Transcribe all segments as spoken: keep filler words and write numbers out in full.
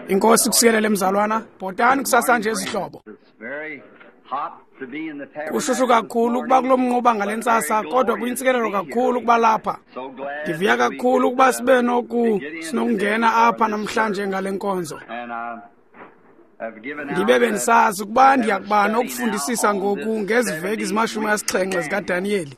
Inkosi kusikelele mzalwana, bhotani kusasa nje izihlobo. Kushushu kakhulu ukuba kulo mnquba ngale ntsasa, kodwa kuyintsikelelo kakhulu ukuba lapha. Ndivuya kakhulu ukuba sibe noku sinokungena apha namhlanje ngale nkonzo. Ndibe bendisazi ukuba ndiyakuba nokufundisisa ngoku ngezi veki zimashumi asixhenxe zikaDaniyeli.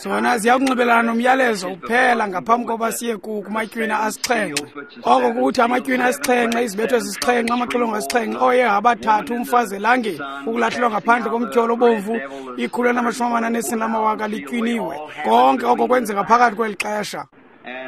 Zona ziyakunxibelelana nomyalezo kuphela ngaphambi koba siye kumatywina asixhenxe. Oko kuthi amatywina asixhenxe, izibetho ezisixhenxe, amaxilongo asixhenxe, ooyeha abathathu, umfazi elangeni, ukulahlelwa ngaphandle komtyholo obomvu, ikhulu elinamashumi amane anesine lamawaka litywiniwe. Konke oko kwenzeka phakathi kweli xesha.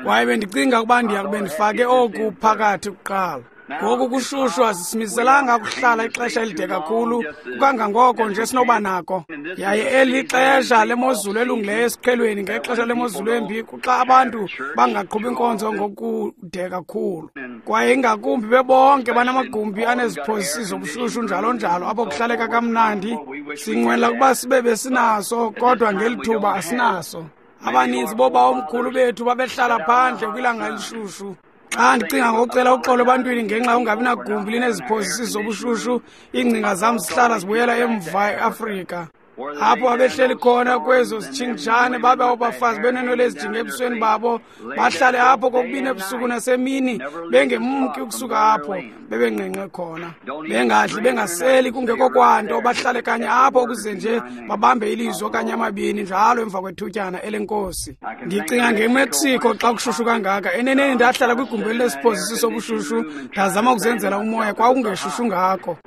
Kwaye bendicinga ukuba ndiyakube ndifake oku phakathi kuqala. Ngoku kushushu asisimiselanga ukuhlala ixesha elide kakhulu, kangangoko nje sinoba nako. Yaye eli xesha lemozulu elungileyo esiqhelweni, ngexesha lemozulu embi kuxa abantu bangaqhubi inkonzo ngokude kakhulu. Kwaye ingakumbi bebonke banamagumbi aneziphozisi zobushushu njalo njalo, apho kuhlaleka kamnandi. Sinqwenela ukuba sibe besinaso, kodwa ngeli thuba asinaso. Abaninzi boobawomkhulu bethu babehlala phandle kwilanga elishushu. Xa ndicinga ngokucela uxolo ebantwini ngenxa yokungabi nagumbi lineziphozisi zobushushu, iingcinga zam zihlala zibuyela emva eAfrika. Apho babehleli khona kwezo zitshingitshane, babe abafazi beneenwele ezijinge ebusweni babo, bahlale apho kokubini ebusuku nasemini, bengemki ukusuka apho bebengqengqe khona, bengadli bengaseli kungekho kwanto, bahlale kanye apho ukuze nje babambe ilizwi okanye amabini njalo emva kwethutyana elenkosi. Ndicinga ngeMexico xa kushushu kangaka. Eneneni ndahlala kwigumbi elilesiphozisi sobushushu, ndazama ukuzenzela umoya, kwakungeshushu ngako.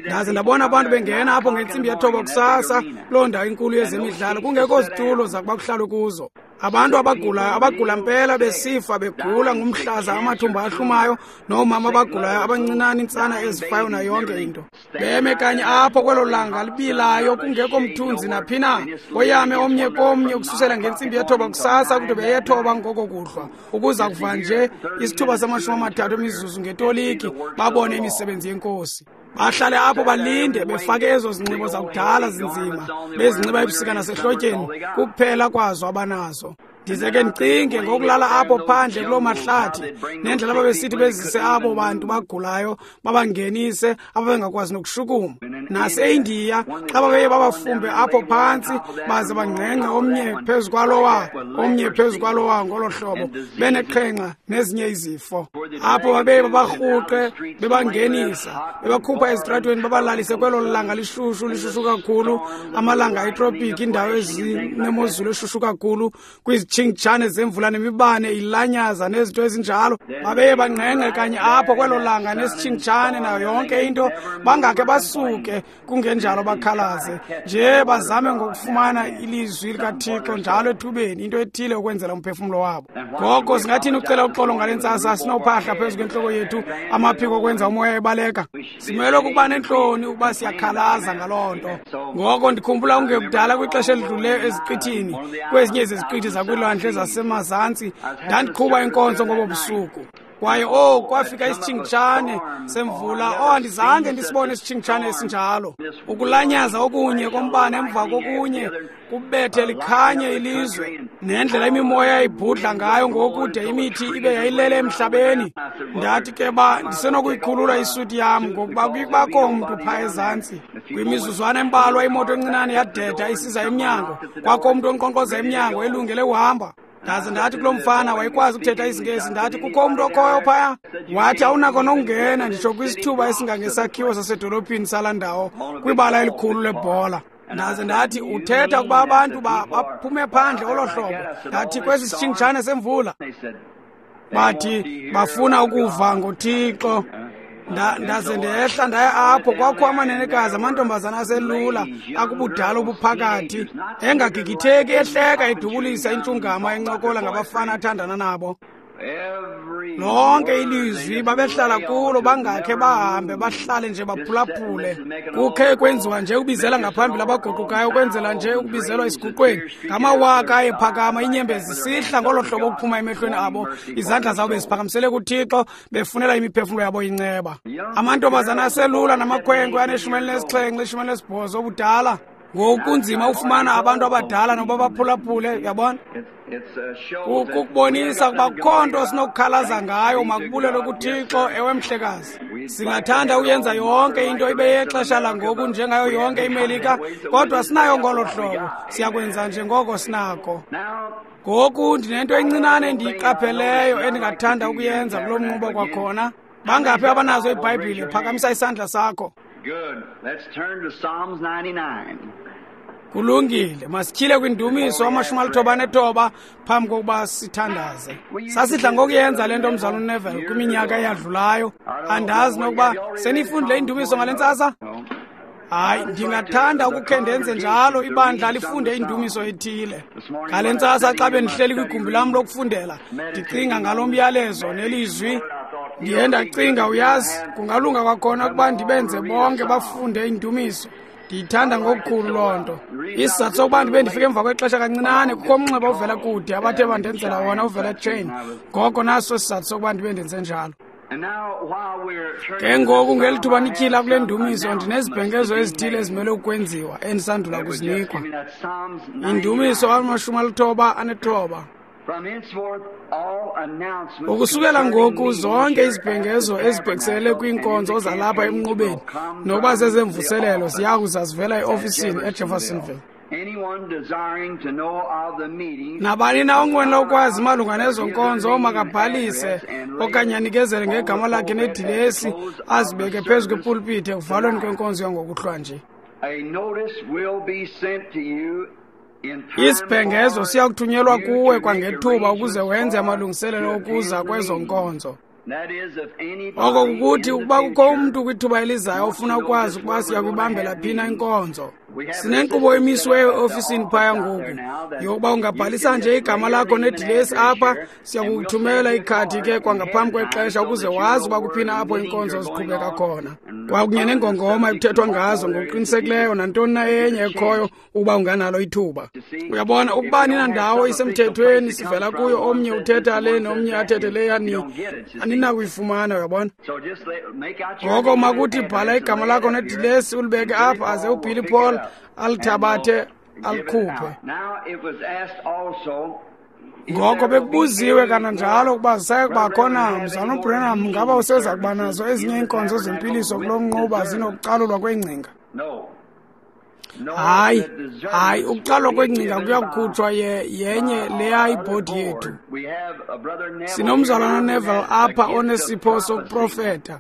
Ndaze ndabona abantu bengena apho ngentsimbi yethoba kusasa, loo ndawo inkulu yezemidlalo, kungekho zitulo zakuba kuhlalwe kuzo. Abantu abagulayo, abagula mpela besifa, begula ngumhlaza, amathumba ahlumayo, noomama abagulayo abancinane, intsana ezifayo nayo yonke into. Beme kanye apho kwelo langa libilayo, kungekho mthunzi naphi na, boyame omnye komnye ukususela ngentsimbi yethoba kusasa kude beyethoba ngoko kuhlwa, ukuza kuva nje isithuba samashumi amathathu emizuzu ngetoliki, babone imisebenzi yenkosi. Bahlale apho balinde, befake ezo zinxibo zakudala zinzima, bezinxiba ebusika nasehlotyeni, kuphela kwazo abanazo. Ndize ke ndicinge ngokulala apho phandle kuloo mahlathi, nendlela ababesithi bezise abo bantu bagulayo, babangenise ababengakwazi nokushukuma. NaseIndiya, xa babeye babafumbe apho phantsi, baze bangqengqe omnye phezu kwalowa, omnye phezu kwalowa ngolo hlobo, beneqhenqa nezinye izifo. Apho babeye babarhuqe, bebangenisa, bebakhupha ezitratweni, babalalise kwelo langa lishushu, lishushu kakhulu, amalanga etropiki, indawo ezinemozulu eshushu kakhulu, kwizitshingitshane zemvula nemibane ilanyaza nezinto ezinjalo. Babeye bangqengqe kanye apho kwelo langa nesitshingitshane nayo yonke into, bangakhe basuke, kungenjalo bakhalaze nje, bazame ngokufumana ilizwi likaThixo njalo ethubeni, into ethile ukwenzela umphefumlo wabo. Ngoko singathini ucela uxolo ngale ntsasa sinophahla phezu kwentloko yethu, amaphiko okwenza umoya ebaleka? Simelwe ukuba nentloni ukuba siyakhalaza ngaloo nto. Ngoko ndikhumbula ungekudala kwixesha elidluleyo eziqithini, kwezinye zeziqithi zakwilwandle zasemazantsi, ndandiqhuba inkonzo ngobo busuku. Kwaye oh, kwafika isitshingitshane semvula. Oh, andizange ndisibone isitshingitshane esinjalo. Ukulanyaza okunye kombane emva kokunye kubethe likhanye ilizwe, nendlela imimoya ibhudla ngayo ngokude imithi ibe yayilele emhlabeni. Ndathi ke ba ndisenokuyikhulula isuti yam, ngokuba kuyibakho mntu phaa ezantsi. Kwimizuzwana embalwa imoto encinane yadeda isiza emnyango, kwakho umntu onkqonkqoza emnyango elungele uhamba. Ndaze ndathi kulo mfana wayekwazi ukuthetha isiNgesi, ndathi kukho umntu okhoyo phaya. Wathi awunako nokungena nditsho kwisithuba esingangesakhiwo sasedolophini salaa ndawo, kwibala elikhulu lebhola. Ndaze ndathi uthetha ukuba abantu baphume phandle olo hlobo. Ndathi kwesi sitshingitshane semvula. Bathi bafuna ukuva ngoThixo. Ndaze ndehla ndaya apho, kwakho amanenekazi, amantombazana aselula akubudala obuphakathi, engagigitheki, ehleka, edubulisa intshungama, encokola ngabafana athandana nabo. Lonke ilizwi babehlala kulo, bangakhe bahambe, bahlale nje baphulaphule. Kukhe kwenziwa nje ukubizela ngaphambili abaguqukayo, ukwenzela nje ukubizelwa esiguqweni. Ngamawaka ayephakama, inyembezi zisihla ngolo hlobo ukuphuma emehlweni abo, izandla zabo beziphakamisele kuThixo, befunela imiphefumlo yabo inceba. Amantombazana aselula namakhwenkwe aneshumi elinesixhenxe, ishumi elinesibhozo obudala, Ngoku kunzima ufumana abantu abadala noba baphulaphule, uyabona? Kukubonisa ukuba kukho nto sinokukhalaza ngayo, makubulelwe kuThixo, ewe mhlekazi. Singathanda uyenza yonke into ibe yexesha langoku njengayo yonke iMelika, kodwa sinayo ngolo hlobo. Siyakwenza njengoko sinako. Ngoku ndinento encinane endiyiqapheleyo endingathanda ukuyenza kulo mnquba kwakhona. Bangaphi abanazo iBhayibhile? Phakamisa isandla sakho. Good. Let's turn to Psalms ninety-nine. Kulungile, masityhile kwindumiso amashumi alithoba anethoba phambi kokuba sithandaze. Sasidla ngokuyenza le nto mzalwana uNeville kwiminyaka eyadlulayo. Andazi nokuba seniyifundile indumiso ngale ntsasa? Hayi, ndingathanda ukukhe ndenze njalo, ibandla lifunde indumiso ethile. Ngale ntsasa xa bendihleli kwigumbi lam lokufundela, ndicinga ngalo myalezo nelizwi, ndiye ndacinga, uyazi, kungalunga kwakhona ukuba ndibenze bonke bafunde indumiso. Ndiyithanda ngokukhulu loo nto. Isizathu sokuba ndibe ndifike emva kwexesha kancinane, kukho umnxeba ovela kude abathe bandenzela wona uvela eTrain. Ngoko naso isizathu sokuba ndibe ndenze njalo. Ke ngoku ngeli thuba nityhila kule ndumiso, ndinezibhengezo ezithile ezimele ukwenziwa endisandula kuzinikwa. Indumiso amashumi alithoba anethoba. Ukusukela ngoku zonke izibhengezo ezibhekiselele kwiinkonzo zalapha emnqubeni nokuba zezemvuselelo ziya kuza zivela eofisini eJeffersonville. Nabani na onqwenela ukwazi malunga nezo nkonzo makabhalise okanye anikezele ngegama lakhe nedilesi azibeke phezu kwepulpiti ekuvalweni kwenkonzo yangokuhlwa nje. Isibhengezo siya kuthunyelwa kuwe kwangethuba ukuze wenze amalungiselelo okuza kwezo nkonzo. Oko kukuthi ukuba kukho umntu kwithuba elizayo ofuna ukwazi ukuba siya kuyibambela phi na inkonzo. Sinenkqubo emisiweyo eofisini phaya ngoku yokuba ungabhalisa nje igama lakho nedilesi apha, siya kukuthumela ikhadi ke kwangaphambi kwexesha ukuze wazi uba kuphi na apho iinkonzo ziqhubeka khona. Kwakunye nengongoma ekuthethwa ngazo ngokuqinisekileyo nantoni na enye ekhoyo ukuba unganalo ithuba. Uyabona, ukuba ninandawo isemthethweni sivela kuyo, omnye uthetha le nomnye athethe leya, aninakuyifumana, uyabona. Ngoko makuthi bhala igama lakho nedilesi ulibeke apha aze uBilly Paul alithabathe alikhuphe. Ngoko bekubuziwe kananjalo ukuba zisaye kubakho na, mzalwana uBranham, ngaba useza kuba nazo ezinye iinkonzo zempiliso kulo mnquba zinokucalulwa kweengcinga? Hayi, hayi, ukucalulwa kweengcinga kuyakukhutshwa yenye leya ibhodi yethu. Sinomzalwana Neville apha onesipho sokuprofeta,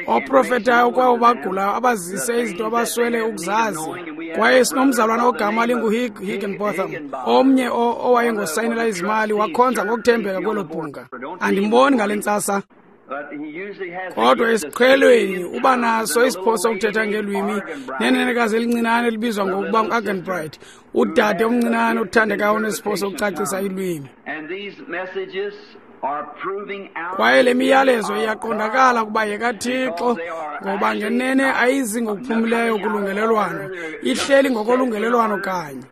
oprofetayo kwabo bagulayo abazise izinto abaswele ukuzazi. Kwaye sinomzalwana ogama linguHigginbotham, omnye owayengosayinela izimali, wakhonza ngokuthembeka kwelo bhunga. Andimboni ngale ntsasa, kodwa esiqhelweni uba naso isipho sokuthetha ngelwimi nenenekazi elincinane elibizwa ngokuba ngu-Arganbright, udade omncinane othandekayo onesipho sokucacisa ilwimi. Kwaye le miyalezo iyaqondakala ukuba yekaThixo, ngoba ngenene ayizi ngokuphumileyo kulungelelwano, ihleli ngokolungelelwano kanye.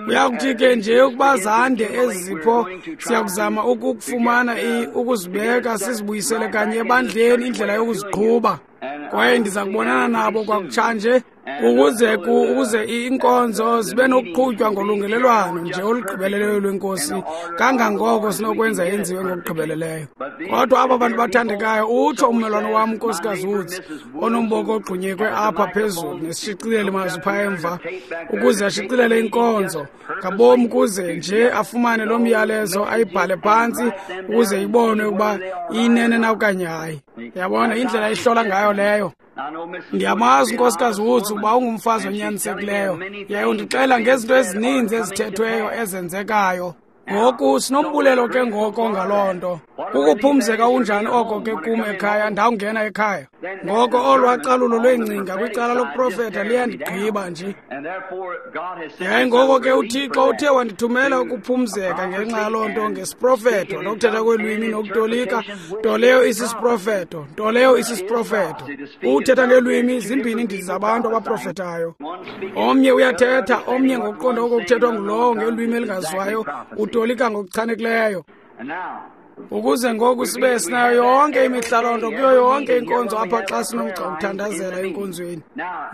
Kuyakuthi ke nje ukuba zande ezi zipho, siyakuzama ukufumana ukuzibeka sizibuyisele kanye ebandleni indlela yokuziqhuba. Kwaye ndiza kubonana nabo kwakutshanje ukuze ukuze iinkonzo zibe nokuqhutywa ngolungelelwano nje olugqibeleleyo lweNkosi kangangoko sinokwenza yenziwe ngokugqibeleleyo. Kodwa aba bantu bathandekayo, utsho ummelwane wam uNkosikazi Woods, onomboko ogxunyekwe apha phezulu nesishicileli mazwi phaa emva, ukuze ashicilele inkonzo ngabom kuze nje afumane lo myalezo ayibhale phantsi ukuze ibonwe ukuba iyinene na okanye hayi. Yabona indlela ihlola ngayo leyo. Ndiyamazi uNkosikazi Woods ukuba ungumfazi onyanisekileyo, yaye undixela ngezinto ezininzi ezithethweyo ezenzekayo. Ngoku sinombulelo ke ngoko ngaloo nto. Kukuphumzeka unjani oko ke kum ekhaya, ndawungena ekhaya. Ngoko olwacalulo lweengcinga kwicala lokuprofeta liyandigqiba nje. Yaye ngoko ke uThixo uthe wandithumela ukuphumzeka ngenxa yaloo nto ngesiprofeto nokuthetha kwelwimi nokutolika, nto leyo isisiprofeto, nto leyo isisiprofeto. Ukuthetha ngeelwimi zimbini iindidi zabantu abaprofetayo. Omnye uyathetha, omnye ngokuqonda oko kuthethwa ngulowo ngelwimi elingaziwayo utolika ngokuchanekileyo. Ukuze ngoku sibe sinayo yonke imihla loo nto kuyo yonke inkonzo apha xa sinomgca wokuthandazela enkonzweni.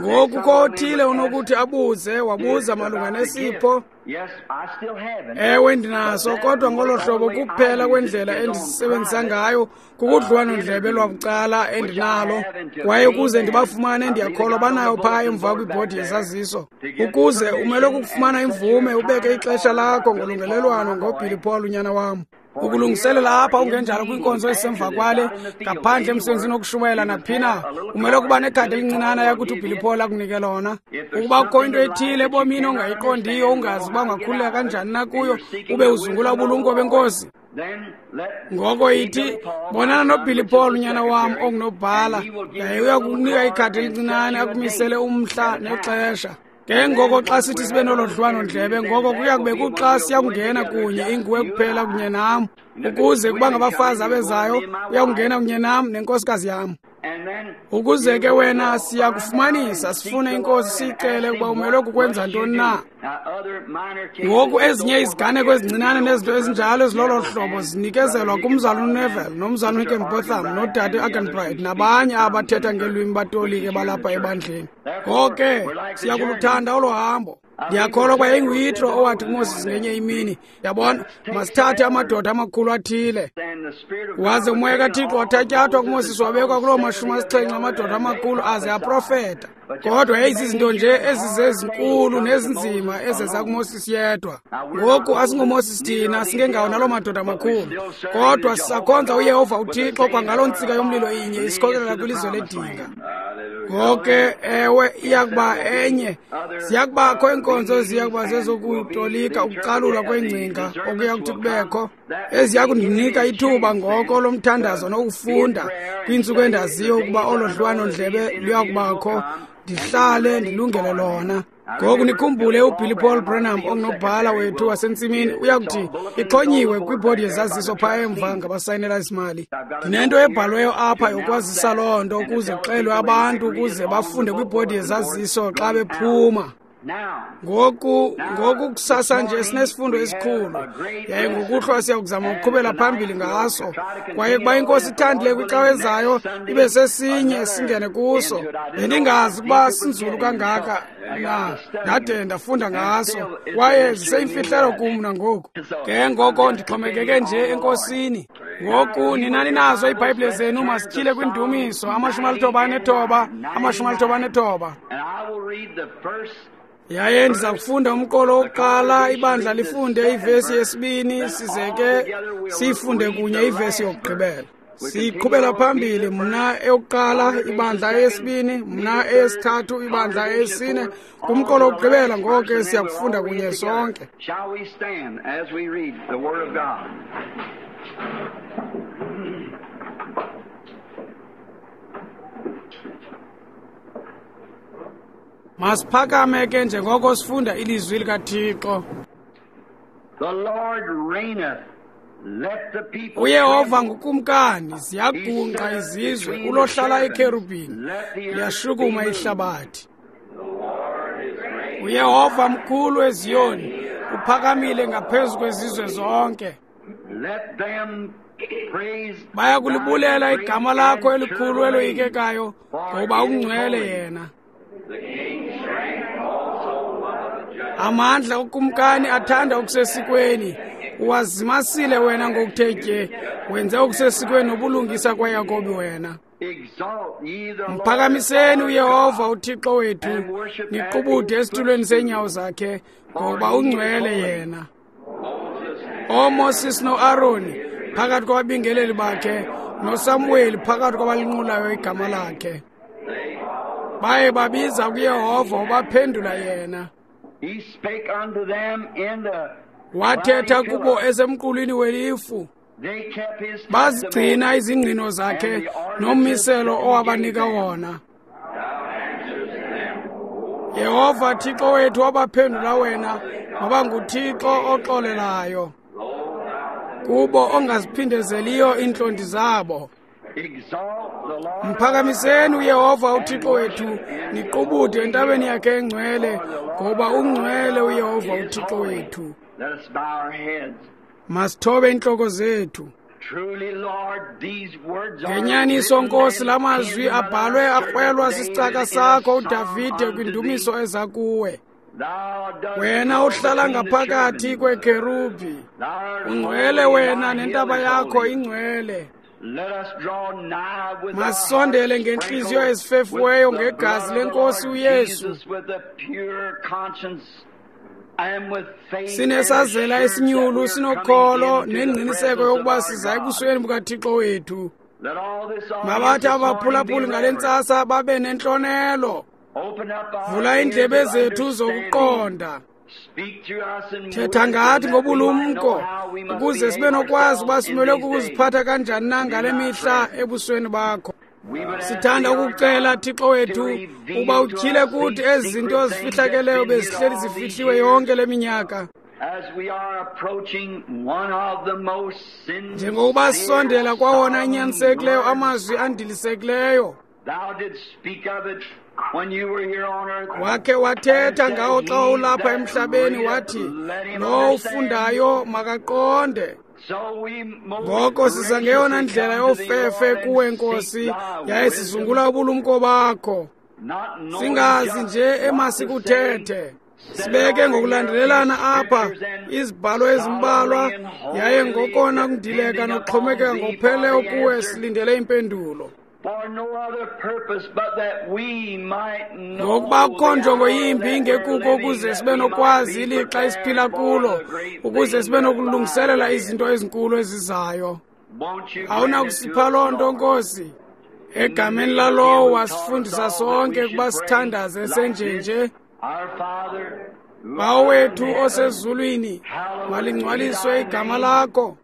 Ngoku kukho othile unokuthi abuze, wabuza malunga nesipho. Ewe, ndinaso, kodwa ngolo hlobo kuphela kwendlela endisisebenzisa ngayo kukudliwano-ndlebe lwabucala endinalo, kwaye ukuze ndibafumane ndiyakholwa banayo phaa emva kwibhodi yesaziso. Ukuze umele kukufumana imvume ubeke ixesha lakho ngolungelelwano ngoBilly Paul unyana wam. Ukulungiselela apha ungenjalo kwinkonzo esemva kwale ngaphandle emsebenzini wokushumayela naphina, umele ukuba nekhadi elincinane yakuthi uBilly Paul akunike lona. Ukuba kukho into ethile ebomini ongayiqondiyo, ungazi uba ungakhululeka kanjani na kuyo, ube uzungula ubulumko benkosi, ngoko ithi bonana noBilly Paul unyana wam ongunobhala, yaye uya kukunika ikhadi elincinane akumisele umhla nexesha. Ke ngoko xa sithi sibe nolo dliwano-ndlebe, ngoko kuya kube kuxa siyakungena kunye, inguwe kuphela kunye nam, ukuze kuba ngabafazi abezayo uyakungena kunye nam nenkosikazi yam. Ukuze ke wena siyakufumanisa, sifune inkosi siyicele ukuba umelwe kukwenza ntoni na. Ngoku ezinye iziganeko ezincinane nezinto ezinjalo ezilolo hlobo zinikezelwa kumzalwana uNeville nomzalwana uHickenbotham nodade Arganbright nabanye abathetha ngeelwimi batolike balapha ebandleni. Ngoko ke siyakuluthanda olo hambo. Ndiyakholwa ukuba yayinguYitro owathi kuMoses ngenye imini, yabona, masithathe amadoda amakhulu athile. Waze umoya kaThixo wathatyathwa kuMoses wabekwa kuloo mashumi asixhenxe amadoda amakhulu aze aprofeta. Kodwa yayizizinto nje ezizezinkulu nezinzima ezeza kuMoses yedwa. Ngoku asinguMoses thina, singengawo naloo madoda amakhulu, kodwa sisakhonza uYehova uThixo kwangaloo ntsika yomlilo inye isikhokelela kwilizwe ledinga. Ngoke ewe, iyakuba enye, ziyakubakho iinkonzo eziya kuba zezokutolika ukucalulwa kweengcinga okuya kuthi kubekho, eziya kundinika ithuba ngoko lomthandazo nokufunda kwiintsuku endaziyo ukuba olo dliwano-ndlebe luya kubakho, ndihlale ndilungele lona. Ngoku nikhumbule uBilly Paul Branham ongunobhala wethu wasentsimini uyakuthi ixhonyiwe kwibhodi yezaziso phaa emva ngabasayinela isimali. Ndinento ebhalweyo apha yokwazisa loo nto ukuze kuxelwe abantu ukuze bafunde kwibhodi yezaziso xa bephuma. Ngoku ngoku kusasa nje sinesifundo esikhulu, yaye ngokuhlwa siya kuzama ukuqhubela phambili ngaso, kwaye kuba inkosi ithandile kwicawa ezayo ibe sesinye singene kuso. Bendingazi ukuba sinzulu kangaka na, ndade ndafunda ngaso, kwaye ziseyimfihlelo kum nangoku. Ke ngoko ndixhomekeke nje enkosini. Ngoku ninani nazo iibhayibhile zenu, masityhile kwindumiso amashumi alithoba anethoba, amashumi alithoba anethoba. Yaye ndiza kufunda umqolo wokuqala, ibandla lifunde ivesi yesibini, size ke siyifunde kunye ivesi yokugqibela. Siqhubela phambili, mna eyokuqala, ibandla eyesibini, mna eyesithathu, ibandla eyesine, kumqolo wokugqibela. Ngoko ke siyakufunda kunye sonke. Shall we stand as we read the Word of God? Masiphakame ke njengoko sifunda ilizwi likaThixo. The Lord reigneth. Let the people uYehova ngukumkani, ziyagungqa izizwe, ulohlala ekerubhini, liyashukuma ihlabathi. uYehova mkhulu eZiyoni, uphakamile ngaphezu kwezizwe zonke. Let them praise Baya kulibulela igama lakho elikhulu eloyikekayo, ngoba ungcwele yena. Amandla okumkani athanda okusesikweni, uwazimasile wena ngokuthe tye, wenze okusesikweni nobulungisa kwaYakobi wena. Exalt ye the Lord. Mphakamiseni uYehova uThixo wethu, niqubude esitulweni seenyawo zakhe, ngoba ungcwele yena. OoMoses noAroni phakathi kwababingeleli bakhe, noSamuweli phakathi kwabalinqulayo igama lakhe. Baye babiza kuYehova, wabaphendula yena. He spake unto them in the Wathetha kubo esemqulwini welifu. They kept his Bazigcina izingqino zakhe nommiselo owabanika wona. Yehova Thixo wethu wabaphendula wena, waba nguThixo oxolelayo kubo ongaziphindezeliyo iintlondi zabo. Exalt the Lord. Mphakamiseni uYehova uThixo wethu, niqubude entabeni yakhe engcwele, ngoba ungcwele uYehova uThixo wethu. Let us bow our heads. Masithobe iintloko zethu. Ngenyaniso Nkosi, la mazwi abhalwe akrwelwa sisicaka sakho uDavide kwindumiso eza kuwe. Wena uhlala ngaphakathi kwekherubhi, ungcwele wena nentaba yakho ingcwele. Masisondele ngentliziyo ezifefiweyo ngegazi lenkosi uYesu, sinesazela esinyulu, sinokholo nengqiniseko yokuba siza ebusweni bukaThixo wethu. Mabathi abaphulaphuli ngale ntsasa babe nentlonelo. Vula iindlebe zethu zokuqonda. Thetha ngathi ngobulumko, ukuze sibe nokwazi uba simelwe kukuziphatha kanjani na ngale mihla ebusweni bakho. Sithanda ukukucela, Thixo wethu, uba utyhile kuthi ezi zinto zifihlakeleyo bezihleli zifihliwe yonke le minyaka. Njengokuba sisondela kwawona anyanisekileyo amazwi andilisekileyo, wakhe wathetha ngawo xa ulapha emhlabeni, wathi, lowo ufundayo makaqonde. Ngoko siza ngeyona ndlela yofefe kuwe, Nkosi, yaye sizungula ubulumko bakho. Singazi nje emasikuthethe. Sibeke ngokulandelelana apha izibhalo ezimbalwa, yaye ngokona kundileka nokuxhomekeka ngokupheleleyo kuwe silindele impendulo. Ngokuba kukho njongo yimbi ingekuko ukuze sibe nokwazi ilixa esiphila kulo, ukuze sibe nokulungiselela izinto ezinkulu ezizayo. Awunakusipha loo nto, Nkosi? Egameni lalowo wasifundisa sonke ukuba sithandaze senjenje: Bawo wethu osezulwini, malingcwaliswe igama lakho,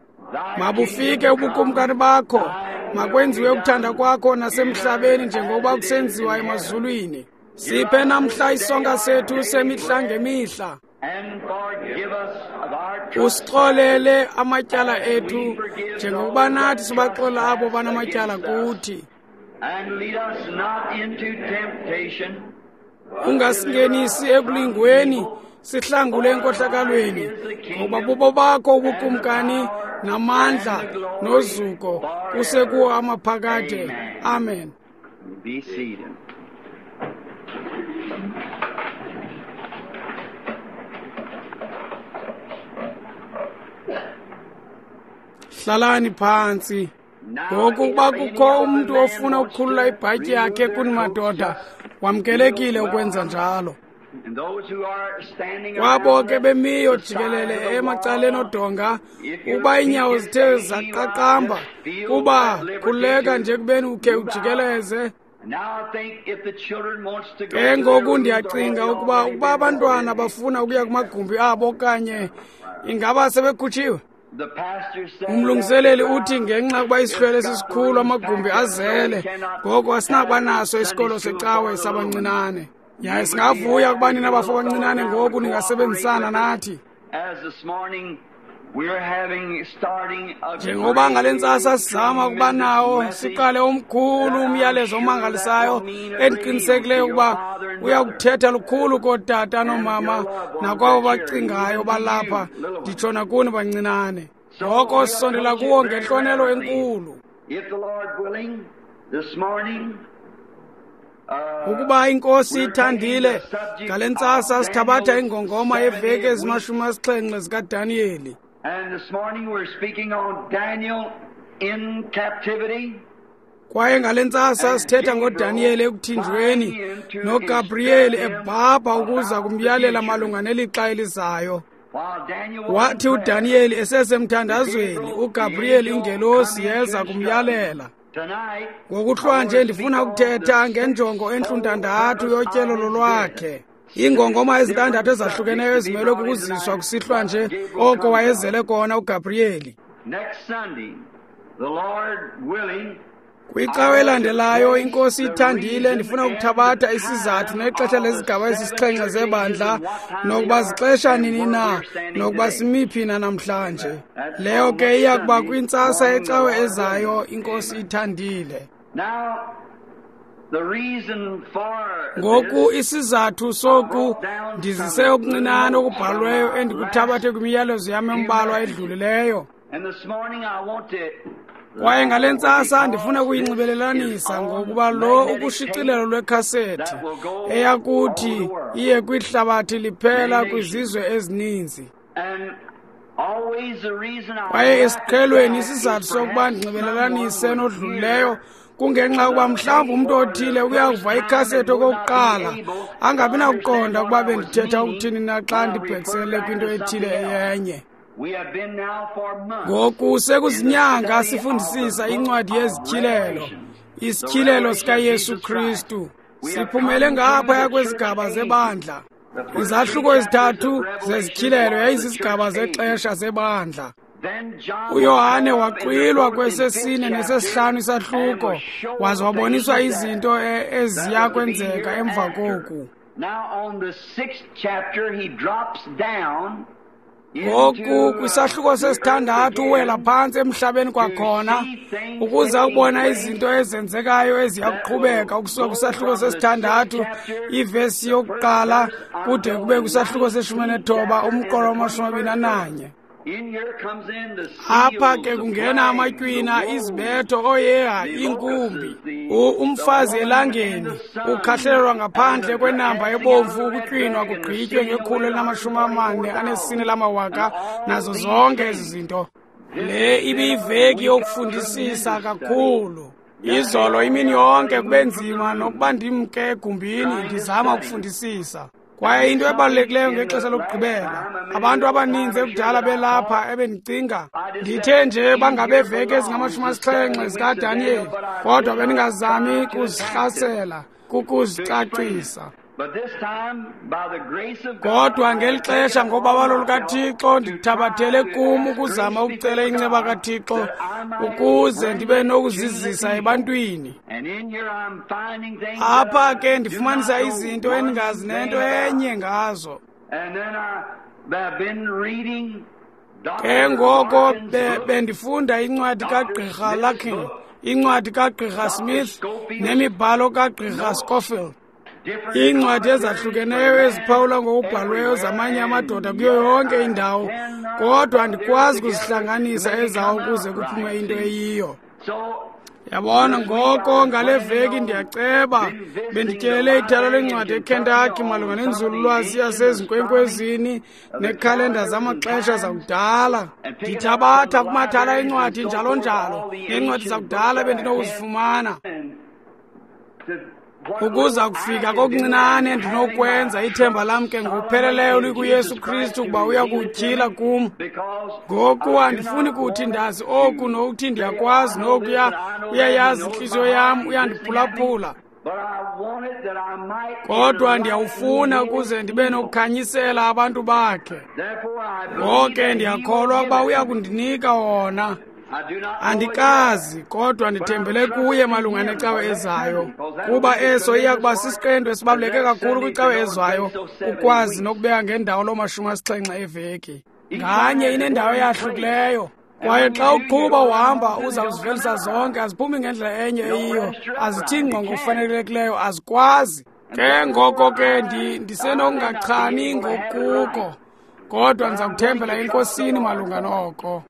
mabufike ubukumkani bakho, makwenziwe ukuthanda kwakho nasemhlabeni njengokuba kusenziwa emazulwini. Siphe namhla isonka sethu semihla ngemihla. Usixolele amatyala ethu njengokuba nathi sibaxola abo banamatyala kuthi. Ungasingenisi ekulingweni, sihlangule enkohlakalweni, ngoba bubo bakho ubukumkani namandla nozuko kusekuwo amaphakade. Amen. Be seated. Hlalani phantsi. Ngoku ukuba kukho umntu ofuna ukukhulula ibhatyi yakhe kuni madoda, wamkelekile ukwenza njalo. Kwabo ke bemiyo jikelele emacaleni odonga, ukuba iinyawo zithe zaqaqamba, kuba khululeka nje kubeni ukhe ujikeleze. Ke ngoku ndiyacinga ukuba ukuba abantwana bafuna ukuya kumagumbi abo okanye ingaba sebekhutshiwe. Umlungiseleli uthi ngenxa yokuba isihlwele sisikhulu amagumbi azele, ngoko asinakuba naso isikolo secawe sabancinane. Yaye singavuya ukuba nina bafo abancinane ngoku ningasebenzisana nathi. Njengoba ngale ntsasa sizama ukuba nawo, siqale omkhulu umyalezo omangalisayo endiqinisekileyo ukuba uya kuthetha lukhulu kootata noomama nakwabo bacingayo balapha, nditsho nakuni bancinane. Ngoko sisondela kuwo ngentlonelo enkulu. Ukuba iNkosi ithandile, ngale ntsasa sithabatha ingongoma yeveki ezimashumi asixhenxe zikaDaniyeli. And this morning we're speaking on Daniel in captivity. Kwaye ngale ntsasa sithetha ngoDaniyeli ekuthinjweni noGabriyeli ebhabha ukuza kumyalela malunga nelixa elizayo. Wathi uDaniyeli esesemthandazweni, uGabriyeli ingelosi yeza kumyalela. Ngokuhlwa nje ndifuna ukuthetha ngenjongo entluntandathu yotyelelo lwakhe. Iingongoma ezintandathu ezahlukeneyo ezimelwe kukuziswa kusihlwa nje oko wayezele kona uGabriyeli. Kwicawe elandelayo, iNkosi ithandile, ndifuna ukuthabatha isizathu nexesha lezigaba ezisixhenxe zebandla, nokuba zixesha nini na, nokuba simiphi na namhlanje. Leyo ke iya kuba kwintsasa yecawe ezayo, iNkosi ithandile. Ngoku isizathu soku ndizise okuncinane okubhalweyo endikuthabathe kwimiyalezo yam embalwa edlulileyo. Kwaye ngale ntsasa ndifuna ukuyinxibelelanisa ngokuba lo ukushicilelo lwekhasethi eyakuthi iye kwihlabathi liphela kwizizwe ezininzi. Kwaye esiqhelweni isizathu sokuba ndinxibelelanise nodlulileyo kungenxa yokuba mhlawumbi umntu othile uyakuva ikhasethi okokuqala angabi nakuqonda ukuba bendithetha ukuthini na xa ndibhekisele kwinto ethile eyenye. Ngoku sekuzinyanga sifundisisa incwadi yezityhilelo, isityhilelo sikaYesu Kristu. Siphumele ngaphaya kwezigaba zebandla. Izahluko ezithathu zezityhilelo yayizizigaba zexesha zebandla. UYohane waxwilwa kwesesine nesesihlanu isahluko, waze waboniswa izinto eziya kwenzeka emva koku. Ngoku kwisahluko sesithandathu uwela phantsi emhlabeni kwakhona ukuze ubona izinto ezenzekayo eziya kuqhubeka ukusuka kwisahluko sesithandathu ivesi yokuqala kude kube kwisahluko seshumi nethoba umqolo wamashumi abini ananye. Apha ke kungena amatywina, izibetho, oyeha, iinkumbi, umfazi elangeni ukhahlelwa ngaphandle kwenamba ebomvu, ukutywinwa kugqitywe ngekhulu elinamashumi amane anesine lamawaka nazo zonke ezi zinto. Le ibiyiveki yokufundisisa kakhulu. Izolo imini yonke kube nzima nokuba ndimke egumbini ndizama ukufundisisa. Kwaye into ebalulekileyo ngexesha lokugqibela, abantu abaninzi ekudala belapha ebendicinga ndithe nje bangabeveki ezingamashumi asixhenxe zikaDaniyeli, kodwa bendingazami kuzihlasela, kukuzicacisa. Kodwa ngeli xesha ngobabalo lukaThixo ndithabathele kum ukuzama ukucela inceba kaThixo ukuze ndibe nokuzizisa ebantwini. Apha ke ndifumanisa izinto endingazi nento enye ngazo. Ke ngoko bendifunda incwadi kaGqirha Larkin, incwadi kaGqirha Smith nemibhalo kaGqirha Scofield. Iincwadi ezahlukeneyo eziphawula ngokubhalweyo zamanye amadoda kuyo yonke indawo, kodwa andikwazi kuzihlanganisa ezawo ukuze kuphume into eyiyo. Yabona, ngoko ngale veki ndiyaceba bendityelele ithala lencwadi eKentucky malunga nenzululwazi yasezinkwenkwezini nekhalenda zamaxesha zakudala. Ndithabatha kumathala encwadi njalo njalo, neencwadi zakudala bendinokuzifumana. Ukuza kufika kokuncinane ndinokwenza, ithemba lam ke ngokupheleleyo likuYesu Kristu ukuba uya kutyhila kum. Ngoku andifuni kuthi ndazi oku nokuthi ndiyakwazi nokuya, uyayazi intliziyo yam, uyandiphulaphula. Kodwa ndiyawufuna ukuze ndibe nokukhanyisela abantu bakhe. Ngoke ndiyakholwa ukuba uya kundinika wona. Andikazi, kodwa ndithembele kuye malunga necawe ezayo, kuba eso iya kuba sisiqendu esibaluleke kakhulu kwicawe ezayo, ukwazi nokubeka ngendawo loo mashumi asixhenxe eveki. Nganye inendawo eyahlukileyo, kwaye xa uqhuba uhamba uza kuzivelisa zonke, aziphumi ngendlela enye eyiyo, azithi ngqo ngokufanelekileyo, azikwazi. Ke ngoko ke ndisenokungachani ngokuko, kodwa ndiza kuthembela eNkosini malunga noko.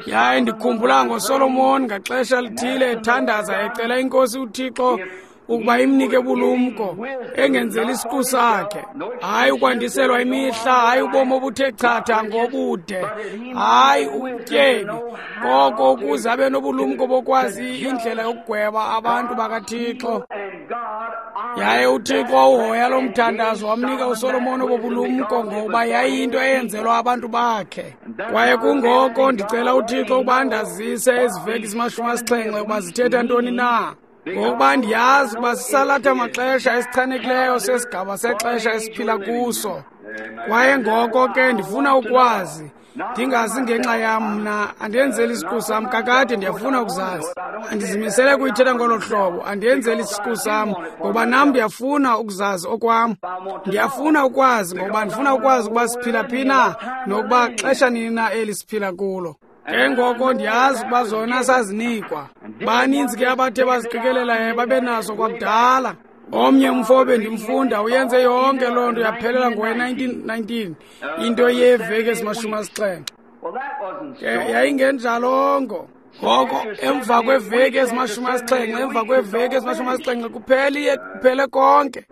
Yaye ndikhumbula ngoSolomon ngaxesha lithile ethandaza ecela iNkosi uThixo ukuba imnike bulumko, engenzeli isiqu sakhe, hayi ukwandiselwa imihla, hayi ubomi obuthe chatha ngobude, hayi ubutyebi, koko ukuze abe nobulumko bokwazi indlela yokugweba abantu bakaThixo. Yaye uThixo wawuhoya lo mthandazo, wamnika uSolomon obobulumko ngoba yayiyinto eyenzelwa abantu bakhe. Kwaye kungoko ndicela uThixo ukuba andazise ezi veki zimashumi asixhenxe ukuba zithetha ntoni na, ngokuba ndiyazi ukuba sisalatha maxesha esichanekileyo sesigaba sexesha esiphila kuso. Kwaye ngoko ke ndifuna ukwazi, ndingazi ngenxa yam mna, andenzeli isiqu sam, kakade ndiyafuna ukuzazi. Andizimisele kuyithetha ngolo hlobo, andenzeli isiqu sam, ngoba nam ndiyafuna ukuzazi okwam. Ndiyafuna ukwazi, ngoba ndifuna ukwazi ukuba siphila phi na, nokuba xesha nini na eli siphila kulo. Ke ngoko ndiyazi ukuba zona sazinikwa. Baninzi ke abathe baziqikelela babe nazo kwakudala. Omnye umfo bendimfunda uyenze yonke loo nto yaphelela ngowe nineteen nineteen, into yeeveki ezimashumi asixhenxe. Ke yayingenjalongo. Ngoko emva kweveki ezimashumi asixhenxe, emva kweveki ezimashumi asixhenxe kuphele kuphele konke.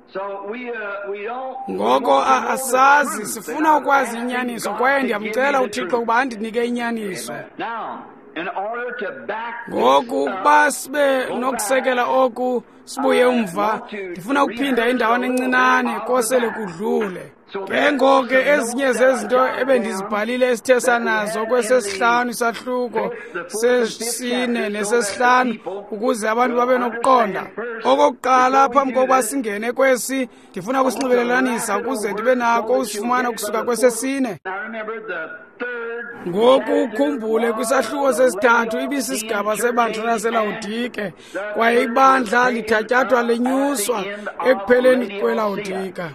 Ngoko asazi, sifuna ukwazi inyaniso, kwaye ndiyamcela uThixo ukuba andinike inyaniso. Ngoku ukuba sibe nokusekela oku sibuye umva, ndifuna ukuphinda indawana encinane kosele kudlule. Ke ngoku ezinye zezinto ebendizibhalile esithe sanazo kwesesihlanu isahluko sesine nesesihlanu ukuze abantu babe nokuqonda. Okokuqala, phambi kokuba singene kwesi, ndifuna ukusinxibelelanisa ukuze ndibe nako usifumana ukusuka kwesesine. Ngoku ukhumbule kwisahluko sesithathu ibisisigaba sebandla laseLawodike, kwaye ibandla lithatyathwa lenyuswa ekupheleni kweLawodika.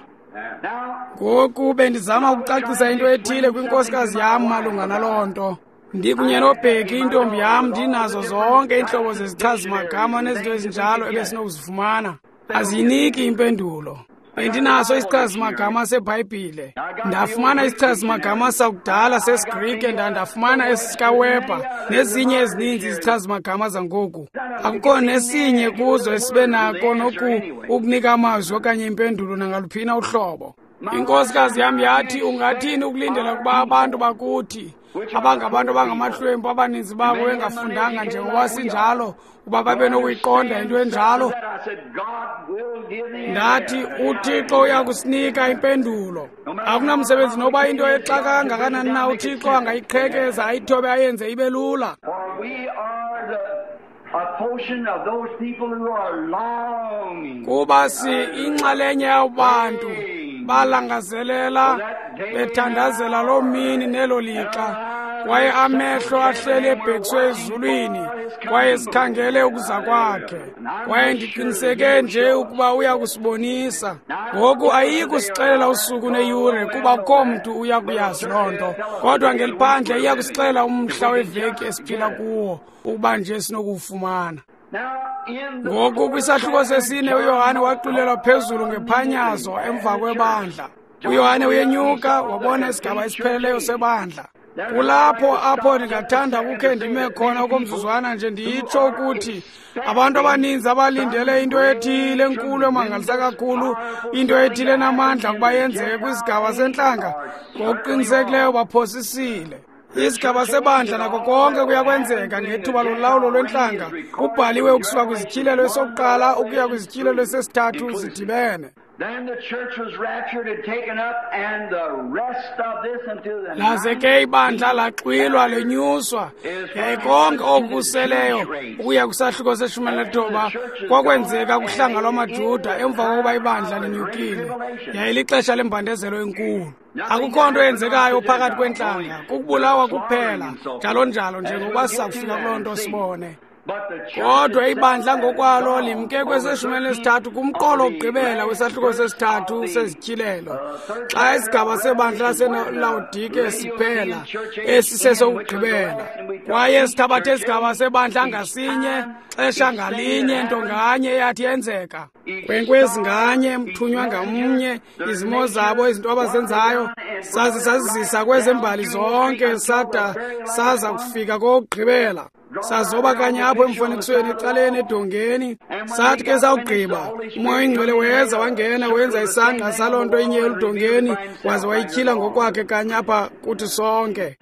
Ngoku bendizama ukucacisa into ethile kwinkosikazi yam malunga naloo nto. Ndikunye noBheki, intombi yam, ndinazo zonke iintlobo zezichazimagama nezinto ezinjalo ebesinokuzifumana. Aziyiniki impendulo. Bendinaso isichazimagama seBhayibhile. Ndafumana isichazimagama sakudala sesiGrike, ndafumana esikaWebber nezinye ezininzi izichazimagama zangoku. Akukho nesinye kuzo esibe nako noku ukunika amazwi okanye impendulo nangaluphina uhlobo. Inkosikazi yam yathi, ungathini ukulindela ukuba abantu bakuthi, abangabantu abangamahlwempu abaninzi babo bengafundanga njengoba sinjalo, uba babe nokuyiqonda into enjalo? Ndathi, uThixo uyakusinika impendulo. Akunamsebenzi noba into exaka kangakanani na, uThixo angayiqhekeza ayithobe ayenze ibe lula. Kuba si inxalenye yabantu balangazelela bethandazela loo mini nelo lixa, kwaye amehlo ahleli ebhekiswe ezulwini, kwaye sikhangele ukuza kwakhe. Kwaye ndiqiniseke nje ukuba uya kusibonisa. Ngoku ayiyi kusixelela usuku neyure, kuba akukho mntu uya kuyazi loo nto, kodwa ngeliphandle iya kusixelela umhla weveki esiphila kuwo, ukuba nje sinokuwufumana. Ngoku kwisahluko sesine uYohane waxwilelwa phezulu ngephanyazo emva kwebandla. uYohane uyenyuka wabona isigaba esipheleleyo sebandla. Kulapho apho ndingathanda ukukhe ndime khona okomzuzwana nje nditsho ukuthi abantu abaninzi abalindele into ethile enkulu emangalisa kakhulu, into ethile enamandla ukuba yenzeke kwisigaba sentlanga, ngokuqinisekileyo baphosisile. Isigaba sebandla nako konke kuyakwenzeka ngethuba lolawulo lwentlanga kubhaliwe ukusuka kwizityhilelo esokuqala ukuya kwizityhilelo esesithathu zidibene. Laze ke ibandla laxwilwa lenyuswa, yaye konke okuseleyo ukuya kwisahluko seshumi elinethoba kwakwenzeka kuhlanga lwamaJuda emva kokuba ibandla linyukile. Yaye lixesha lembandezelo enkulu. Akukho nto eyenzekayo phakathi kwentlanga, kukubulawa kuphela, njalo njalo njengokuba siza kufika kuloo nto sibone. Kodwa ibandla ngokwalo limke kweseshumi elinesithathu kumqolo wokugqibela wesahluko sesithathu sezityhilelo, xa isigaba sebandla laseLawodike siphela, esi sesokugqibela. Kwaye sithabathe isigaba sebandla ngasinye, xesha ngalinye, nto nganye eyathi yenzeka, nkwenkwezi nganye, mthunywa ngamnye, izimo zabo, izinto abazenzayo, saze sazizisa kwezembali zonke, sada saza kufika kokugqibela. Sazoba kanye apho emfanekisweni ecaleni edongeni. Sathi ke sawugqiba, uMoya oyiNgcwele weza wangena wenza isangqa saloo nto inye eludongeni, waze wayityhila ngokwakhe kanye apha kuthi sonke.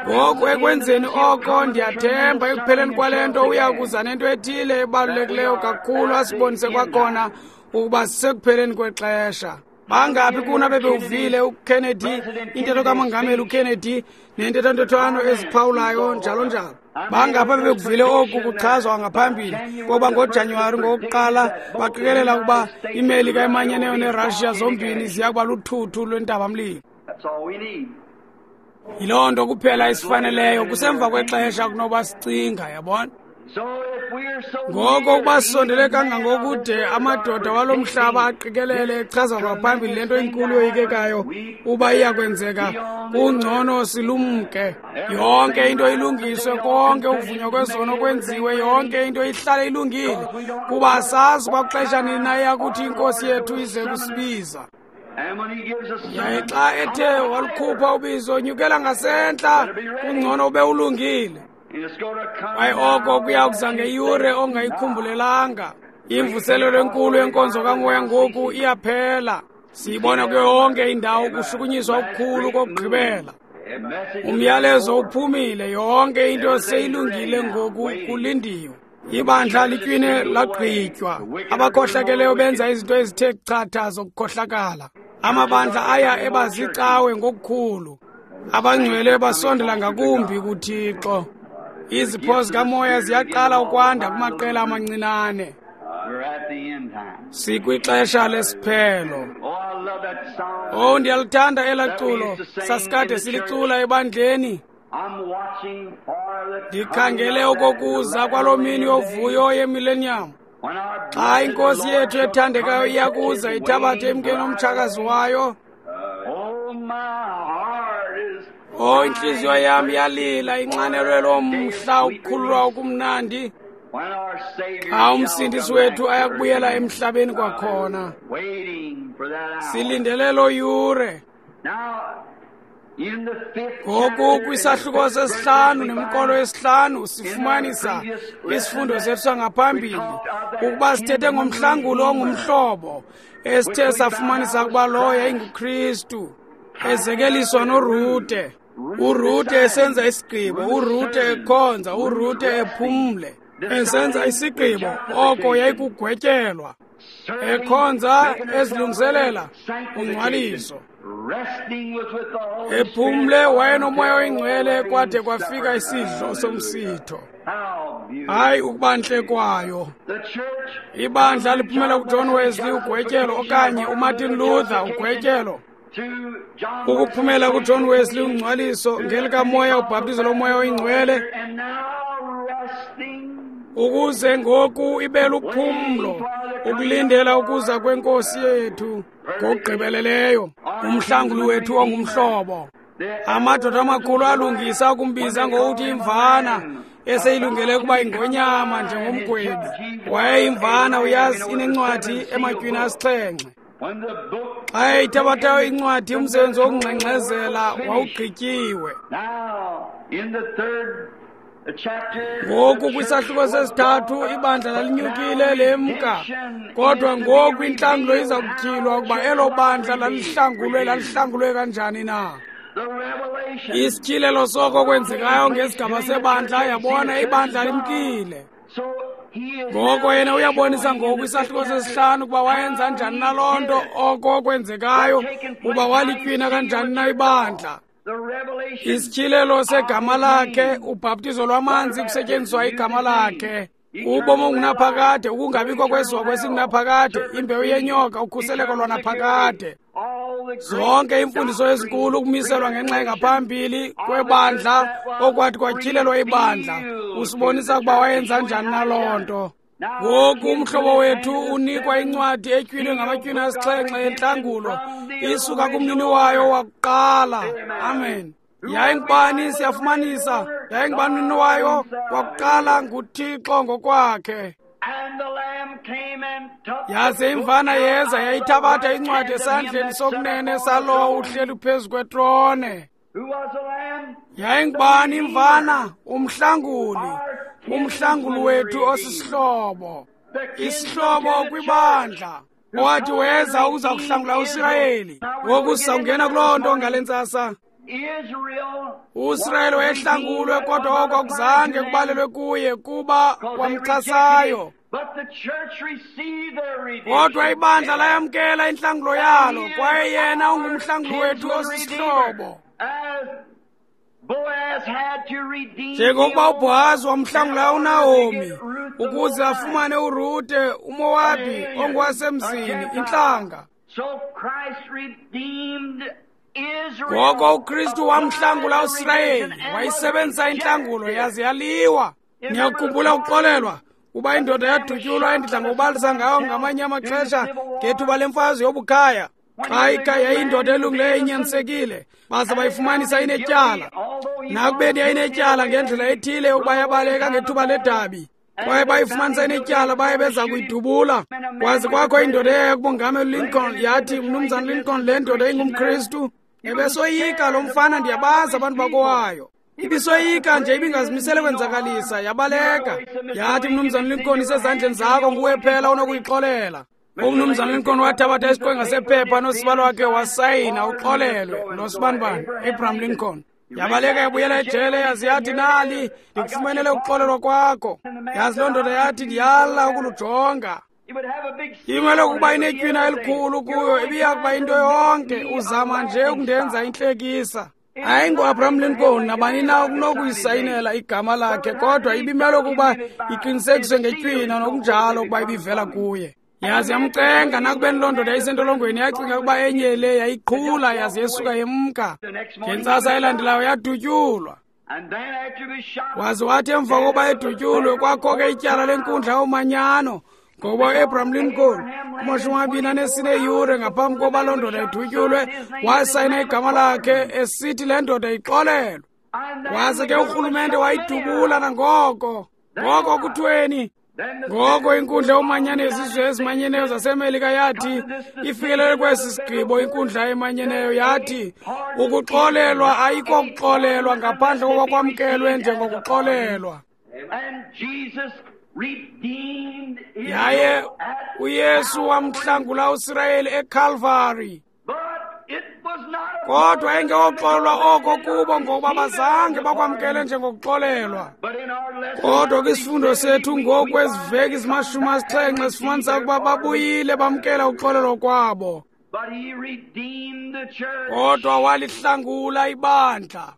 Ngoku ekwenzeni oko, ndiyathemba ekupheleni kwale nto uya kuza nento ethile ebalulekileyo kakhulu asibonise kwakhona ukuba sisekupheleni kwexesha. Bangaphi kuna bebewuvile uKennedy, intetho kamongameli uKennedy nentetho-ntothwano eziphawulayo njalo njalo. Bangaphi bebekuvile oku kuchazwa ngaphambili kokuba ngoJanuwari ngowokuqala baqikelela ukuba iMelika emanyeneyo neRussia zombini ziya kuba luthuthu lwentabamlilo. Yiloo nto kuphela esifaneleyo, kusemva kwexesha kunoba sicinga, yabona. Ngoko ukuba sisondele kangangokude amadoda walo mhlaba aqikelele echaza ngaphambili le nto inkulu yoyikekayo uba iyakwenzeka, kungcono silumke. Yonke into ilungiswe, konke ukuvunywa kwezono kwenziwe, yonke into ihlale ilungile, kuba asazi kwakuxesha nini na iyakuthi iNkosi yethu ize kusibiza. Yaye xa ethe walukhupha ubizo, nyukela ngasentla, kungcono ube ulungile. Kwaye oko kuya kuza ngeyure ongayikhumbulelanga. Imvuselelo enkulu yenkonzo kamoya ngoku iyaphela. Siyibona kuyo yonke indawo kushukunyiswa okukhulu kokugqibela. Umyalezo uphumile, yonke into seyilungile ngoku kulindiwe. Ibandla litywine lagqitywa. Abakhohlakeleyo benza izinto ezithe chatha zokukhohlakala. Amabandla aya ebazicawe ngokukhulu. Abangcwele basondela ngakumbi kuThixo. Izipho zikamoya ziyaqala ukwanda kumaqela amancinane. Sikwixesha lesiphelo. Oh, ndiyalithanda elaa culo sasikade silicula ebandleni. Ndikhangele okokuza kwaloo mini yovuyo yemillennium, xa inkosi yethu ethandekayo iyakuza ithabathe emkeni omtshakazi wayo. Oh, intliziyo yam iyalila inxanelwe loo mhla ukukhululwa okumnandi, xa umsindisi wethu ayakubuyela emhlabeni kwakhona. Silindele loo yure. Ngoku kwisahluko sesihlanu nemikolo yesihlanu sifumanisa isifundo sethu sangaphambili ukuba sithethe ngomhlangulo ongumhlobo esithe safumanisa ukuba lowo yayinguKristu, ezekeliswa noRute. uRute esenza isigqibo, uRute ekhonza, uRute ephumle, esenza isigqibo, oko yayikugwetyelwa. Ekhonza, ezilungiselela ungcwaliso. Ephumle wayenomoya oyingcwele kwade kwafika isidlo somsitho. Hayi ukuba ntle kwayo. Ibandla liphumela kuJohn Wesley ugwetyelo okanye uMartin Luther ugwetyelo. Ukuphumela kuJohn Wesley ungcwaliso ngelikamoya, ubhaptizo lomoya oyingcwele, ukuze ngoku ibe luphumlo ukulindela ukuza kwenkosi yethu ngokugqibeleleyo, umhlanguli wethu ongumhlobo. Amadoda amakhulu alungisa ukumbiza ngokuthi imvana eseyilungele ukuba ingonyama njengomgwebi. Wayeyimvana, uyazi, inencwadi ematywini asixhenxe. Xa eyithabathayo incwadi, umsebenzi wokungxengxezela wawugqityiwe. Ngoku kwisahluko sesithathu ibandla lalinyukile lemka, kodwa ngoku intlangulo iza kutyhilwa ukuba elo bandla lalihlangulwe lalihlangulwe kanjani na. Isityhilelo soko kwenzekayo ngesigaba sebandla, yabona ibandla limkile. Ngoko yena uyabonisa ngoku isahluko sesihlanu ukuba wayenza njani na loo nto, oko kwenzekayo, uba walitywina kanjani na ibandla. Isityhilelo segama lakhe, ubhaptizo lwamanzi kusetyenziswa igama lakhe, ubomi obungunaphakade, ukungabikho kwesihogo esingunaphakade, imbewu yenyoka, ukhuseleko lwanaphakade. Zonke iimfundiso ezinkulu ukumiselwa ngenxa engaphambili kwebandla okwathi kwatyhilelwa ibandla, usibonisa ukuba wayenza njani na loo nto. Ngoku umhlobo wethu unikwa incwadi etywinwe ngamatywina asixhenxe entlangulo, isuka kumnini wayo wakuqala. Amen. Yayingubani? Siyafumanisa yayingubani umnini wayo wakuqala? NguThixo ngokwakhe. Yaze imvana yeza yayithabatha incwadi esandleni sokunene salowo uhleli phezu kwetrone. Yayingubani imvana? Umhlanguli, umhlanguli wethu osisihlobo, isihlobo kwibandla, owathi weza uza kuhlangula uSirayeli. Ngoku sizawungena kuloo nto ngale ntsasa. uSirayeli wayehlangulwe, kodwa oko akuzange kubalelwe kuye kuba wamchasayo. Kodwa ibandla layamkela intlangulo yalo, kwaye yena ungumhlanguli wethu osisihlobo. Njengokuba uBhowazi wamhlangula uNahomi ukuze afumane uRute uMowabi ongowasemzini, intlanga, ngoko uKristu wamhlangula uSirayeli, wayisebenzisa intlangulo yaze yaliwa. Niyakukhumbula ukuxolelwa uba indoda yadutyulwa endidla ngokubalisa ngayo ngamanye amaxesha ngethuba lemfazwe yobukhaya. Xa ikhaya yayindoda elungileyo inyanisekile, baze bayifumanisa inetyala. Nakubeni yayinetyala ngendlela ethile ukuba yabaleka ngethuba ledabi, Kwaye bayifumanisa inetyala, baye beza kuyidubula. Kwaze kwakho indoda eyaya kumongameli Lincoln, yathi, Mnumzana Lincoln, le ndoda ingumKristu. Ebesoyika lo mfana, ndiyabazi abantu bakowayo. Ibisoyika nje, ibingazimisele kwenzakalisa, yabaleka. Yathi, Mnumzana Lincoln, isezandleni zakho, nguwe phela onokuyixolela. Umnumzana Lincoln wathabatha isiqwenga sephepha nosiba lwakhe wasayina uxolelwe nosibanibani, Abraham Lincoln. Yabaleka yabuyela ejele, yazi yathi, nali ndikufumenele ukuxolelwa kwakho. Yazi loo ndoda yathi, ndiyala ukulujonga. Imele ukuba inetywina elikhulu kuyo, ibiya kuba into yonke, uzama nje ukundenza intlekisa. AyinguAbraham Lincoln nabani na okunokuyisayinela igama lakhe, kodwa ibimele ukuba iqinisekiswe ngetywina nokunjalo ukuba ibivela kuye. Yazi yamcenga, nakubeni loo ndoda yayisentolongweni, yacinga ukuba enye le yayiqhula, yazi yesuka yemka. Ngentsasa elandelayo yadutyulwa. Waze wathi emva kokuba edutyulwe, kwakho ke ityala lenkundla yomanyano, ngoba uAbraham Lincoln kumashumi amabini anesine yure ngaphambi kokuba loo ndoda idutyulwe, wasayina igama lakhe esithi le ndoda ixolelwe. Waze ke urhulumente wayidubula nangoko. Ngoko kuthweni? Ngoko inkundla yomanyano yezizwe ezimanyeneyo zaseMelika yathi ifikelele kwesi sigqibo. Inkundla emanyeneyo yathi ukuxolelwa ayikokuxolelwa ngaphandle kokuba kwamkelwe njengokuxolelwa. Yaye uYesu wamhlangula uSirayeli eCalvary. Kodwa engewoxolelwa oko kubo, ngokuba bazange bakwamkele njengokuxolelwa. Kodwa kwisifundo sethu ngoku eziveki zimashumi asixhenxe sifumanisa ukuba babuyile bamkela uxolelwa kwabo. Kodwa walihlangula ibandla.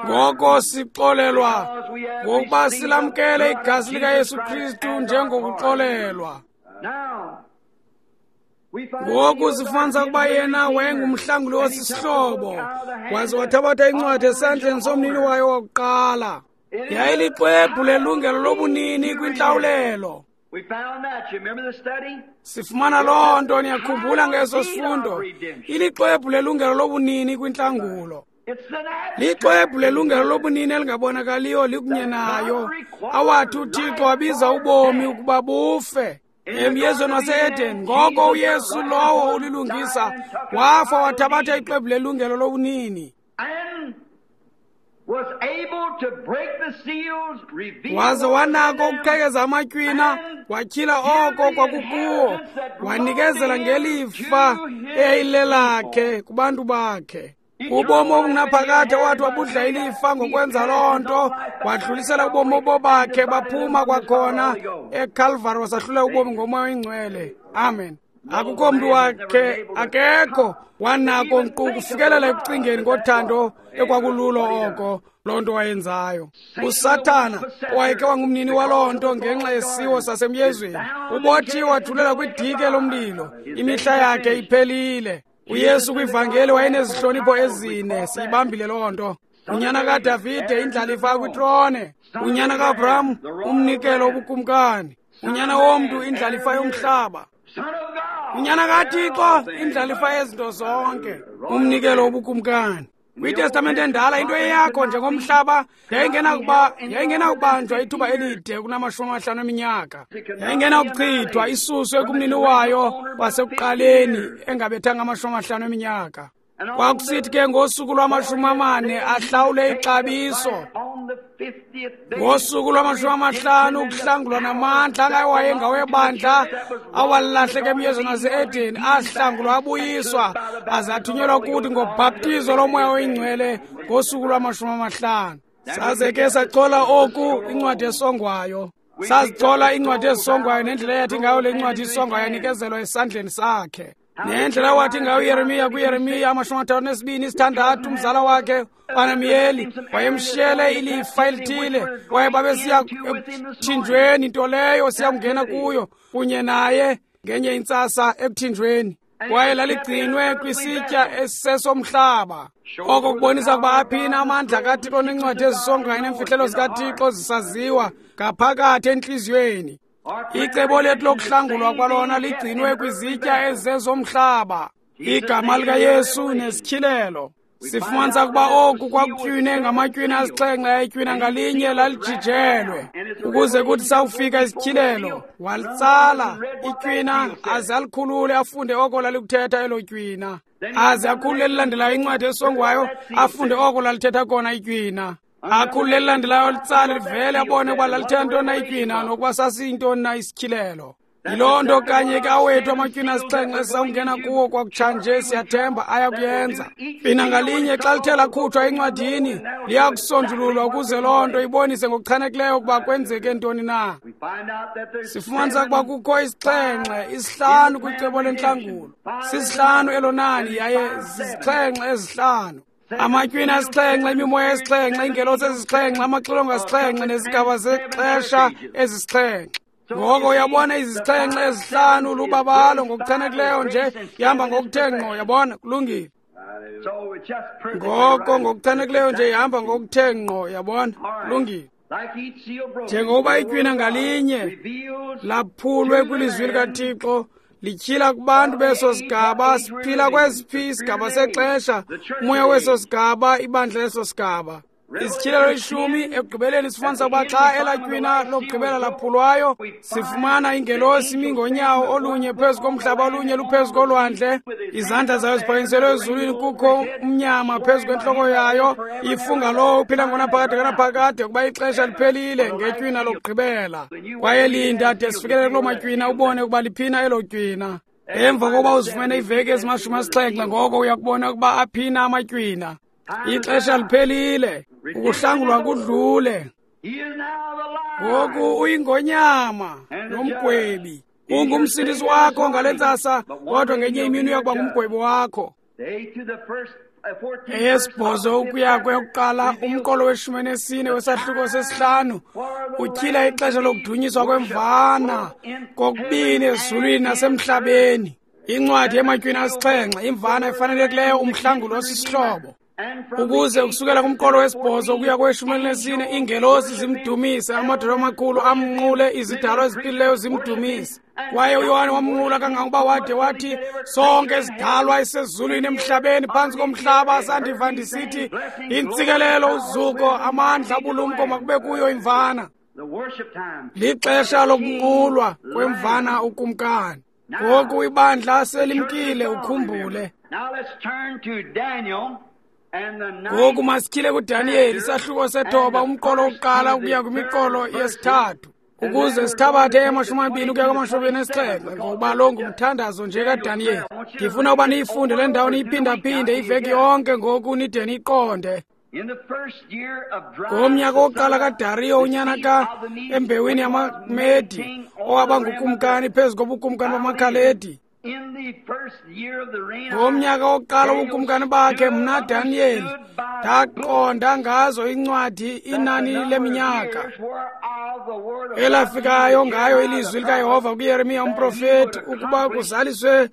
Ngoko sixolelwa ngokuba silamkele igazi likaYesu Kristu njengokuxolelwa. Ngoku sifumanisa ukuba yena wayengumhlanguli osisihlobo, waze wathabatha incwadi esandleni somnini wayo wakuqala. Yayilixwebhu lelungelo lobunini kwintlawulelo. Sifumana loo nto, niyakhumbula ngeso sifundo. Ilixwebhu lelungelo lobunini kwintlangulo. Lixwebhu lelungelo lobunini elingabonakaliyo likunye nayo, awathi uThixo wabiza ubomi ukuba bufe emyezweni wase-Eden. Ngoko uYesu lowo ulilungisa wafa wathabatha ixwebhu lelungelo lobunini, waze wanako ukuqhekeza amatywina, watyhila oko kwakukuwo, wanikezela ngelifa eyayilelakhe kubantu bakhe. Ubomi obungunaphakade wathi wabudla ilifa ngokwenza loo nto, wadlulisela ubomi obobakhe baphuma kwakhona eCalvary, wasahlula ubomi ngoMoya oyiNgcwele. Amen. Akukho mntu wakhe, akekho wanako nkqu kufikelela ekucingeni ngothando ekwakululo oko loo nto wayenzayo. USathana owayekhe wangumnini waloo nto ngenxa yesiwo sasemyezweni, ubotshiwe wajulela kwidike lomlilo, imihla yakhe iphelile. uYesu kwivangeli wayenezihlonipho ezine, siyibambile loo nto. Unyana kaDavide, indlalifa kwitrone. Unyana kaAbraham, umnikelo wobukumkani. Unyana womntu, indlalifa yomhlaba. Unyana kaThixo, indlalifa yezinto zonke, umnikelo wobukumkani. KwiTestamente endala into eyakho njengomhlaba yayingenakuba yayingenakubanjwa ithuba elide kunamashumi amahlanu eminyaka. Yayingenakuchithwa isuswe kumnini wayo wasekuqaleni engabethanga amashumi amahlanu eminyaka. Kwakusithi ke ngosuku lwamashumi amane ahlawule ixabiso. Ngosuku lwamashumi amahlanu ukuhlangulwa namandla angawayengawebandla awalahleka emyezweni wase-Edeni ahlangulwa abuyiswa aze athunyelwa kuthi ngobhaptizo loMoya oyiNgcwele ngosuku lwamashumi amahlanu. Saze ke sachola oku incwadi esongwayo. Sazichola incwadi ezisongwayo nendlela eyathi ngayo le ncwadi isongwayo yanikezelwa esandleni sakhe. Nendlela wathi ngayo uYeremiya kuYeremiya amashumi amathathu nesibini isithandathu umzala wakhe uAnamiyeli wayemshiyele ilifa elithile, kwaye babesiya ekuthinjweni, nto leyo siya kungena kuyo kunye naye ngenye intsasa ekuthinjweni. Kwaye laligcinwe kwisitya esisesomhlaba. Oko kubonisa ukuba aphina amandla kaThixo nencwadi ezisongayo neemfihlelo zikaThixo zisaziwa ngaphakathi entliziyweni. Icebo lethu lokuhlangulwa kwalona ligcinwe kwizitya ezizezomhlaba, igama likaYesu nesityhilelo. Sifumanisa ukuba oku kwakutywine ngamatywina asixhenxe, ayitywina ngalinye lalijijelwe ukuze kuthi sawufika isityhilelo walitsala itywina aze alikhulule afunde oko lalikuthetha elo tywina, aze akhulule elilandelayo incwadi esongwayo afunde oko lalithetha kona itywina, akhulule elilandelayo litsale livele abone ukuba lalithetha ntoni na itywina nokuba sasiyintoni na isityhilelo. Yiloo nto kanye ke awethu amatywina asixhenxe esisawungena kuwo kwakutshanje, siyathemba ayakuyenza. Tywina ngalinye xa lithe lakhutshwa encwadini liyakusonjululwa ukuze loo nto ibonise ngokuchanekileyo ukuba kwenzeke ntoni na. Sifumanisa ukuba kukho isixhenxe, isihlanu kwicebo lentlangulo. Sisihlanu elo nani yaye zizixhenxe ezihlanu. Amatywina asixhenxe, imimoya esixhenxe, iingelosi ezisixhenxe, amaxilongo asixhenxe nezigaba zexesha ezisixhenxe. Ngoko uyabona izixhenxe ezihlanu lubabalo ngokuchanekileyo nje ihamba ngokuthe ngqo, yabona, kulungile. Ngoko ngokuchanekileyo nje ihamba ngokuthe ngqo, yabona, kulungile. Njengokuba itywina ngalinye laphulwe kwilizwi likaThixo lityhila kubantu beso sigaba, siphila kwesiphi isigaba sexesha, umoya weso sigaba, ibandla leso sigaba. Isityhilelo ishumi ekugqibeleni sifumanisa ukuba xa elatywina lokugqibela laphulwayo, sifumana ingelosi imi ngonyawo olunye phezu komhlaba olunye luphezu kolwandle, izandla zayo ziphakanyiselwe ezulwini, kukho umnyama phezu kwentloko yayo, ifunga lowo uphila ngonaphakade kanaphakade ukuba ixesha liphelile ngetywina lokugqibela. Kwaye linda de sifikelele kuloo matywina ubone ukuba liphina elo tywina. Emva kokuba uzifumene iveki ezimashumi asixhenxe, ngoko uyakubona ukuba aphina amatywina. Ixesha liphelile, ukuhlangulwa kudlule. Ngoku uyingonyama nomgwebi. Ungumsindisi wakho ngale ntsasa, kodwa ngenye imini uyakuba ngumgwebi wakho. Eyesibhozo ukuya kweyokuqala, umqolo weshumi nesine wesahluko sesihlanu utyhila ixesha lokudunyiswa kwemvana kokubini ezulwini nasemhlabeni. Incwadi yematywina asixhenxe, imvana efanelekileyo, umhlangulo osisihlobo. Ukuze ukusukela kumqolo wesibhozo ukuya kweshumi elinesine iingelosi zimdumise, amadoda amakhulu amnqule, izidalwa eziphilileyo zimdumise. Kwaye uYohane wamnqula kangangokuba wade wathi, sonke isidalwa esezulwini, emhlabeni, phantsi komhlaba, sandiva ndisithi, intsikelelo, uzuko, amandla, ubulumko makube kuyo imvana. Lixesha lokunqulwa kwemvana ukumkani. Ngoku ibandla selimkile, ukhumbule. Ngoku masityhile kuDaniyeli isahluko sethoba, umqolo wokuqala ukuya kwimiqolo yesithathu, ukuze sithabathe amashumi amabini ukuya kwamashumi anesixhenxe, ngokuba lo ngumthandazo nje kaDaniyeli. Ndifuna uba niyifunde le ndawo niyiphindaphinde iveki yonke ngoku nide niyiqonde. Ngomnyaka wokuqala kaDariyo unyana ka embewini yamaMedi, owaba ngukumkani phezu kobukumkani bamaKhaledi, ngomnyaka wokuqala wobukumkani bakhe, mna Daniyeli ndaqonda ngazo incwadi inani leminyaka elafikayo ngayo ilizwi likaYehova kuYeremiya umprofeti, ukuba kuzaliswe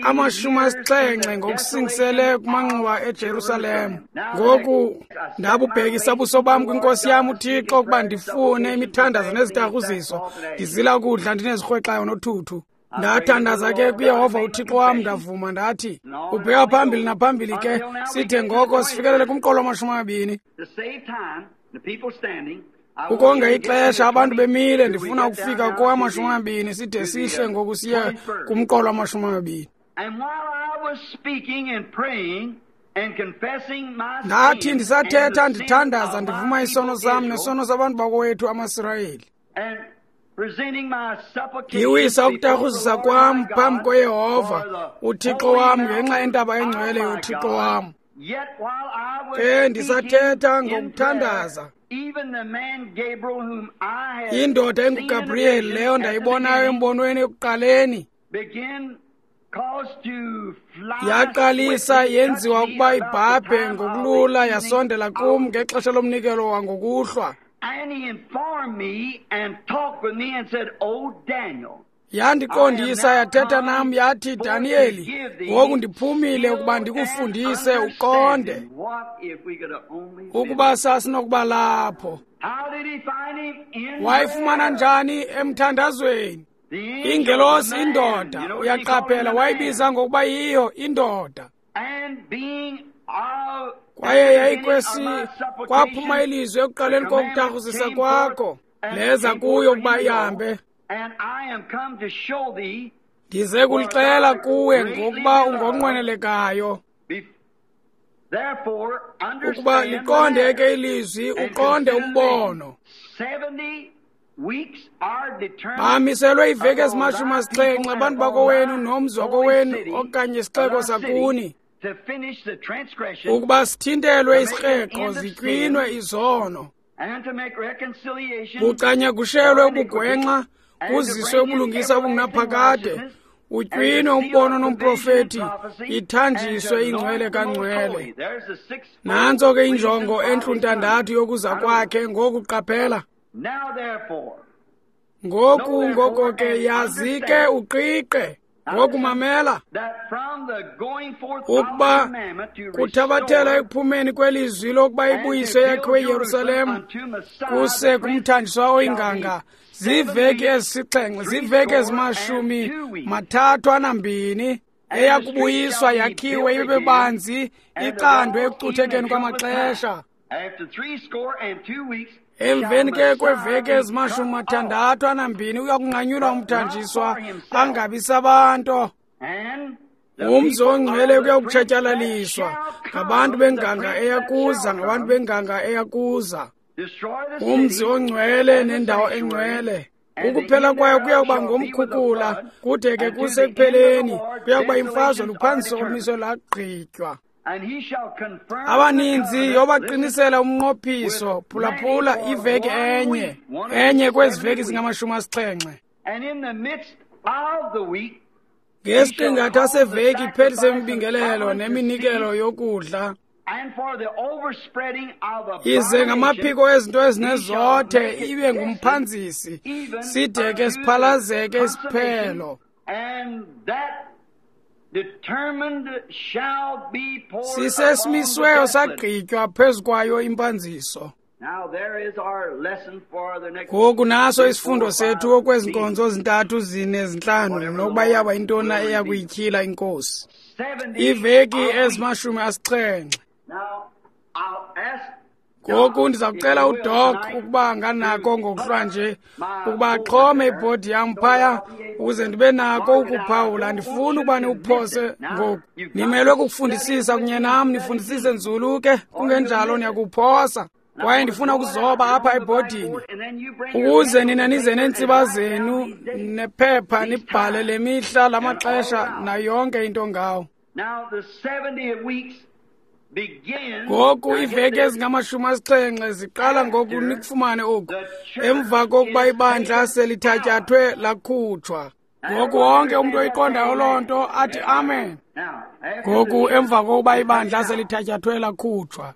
amashumi asixhenxe ngokusingisele kumanxuwa eJerusalem. Ngoku ndabubhekisa ubuso bam kwinkosi yam uThixo ukuba ndifune imithandazo nezitarhuziso, ndizila kudla ndinezirhwexayo nothuthu. Ndathandaza ke kuYehova uThixo wam, ndavuma ndathi, ubheka phambili naphambili ke, sithe ngoko sifikelele kumqolo wamashumi amabini. Ukonga ixesha abantu bemile, ndifuna ukufika kowamashumi amabini, side sihle ngoku siye kumqolo wamashumi amabini. Ndathi ndisathetha ndithandaza ndivuma isono sam nesono sabantu bakowethu amaSirayeli, ndiwisa ukutarhuzisa kwam phambi koYehova uThixo wam ngenxa yentaba engcwele yoThixo wam. Ke ndisathetha ngokuthandaza, indoda enguGabriyeli leyo ndayibonayo embonweni ekuqaleni yaqalisa yenziwa ukuba ibhabhe ngokulula, yasondela kum ngexesha lomnikelo wangokuhlwa. Yandiqondisa yathetha nam yathi, Daniyeli, ngoku ndiphumile ukuba ndikufundise uqonde. Ukuba sasinokuba lapho. Wayifumana njani emthandazweni? Ingelosi indoda, uyaqaphela, wayibiza ngokuba yiyo indoda. Kwaye yayikwesi kwaphuma ilizwi ekuqaleni kokutarhuzisa kwakho, leza kuyo ukuba ihambe. Ndize kulixela kuwe ngokuba ungonqwenelekayo. Ukuba liqonde ke ilizwi, uqonde umbono. Bamiselwe iveki ezimashumi asixhenxe abantu bakowenu nomzi wakowenu okanye isixeko sakuni, ukuba sithintelwe isikreqo, zitywinwe izono, kucanyagushelwe ubugwenxa, kuziswe ubulungisa obungunaphakade, utywinwe umbono nomprofeti, ithanjiswe ingcwele kangcwele. Nantso ke injongo entluntandathu yokuza kwakhe. Ngoku qaphela. Ngoku ngoko ke yazi ke uqiqe. Ngoku mamela. Ukuba kuthabathela ekuphumeni kwelizwi lokuba ibuyiswe yakhiwe iYerusalem kuse kumthanjiswa oyinganga, ziveki ezisixhenxe, ziveki ezimashumi mathathu anambini, eyakubuyiswa yakhiwe ibe banzi, icandwe ekucuthekeni kwamaxesha. Emveni ke kweveki ezimashumi mathandathu anambini uyakunqanyulwa umthanjiswa angabi sabantu. Umzi ongcwele kuyakutshatyalaliswa ngabantu benganga eyakuza, ngabantu benganga eyakuza. Umzi ongcwele nendawo engcwele, ukuphela kwayo kuyakuba ngomkhukula, kude ke kusekupheleni kuyakuba imfazwe luphanziso olumiswe lagqitywa. Abaninzi yobaqinisela umnqophiso. Phulaphula, iveki enye enye kwezi veki zingamashumi asixhenxe. Ngesiqingatha seveki iphelise imibingelelo neminikelo yokudla, ize ngamaphiko ezinto ezinezothe ibe ngumphanzisi, side ke siphalazeke isiphelo. Sisesimisiweyo sagqitywa phezu kwayo impanziso. Ngoku naso isifundo sethu okwezi nkonzo zintathu zine zintlanu, nokuba iyaba yintoni eya kuyityhila iNkosi. Iveki ezimashumi asixhenxe. Ngoku ndiza kucela uDoc ukuba anganako ngokuhlwa nje ukuba axhome ibhodi yam phaya ukuze ndibe nako ukuphawula. Andifuni ukuba niwuphose ngoku. Nimelwe kukufundisisa kunye nam, nifundisise nzulu ke, kungenjalo niyakuphosa. Kwaye ndifuna ukuzoba apha ebhodini ukuze nina nize neentsiba zenu nephepha nibhale le mihla, lamaxesha nayo yonke into ngawo. Ngoku iveki ezingamashumi asixhenxe ziqala ngoku nikufumane oku, emva kokuba ibandla selithatyathwe lakhutshwa. Ngoku wonke umntu oyiqondayo loo nto athi amen. Ngoku emva kokuba ibandla selithatyathwe lakhutshwa.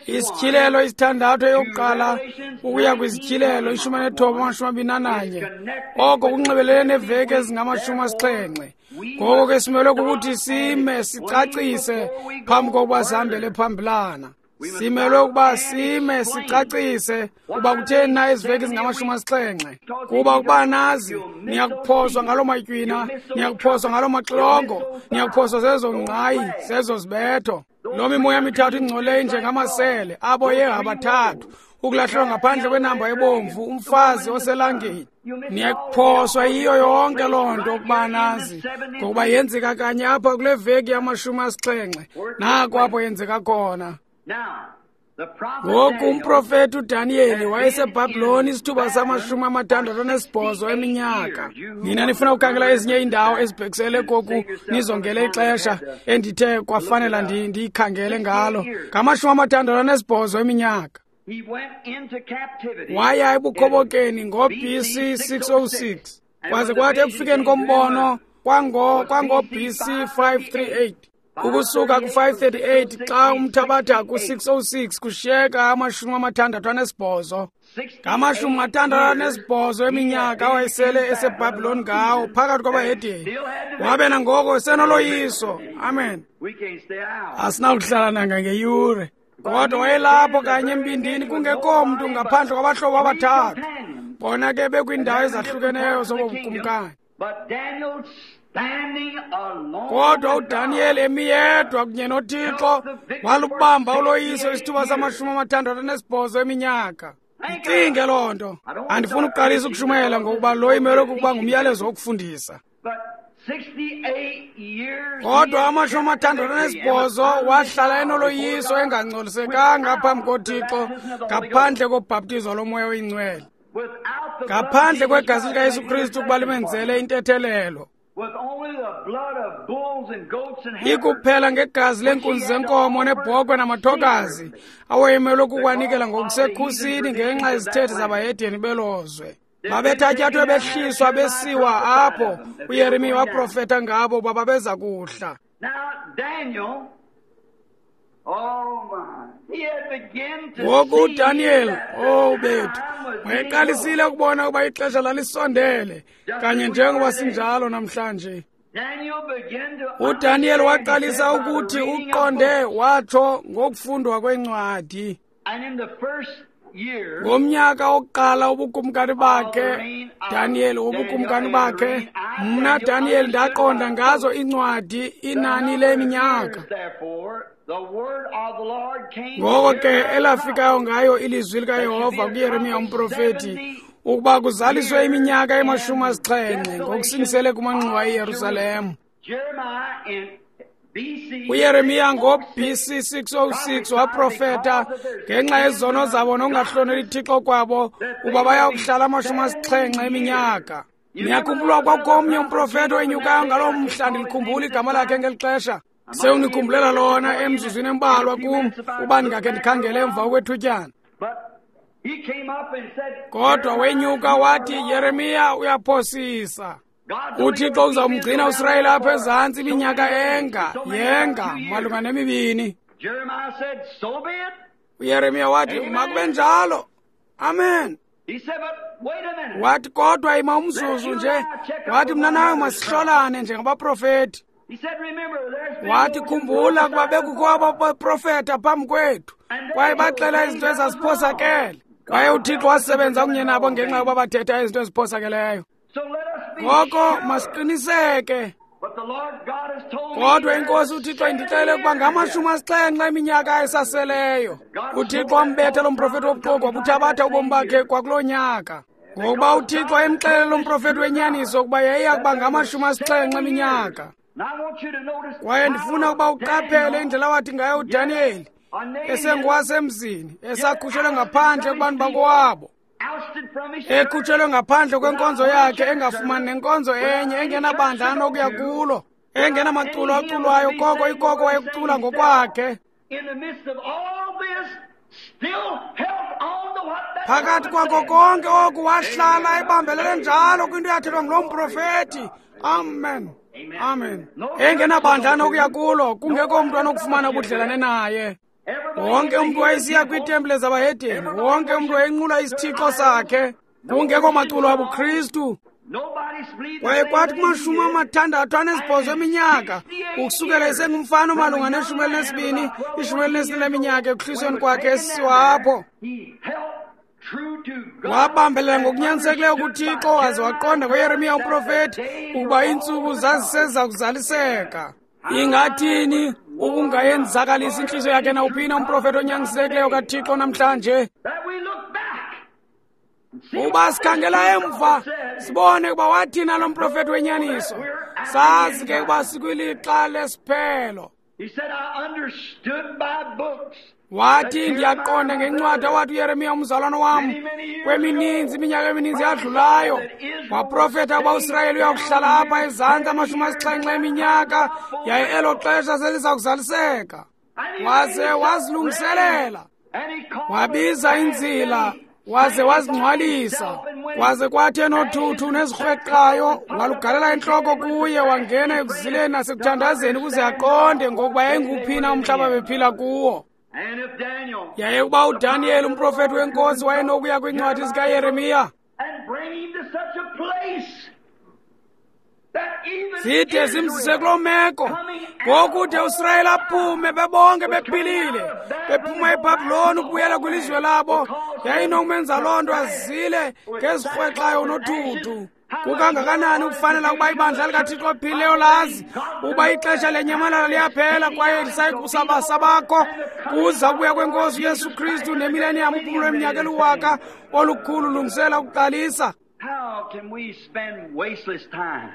Isityhilelo isithandathu eyokuqala ukuya kwizityhilelo ishumi anethoba amashumi abini ananye, oko kunxibelele neveki ezingamashumi asixhenxe. Ngoko ke simelwe kukuthi sime sicacise phambi kokuba sihambele phambilana. Simelwe ukuba sime sicacise uba kutheni na ezi veki zingamashumi asixhenxe, kuba ukuba nazi niyakuphoswa ngaloo matywina, niyakuphoswa ngaloo maxilongo, niyakuphoswa zezo ngqayi, zezo zibetho. Loo mimoya mithathu ingcoleyo njengamasele abo yeha bathathu, ukulahlelwa ngaphandle kwenamba ebomvu, umfazi oselangeni. Niyakuphoswa yiyo yonke loo nto ukuba nazi, ngokuba yenzeka kanye apha kule veki yamashumi asixhenxe, nako apho yenzeka khona. Ngoku umprofeti uDaniyeli wayeseBhabhiloni isithuba samashumi amathandathu anesibhozo eminyaka. Nina nifuna ukukhangela ezinye iindawo ezibhekisele koku, nizongele ixesha endithe kwafanela ndiyikhangele ngalo. Ngamashumi amathandathu anesibhozo eminyaka waya ebukhobokeni ngo-B C six oh six, kwaze kwathi ekufikeni kombono kwango-B C five three eight. Ukusuka ku-five thirty-eight xa umthabatha ku-six oh six kushiyeka amashumi amathandathu anesibhozo. Ngamashumi amathandathu anesibhozo eminyaka wayesele eseBhabhiloni ngawo phakathi kwabahedeni. Wabe nangoko senoloyiso. Amen. Asinakuhlala nangangeyure. Kodwa wayelapho kanye embindini kungekho mntu ngaphandle kwabahlobo abathathu. Bona ke bekwiindawo ezahlukeneyo zobobukumkani. Kodwa uDaniyeli emi yedwa kunye noThixo walubamba uloyiso isithuba samashumi amathandathu anesibhozo eminyaka. Icinge loo nto. Andifuni ukuqalisa ukushumayela ngokuba lo imelwe kukuba ngumyalezo wokufundisa. Kodwa amashumi amathandathu anesibhozo wahlala enoloyiso engangcolisekanga phambi koThixo ngaphandle kobhaptizo loMoya oyiNgcwele, ngaphandle kwegazi likaYesu Kristu ukuba limenzele intethelelo. Ikuphela ngegazi leenkunzi zenkomo nebhokhwe namathokazi awayemelwe kukwanikela ngokusekhusini ngenxa yezithethe zabahedeni belozwe. Babethatyathwe behliswa besiwa apho uYeremiya waprofeta ngabo uba babeza kuhla. Ngoku uDaniyeli, oh bethu, wayeqalisile ukubona ukuba ixesha lalisondele, kanye njengoba sinjalo namhlanje. UDaniyeli waqalisa ukuthi uqonde watsho ngokufundwa kwencwadi. Ngomnyaka wokuqala ubukumkani bakhe, Daniyeli wobukumkani bakhe, mna Daniyeli ndaqonda ngazo incwadi inani leminyaka. Ngoko ke elafikayo ngayo ilizwi likaYehova kuYeremiya umprofeti ukuba kuzaliswe iminyaka emashumi asixhenxe ngokusingisele kumanxuwa eYerusalem. UYeremiya ngo-B C six oh six waprofeta ngenxa yezono zabo nokungahloneli Thixo kwabo uba bayakuhlala amashumi asixhenxe eminyaka. Niyakhumbula kwakomnye umprofeti owenyukayo ngaloo mhla, ndilikhumbula igama lakhe ngeli xesha. Sewunikhumbulela lona emzuzwini embalwa kum uba ndingakhe ndikhangele emva kwethutyana. Kodwa wenyuka wathi, Yeremiya uyaphosisa. UThixo uzawumgcina uSirayeli apha ezantsi iminyaka enga yenga malunga nemibini. UYeremiya wathi, makube njalo. Amen. Wathi, kodwa ima umzuzu nje. Wathi, mna nawe masihlolane njengabaprofeti. Wathi, khumbula kuba bekukho abaprofeta phambi kwethu kwaye baxela izinto ezaziphosakele. Kwaye uThixo wasebenza kunye nabo ngenxa yokuba bathetha izinto eziphosakeleyo. Ngoko masiqiniseke. Kodwa iNkosi uThixo indixelele ukuba ngamashumi asixhenxe eminyaka esaseleyo. UThixo wambetha lo mprofeti wobuxoki wabuthabatha ubomi bakhe kwakuloo nyaka. Ngokuba uThixo emxelele lo mprofeti wenyaniso ukuba yayiya kuba ngamashumi asixhenxe eminyaka. Kwaye ndifuna ukuba uqaphele indlela wathi ngayo uDaniyeli esengowasemzini, esakhutshelwe ngaphandle kubantu bakowabo, ekhutshelwe ngaphandle kwenkonzo yakhe, engafumani nenkonzo enye, engenabandla anokuya kulo, engenamaculo aculwayo, koko ikoko wayekucula ngokwakhe. Phakathi kwakho konke oku wahlala ebambelele njalo kwinto eyathethwa nguloo mprofeti. Amen. Amen. Engenabandla anokuya kulo, kungekho mntu anokufumana ubudlelane naye. Wonke umntu wayesiya kwiitempile zabahedeni, wonke umntu wayenqula isithixo sakhe, kungekho maculo abuKristu. Kwaye kwathi kumashumi amathandathu anesibhozo eminyaka, ukusukela esengumfana malunga neshumi elinesibini, ishumi elinesine leminyaka ekuhlisweni kwakhe esisiwa apho, wabambelela ngokunyanisekileyo kuThixo waze waqonda ngoYeremiya umprofeti ukuba iintsuku zaziseza kuzaliseka. Ingathini ukungayenzakalisi intliziyo yakhe nawuphina umprofeti onyanisekileyo kaThixo namhlanje? Uba sikhangela emva sibone ukuba wathina lo mprofeti wenyaniso, sazi ke ukuba sikwilixa lesiphelo. Wathi, ndiyaqonda ngencwadi awathi uYeremiya umzalwana wam kwemininzi iminyaka emininzi yadlulayo waprofeta ukuba uSirayeli uyakuhlala apha ezantsi amashumi asixhenxe eminyaka, yaye elo xesha seliza kuzaliseka. Waze wazilungiselela, wabiza inzila, waze wazingcwalisa, waze kwathi enothuthu nezirhweqayo walugalela intloko kuye, wangena ekuzileni nasekuthandazeni ukuze aqonde ngokuba yayinguphina umhlaba bephila kuwo. Yaye ukuba uDaniyeli umprofeti wenkosi wayenokuya kwiincwadi zikaYeremiya zide zimzise kuloo meko, ngokude uSirayeli aphume bebonke bephilile, bephuma eBhabhiloni ukubuyela kwilizwe labo, yayinokumenza loo nto azile ngezirhwexayo nothuthu. Kukangakanani ukufanela ukuba ibandla likaThixo ophilileyo lazi uba ixesha lenyamalala liyaphela kwaye lisayikusabasabakho kuza kubuya kwenkosi uYesu Kristu nemileniyam uphumulo lweminyaka eliwaka olukhulu lungisela ukuqalisa. How can we spend wasteless time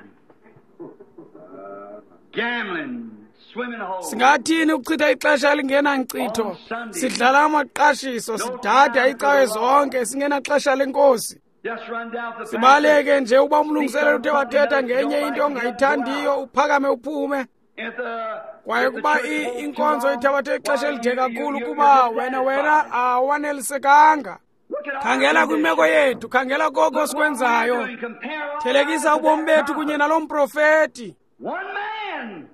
gambling, swimming holes? Singathini ukuchitha ixesha elingenankcitho sidlala amaqashiso sidada icawe zonke singenaxesha lenkosi? Just run down the Sibaleke nje uba umlungiseleli uthe wathetha ngenye into ongayithandiyo uphakame uphume. If the Kwaye kuba i- inkonzo ithabathe ixesha elide kakhulu kuba wena wena awanelisekanga. Khangela kwimeko yethu, khangela koko sikwenzayo. Thelekisa ubomi bethu kunye nalo mprofeti. One man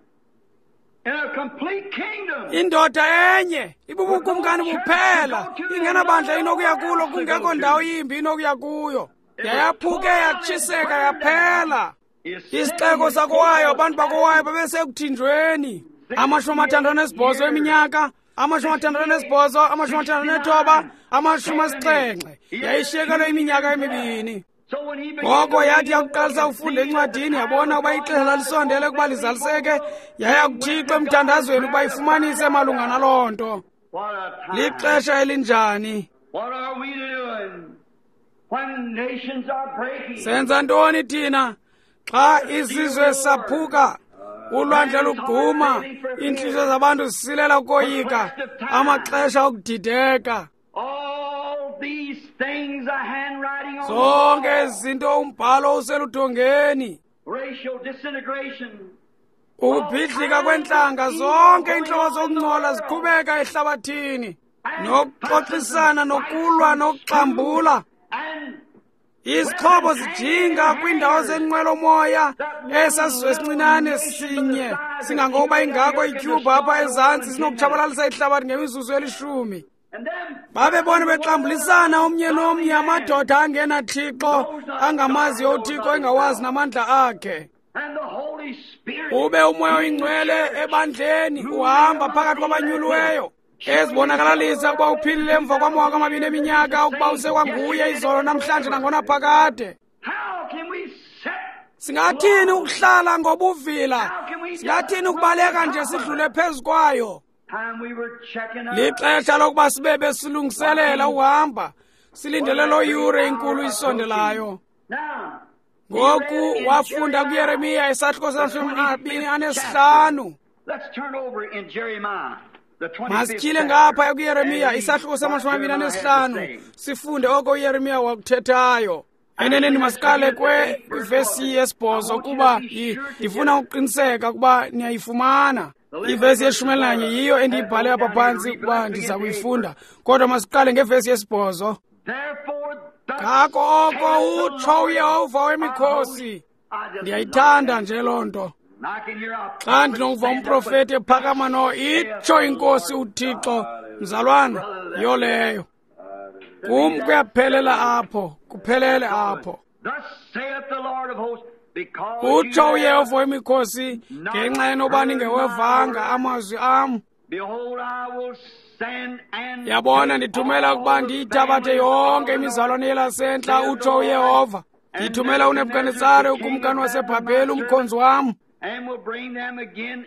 in a complete kingdom. Indoda enye ibubukumkani buphela, ingenabandla inokuya kulo, kungekho ndawo yimbi inokuya kuyo. Yayaphuke yatshiseka yaphela. Isixeko sakowayo, abantu bakowayo babesekuthinjweni. Amashumi amathandathu anesibhozo eminyaka, amashumi amathandathu anesibhozo, amashumi amathandathu anethoba, amashumi asixhenxe. Yayishiyekelwe iminyaka emibini. So when he began Ngoko yathi yakuqalisa ukufunda encwadini yabona ukuba ixesha lalisondele ukuba lizaliseke, yaya kuThixo emthandazweni ukuba ifumanise malunga naloo nto. What a time. Lixesha elinjani? What are we doing when nations are breaking? Senza ntoni thina xa izizwe saphuka, ulwandle lugquma, iintliziyo zabantu zisilela ukoyika, amaxesha okudideka? All these things are handwriting on the Zonke wall. ezi zinto umbhalo useludongeni. Racial disintegration. Ukubhidlika kwentlanga, zonke iintlobo zokungcola ziqhubeka ehlabathini, nokuxoxisana, nokulwa, nokuxambula. And Izixhobo zijinga kwiindawo zenqwelomoya esasizwe esincinane sinye singangokuba ingako ityhubha apha ezantsi sinokutshabalalisa ihlabathi ngemizuzu elishumi. and them Babebona bexambulisana omnye nomnye, amadoda angenaThixo, angamaziyo uThixo, engawazi namandla akhe. and the Holy Spirit Ube umoya oyingcwele ebandleni uhamba phakathi kwabanyuliweyo ezibonakalalisa ukuba uphilile emva kwamawaka amabini eminyaka, ukuba usekwanguye izolo namhlanje nangonaphakade. How can we set Singathini ukuhlala ngobuvila? Singathini ukubaleka nje sidlule phezu kwayo? time we were checking up? Lixesha lokuba sibe besilungiselela uhamba, silindele loo yure inkulu isondelayo. Now, Ngoku wafunda kuYeremiya isahluko samashumi amabini anesihlanu. let's turn over in Jeremiah, the twenty-fifth Masityhile chapter, ngapha kuYeremiya and read isahluko what samashumi amabini Jeremiah had to anesihlanu, say. sifunde oko uYeremiya wakuthethayo. Eneneni masiqale kwe kwivesi yesibhozo kuba i- ndifuna ukuqiniseka ukuba niyayifumana. Ivesi yeshumi elinanye yiyo endiyibhale apha phantsi ukuba ndiza kuyifunda, kodwa masiqale ngevesi yesibhozo. Therefore, thus Ngako oko saith the utsho Lord uYehova wemikhosi. I just Ndiyayithanda nje loo nto. I can hear a Xa ndinokuva umprofeti ephakama no itsho inkosi uThixo, mzalwana, yiyo leyo. Kum kuyaphelela apho, kuphelele apho. Thus saith the Lord of hosts, because Utsho you uYehova wemikhosi ngenxa yenoba ningewevanga amazwi am. Behold, I will send and Yabona, take ndithumela all ukuba the ndiyithabathe families yonke of the imizalwane yelasentla, north, utsho uYehova. Ndithumela uNebhukanetsare ukumkani waseBhabheli, umkhonzi wam, and will bring them again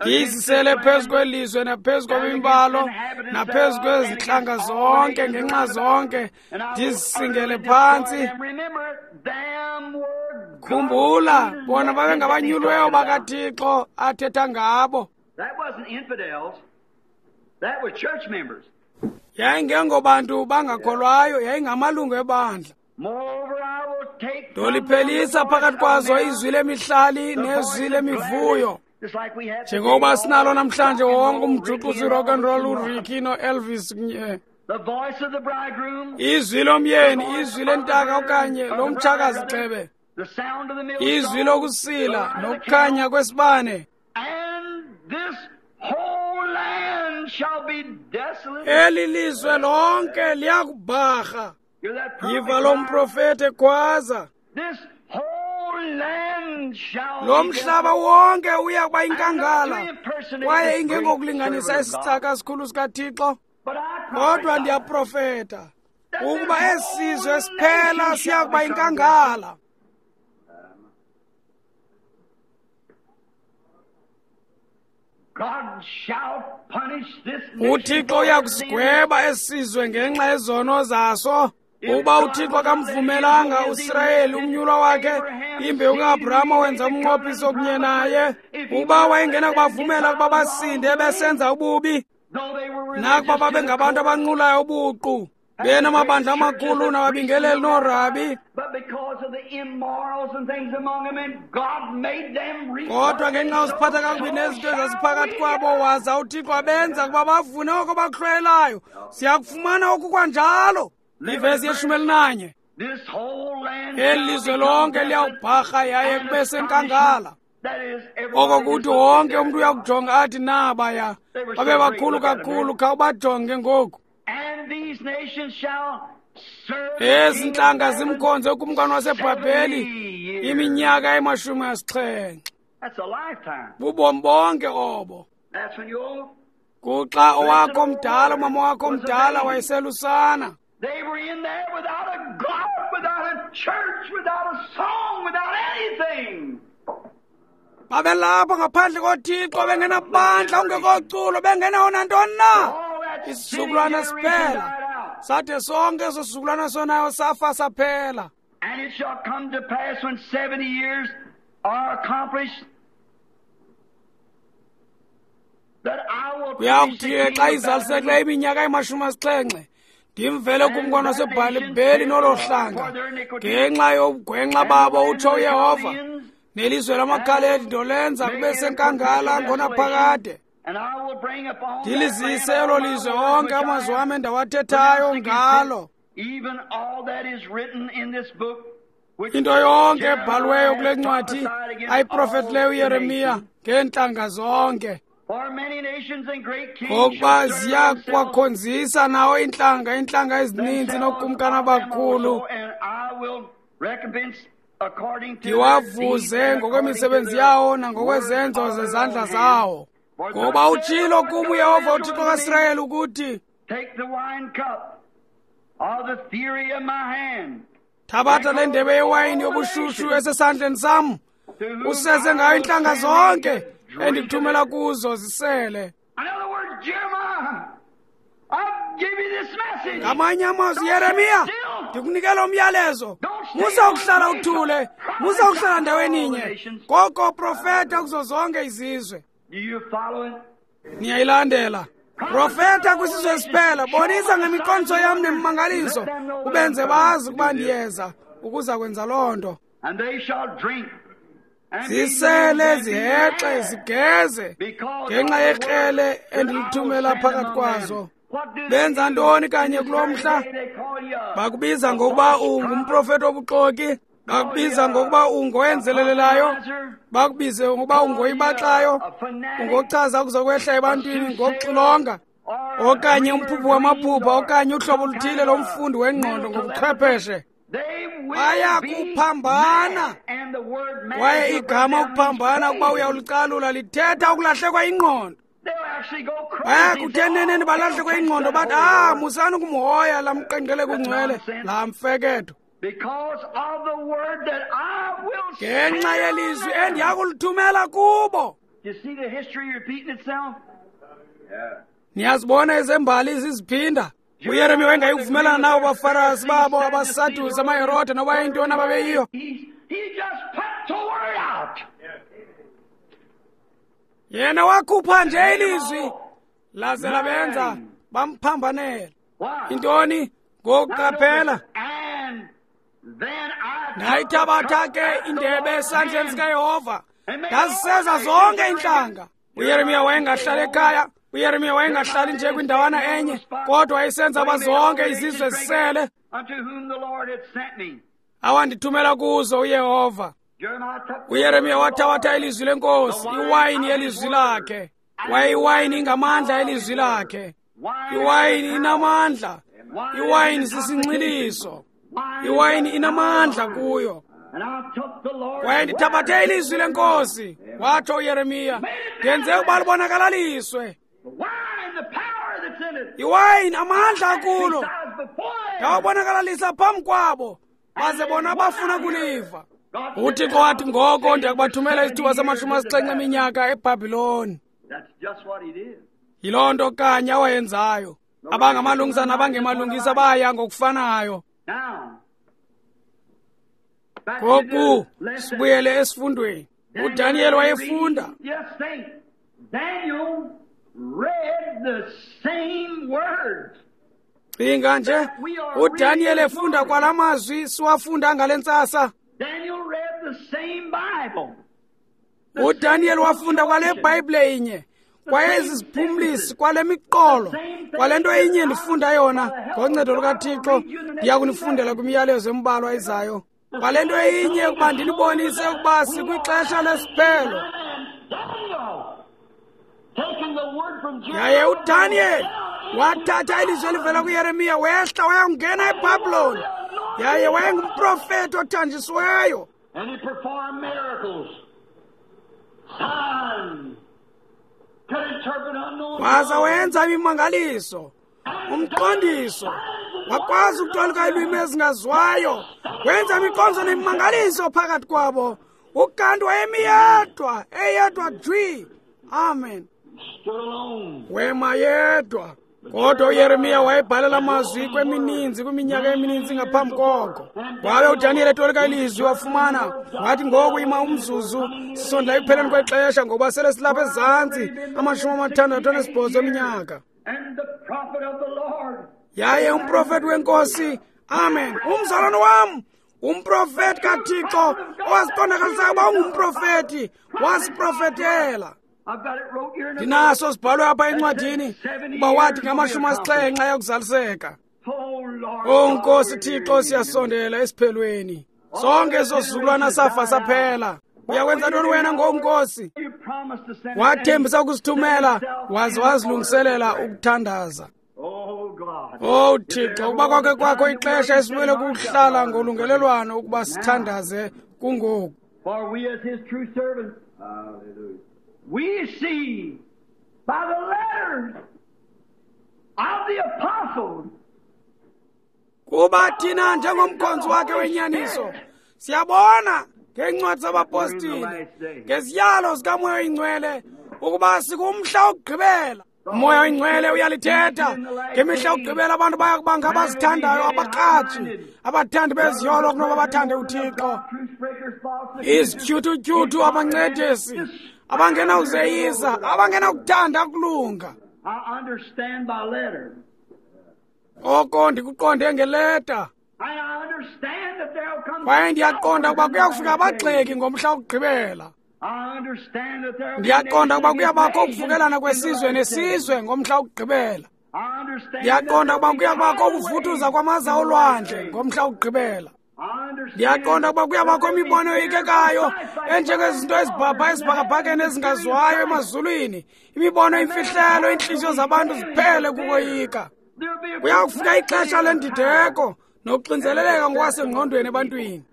ndiyizisele phezu kwelizwe naphezu kwemimbalo naphezu kwezintlanga zonke ngenxa zonke, ndizisingele phantsi. Khumbula, bona babengabanyuliweyo bakaThixo athetha ngabo. That wasn't infidels. That was church members. Yayingengobantu bangakholwayo, yayingamalungu ebandla. Moreover, I will take from Ndoliphelisa them the phakathi voice kwazo of men, izwi lemihlali the nezwi voice of lemivuyo. gladness, just like we have Njengoba today, sinalo all namhlanje rock and wonke roll, umjuxuzi Ricky and rock and roll, all the uRicky noElvis kunye The voice of the bridegroom, izwi lomyeni, izwi lentaka okanye lomtshakazi gxebe, the sound of the millstone, izwi lokusila the light of the nokukhanya candle, kwesibane. and this whole land shall be desolate. Eli lizwe lonke liyakubharha. Hear that prophet Yiva lo cry? mprofeti ekhwaza. This whole land shall Lo be mhlaba desolate. wonke uya kuba yinkangala, kwaye ingengokulinganisa isicaka sikhulu sikaThixo. But I Kodwa prophesy ndiyaprofeta ukuba esi sizwe siphela siya kuba yinkangala. UThixo uyakusigweba esizwe ngenxa yezono zaso. Uba uThixo akamvumelanga uSirayeli umnyulwa wakhe, imbewu kaAbraham wenza umnqophiso kunye naye. Uba wayengena kubavumela ukuba basinde besenza ububi, nakuba babengabantu abanqulayo ubuqu, benamabandla amakhulu nababingeleli noorabi, kodwa ngenxa yosiphatha kakubi nezinto ezaziphakathi kwabo, waza uThixo abenza ukuba bavune oko bakuhlwayelayo. Siyakufumana oku kwanjalo. Ivesi yeshumi elinanye. Eli lizwe lonke liyawubharha yaye kube senkangala. Oko kuthi wonke umntu uyakujonga athi nabaya babe bakhulu kakhulu, khawubajonge ngoku. Ezi ntlanga zimkhonze ukumkani waseBhabheli iminyaka emashumi asixhenxe. Bubomi bonke obo. Kuxa owakho mdala, umama wakho mdala wayeselusana. They were in there without a God, without a church, without a song, without anything. Babelapha ngaphandle koThixo, bengenabandla, ungekoculo, bengenawo nantoni na. Isizukulwana siphela. Sathe sonke eso sizukulwana sonayo safa saphela. And it shall come to pass when seventy years are accomplished that I will Kuyakuthi xa izalisekileyo iminyaka emashumi asixhenxe, ndimvele kumkani waseBhabheli nolo hlanga ngenxa yobugwenxa babo, utsho uYehova, nelizwe lamaKhaledi ndolenza kube senkangala ngonaphakade. Ndilizise elo lizwe onke amazwi am endawathethayo ngalo. Into yonke ebhaliweyo kule ncwadi ayiprofetileyo uYeremiya ngeentlanga zonke, ngokuba ziya kwakhonzisa nawo iintlanga, iintlanga ezininzi nookumkani abakhulu. Ndiwavuze ngokwemisebenzi yawo nangokwezenzo zezandla zawo. Ngoba utshilo kum uYehova uThixo kaSirayeli ukuthi, thabatha le ndebe yewayini yobushushu esesandleni sam, useze ngayo iintlanga zonke endikuthumela kuzo zisele. Ngamanye amazwi, Yeremiya, ndikunikela umyalezo. Musa ukuhlala uthule, musa ukuhlala ndaweni inye, koko profeta kuzo zonke izizwe. Niyayilandela. Profeta kwisizwe esiphela, bonisa ngemiqondiso yam nemimangaliso, ubenze bazi ukuba ndiyeza ukuza kwenza loo nto. Zisele, zihexe, zigeze ngenxa yekrele endilithumela phakathi kwazo. Benza ntoni kanye kulo mhla? Bakubiza ngokuba ungumprofeti obuxoki, bakubiza ngokuba ungowenzelelelayo, bakubize ngokuba ungoyibaxayo, ungochaza kuzokwehla ebantwini ngokuxilonga, okanye umphuphi wamaphupha, okanye uhlobo oluthile lomfundi wengqondo ngobuchwepheshe. Baya kuphambana. Kwaye igama ukuphambana, ukuba uyawulicalula, lithetha ukulahlekwa ingqondo. Baya kuthi eneneni balahlekwe ingqondo, bathi, ah, musani ukumhoya laa mqenqele kungcwele, laa mfeketho. Ngenxa yelizwi endiyakulithumela kubo. Niyazibona ezembali ziziphinda. uYeremiya wayengayikuvumelana nabo baFarasi babo, abaSadusi, amaHerode, noba yintoni ababeyiyo. Yena wakhupha nje ilizwi laze labenza bamphambanela. Intoni? Ngokuqaphela. Ndayithabatha ke indebe esandleni sikaYehova, ndaziseza zonke iintlanga. uYeremiya wayengahlali ekhaya, uYeremiya wayengahlali nje kwindawana enye, kodwa wayesenza uba zonke izizwe zisele awandithumela kuzo uYehova. uYeremiya wathabatha ilizwi lenkosi, iwayini yelizwi lakhe. Kwaye iwayini ingamandla elizwi lakhe. Iwayini inamandla. Iwayini sisinxiliso. Iwayini inamandla kuyo. Kwaye ndithabathe ilizwi lenkosi, watsho uYeremiya, ndenze ukuba libonakalaliswe. Iwayini amandla akulo, ndawabonakalalisa phambi kwabo, baze bona bafuna kuliva. UThixo wathi, ngoko ndiyakubathumela isithuba samashumi asixhenxe eminyaka eBhabhiloni. Yiloo nto kanye awayenzayo. Abangamalungisa nabangemalungisa baya ngokufanayo. Ngoku sibuyele esifundweni. UDaniel wayefunda. Cinga nje, uDaniel efunda kwala mazwi siwafunda ngale ntsasa. UDaniel wafunda kwale Bhayibhile inye, kwayezi ziphumlisi, kwale miqolo, kwale nto inye ndifunda yona ngoncedo lukaThixo. Ndiya kunifundela kwimiyalezo embalwa ezayo. Kwale nto inye ukuba ndinibonise ukuba sikwixesha lesiphelo. Yaye uDaniel wathatha ilizwi elivela kuYeremiya, wehla wayongena eBhabhiloni. Yaye wayengumprofeti othanjisiweyo. Waza wenza imimangaliso, umqondiso, wakwazi ukutolika iilwimi ezingaziwayo, wenza imiqondiso nemimangaliso phakathi kwabo. Ukanti wayemi yedwa, eyedwa jwi. Amen. Wema yedwa. Kodwa uYeremiya wayebhalela amazwi kwemininzi, kwiminyaka emininzi ngaphambi koko. Wabe uDaniel etolika ilizwi wafumana, wathi ngoku ima umzuzu, sisondela ekupheleni kwexesha ngoba sele silapha ezantsi amashumi amathandathu anesibhozo eminyaka. Yaye umprofeti wenkosi, amen, umzalwane wam, umprofeti kaThixo owaziqondakalisayo uba ungumprofeti, wasiprofetela. Ndinaso sibhalwe apha encwadini uba wathi ngamashumi asixhenxe ayakuzaliseka. O Nkosi Thixo, siyasondela esiphelweni. Sonke eso sizukulwana safa saphela. Uyakwenza ntoni wena ngoku, Nkosi? Wathembisa ukusithumela, waze wazilungiselela ukuthandaza. O Thixo, ukuba kwakhe kwakho ixesha esimele kuhlala ngolungelelwano ukuba sithandaze kungoku. We see by the letters of the apostles. Kuba thina njengomkhonzi wakhe wenyaniso siyabona ngeencwadi zabapostile, ngeziyalo zikaMoya oyiNgcwele, ukuba sikumhla wokugqibela. Umoya oyiNgcwele uyalithetha. Ngemihla yokugqibela abantu baya kuba ngabazithandayo, abaqhatshi, abathandi beziyolo kunoba bathande uThixo, izityhuthutyhuthu, abancedisi, abangenawuzeyisa, abangenakuthanda ukulunga. Oko ndikuqonde ngeleta. Kwaye ndiyaqonda ukuba kuyakufika abagxeki ngomhla wokugqibela. Ndiyaqonda ukuba kuyabakho ukuvukelana kwesizwe nesizwe ngomhla wokugqibela. Ndiyaqonda ukuba kuyabakho ukuvuthuza kwamaza olwandle ngomhla wokugqibela. Ndiyaqonda ukuba kuyabakho imibono eyikekayo enjengezinto ezibhabha esibhakabhakeni ezingaziwayo emazulwini, imibono imfihlelo, iintliziyo zabantu ziphele kukoyika. Kuyakufika ixesha lendideko nokuxinzeleleka ngokwasengqondweni ebantwini.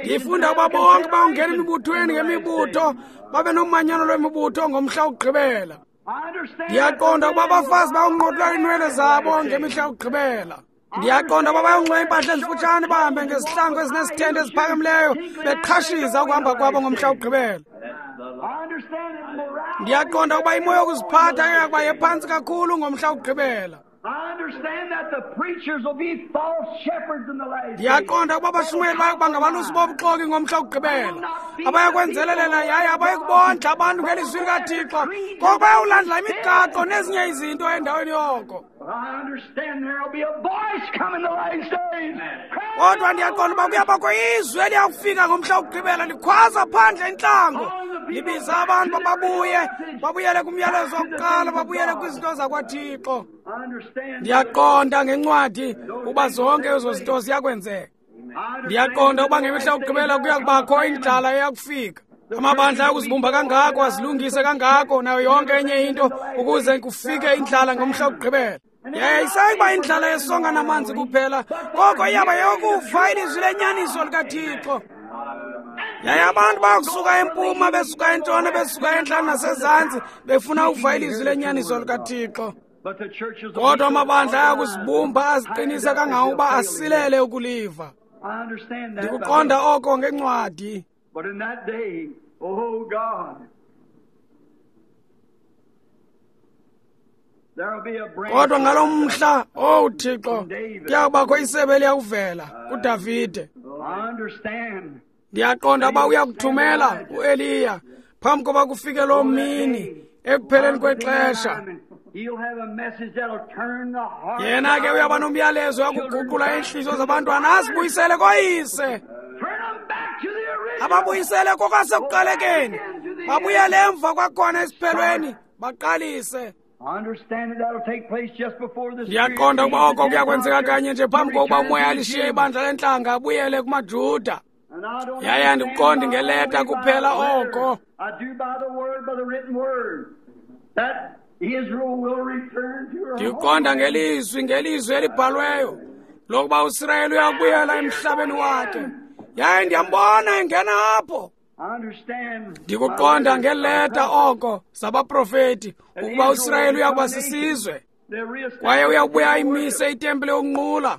Ndifunda ukuba bonke bawungena emibuthweni ngemibutho, babe nomanyano lwemibutho ngomhla wokugqibela. Ndiyaqonda ukuba abafazi bayawunqotula iinwele zabo ngemihla yokugqibela. Ndiyaqonda ukuba bayawunxiba iimpahla ezifutshane, bahambe ngezihlangu ezinesithende eziphakamileyo, beqhashiza ukuhamba kwabo ngomhla wokugqibela. Ndiyaqonda ukuba imo yokuziphatha iyakuba yephantsi kakhulu ngomhla wokugqibela. Ndiyaqonda ukuba abashumayeli bayakuba ngabalusi bobuxoki ngomhla wokugqibela, abayakwenzelelela yaye abayikubondla abantu ngelizwi likaThixo, koko bayawulandela imigaqo nezinye izinto endaweni yoko. Kodwa ndiyaqonda uba kuyabakho izwi eliyakufika ngomhla wokugqibela likhwaza phandle entlango, libiza abantu babuye, babuyele kumyalezo wokuqala, babuyele kwizinto zakwaThixo. Ndiyaqonda ngencwadi ukuba zonke ezo zinto ziyakwenzeka. Ndiyaqonda ukuba ngemihla yokugqibela kuya kubakho indlala eyakufika. Amabandla ayakuzibumba kangako, azilungise kangako, nayo yonke enye into ukuze kufike indlala ngomhla wokugqibela. Yaye isayiba indlala yesonga namanzi kuphela, koko iyaba yokufa ilizwi lenyaniso likaThixo. Yaye abantu bayakusuka empuma, besuka entshona, besuka entla nasezantsi, befuna ukuva ilizwi lenyaniso likaThixo. Kodwa amabandla ayakuzibumba aziqinise kangangokuba asilele ukuliva. Ndikuqonda oko ngencwadi. Oh God. Kodwa ngalo mhla, owu Thixo, kuyakubakho isebe eliyakuvela kuDavide. Ndiyaqonda uba uyakuthumela uEliya phambi koba kufike loo mini ekupheleni kwexesha. Yena ke uyaba nomyalezo uyakuguqula iintliziyo zabantwana azibuyisele koyise, ababuyisele kokwasekuqalekeni, babuyele emva kwakhona esiphelweni, baqalise. Ndiyaqonda ukuba oko kuyakwenzeka kanye nje phambi kokuba umoya alishiye ibandla lentlanga abuyele kumaJuda. Yaye andikuqondi ngeleta kuphela oko. Ndikuqonda ngelizwi, ngelizwi elibhalweyo lokuba uSirayeli uyakubuyela emhlabeni wakhe. Yaye ndiyambona engena apho. Ndikuqonda ngeleta oko zabaprofeti ukuba uSirayeli uyakuba sisizwe kwaye uyakubuya ayimise itempile yokunqula.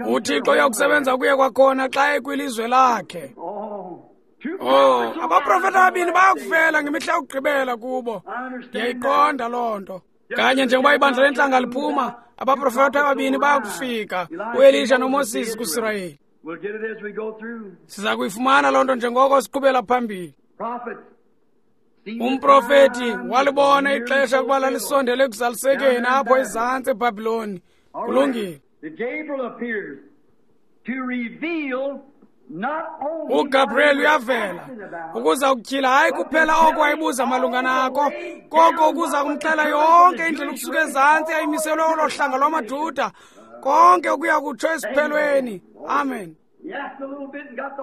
UThixo uyakusebenza kuye kwakhona xa ekwilizwe lakhe. Oh, abaprofeti ababini bayakuvela ngemihla yokugqibela kubo. Ndiyayiqonda loo nto. Kanye njengoba ibandla lentlanga liphuma, abaprofeti ababini bayakufika, uElisha noMoses kuSirayeli. Siza kuyifumana loo nto njengoko siqhubela phambili. Umprofeti walibona ixesha ukuba lalisondele ekuzalisekeni apho ezantsi eBhabhiloni. Kulungile. UGabriel uyavela ukuza kutyhila hayi kuphela oko wayebuza malunga nako, koko ukuza kumxela yonke indlela ukusuka ezantsi yayimiselwe olo hlanga lwamaJuda, konke ukuya kutsho esiphelweni. Amen.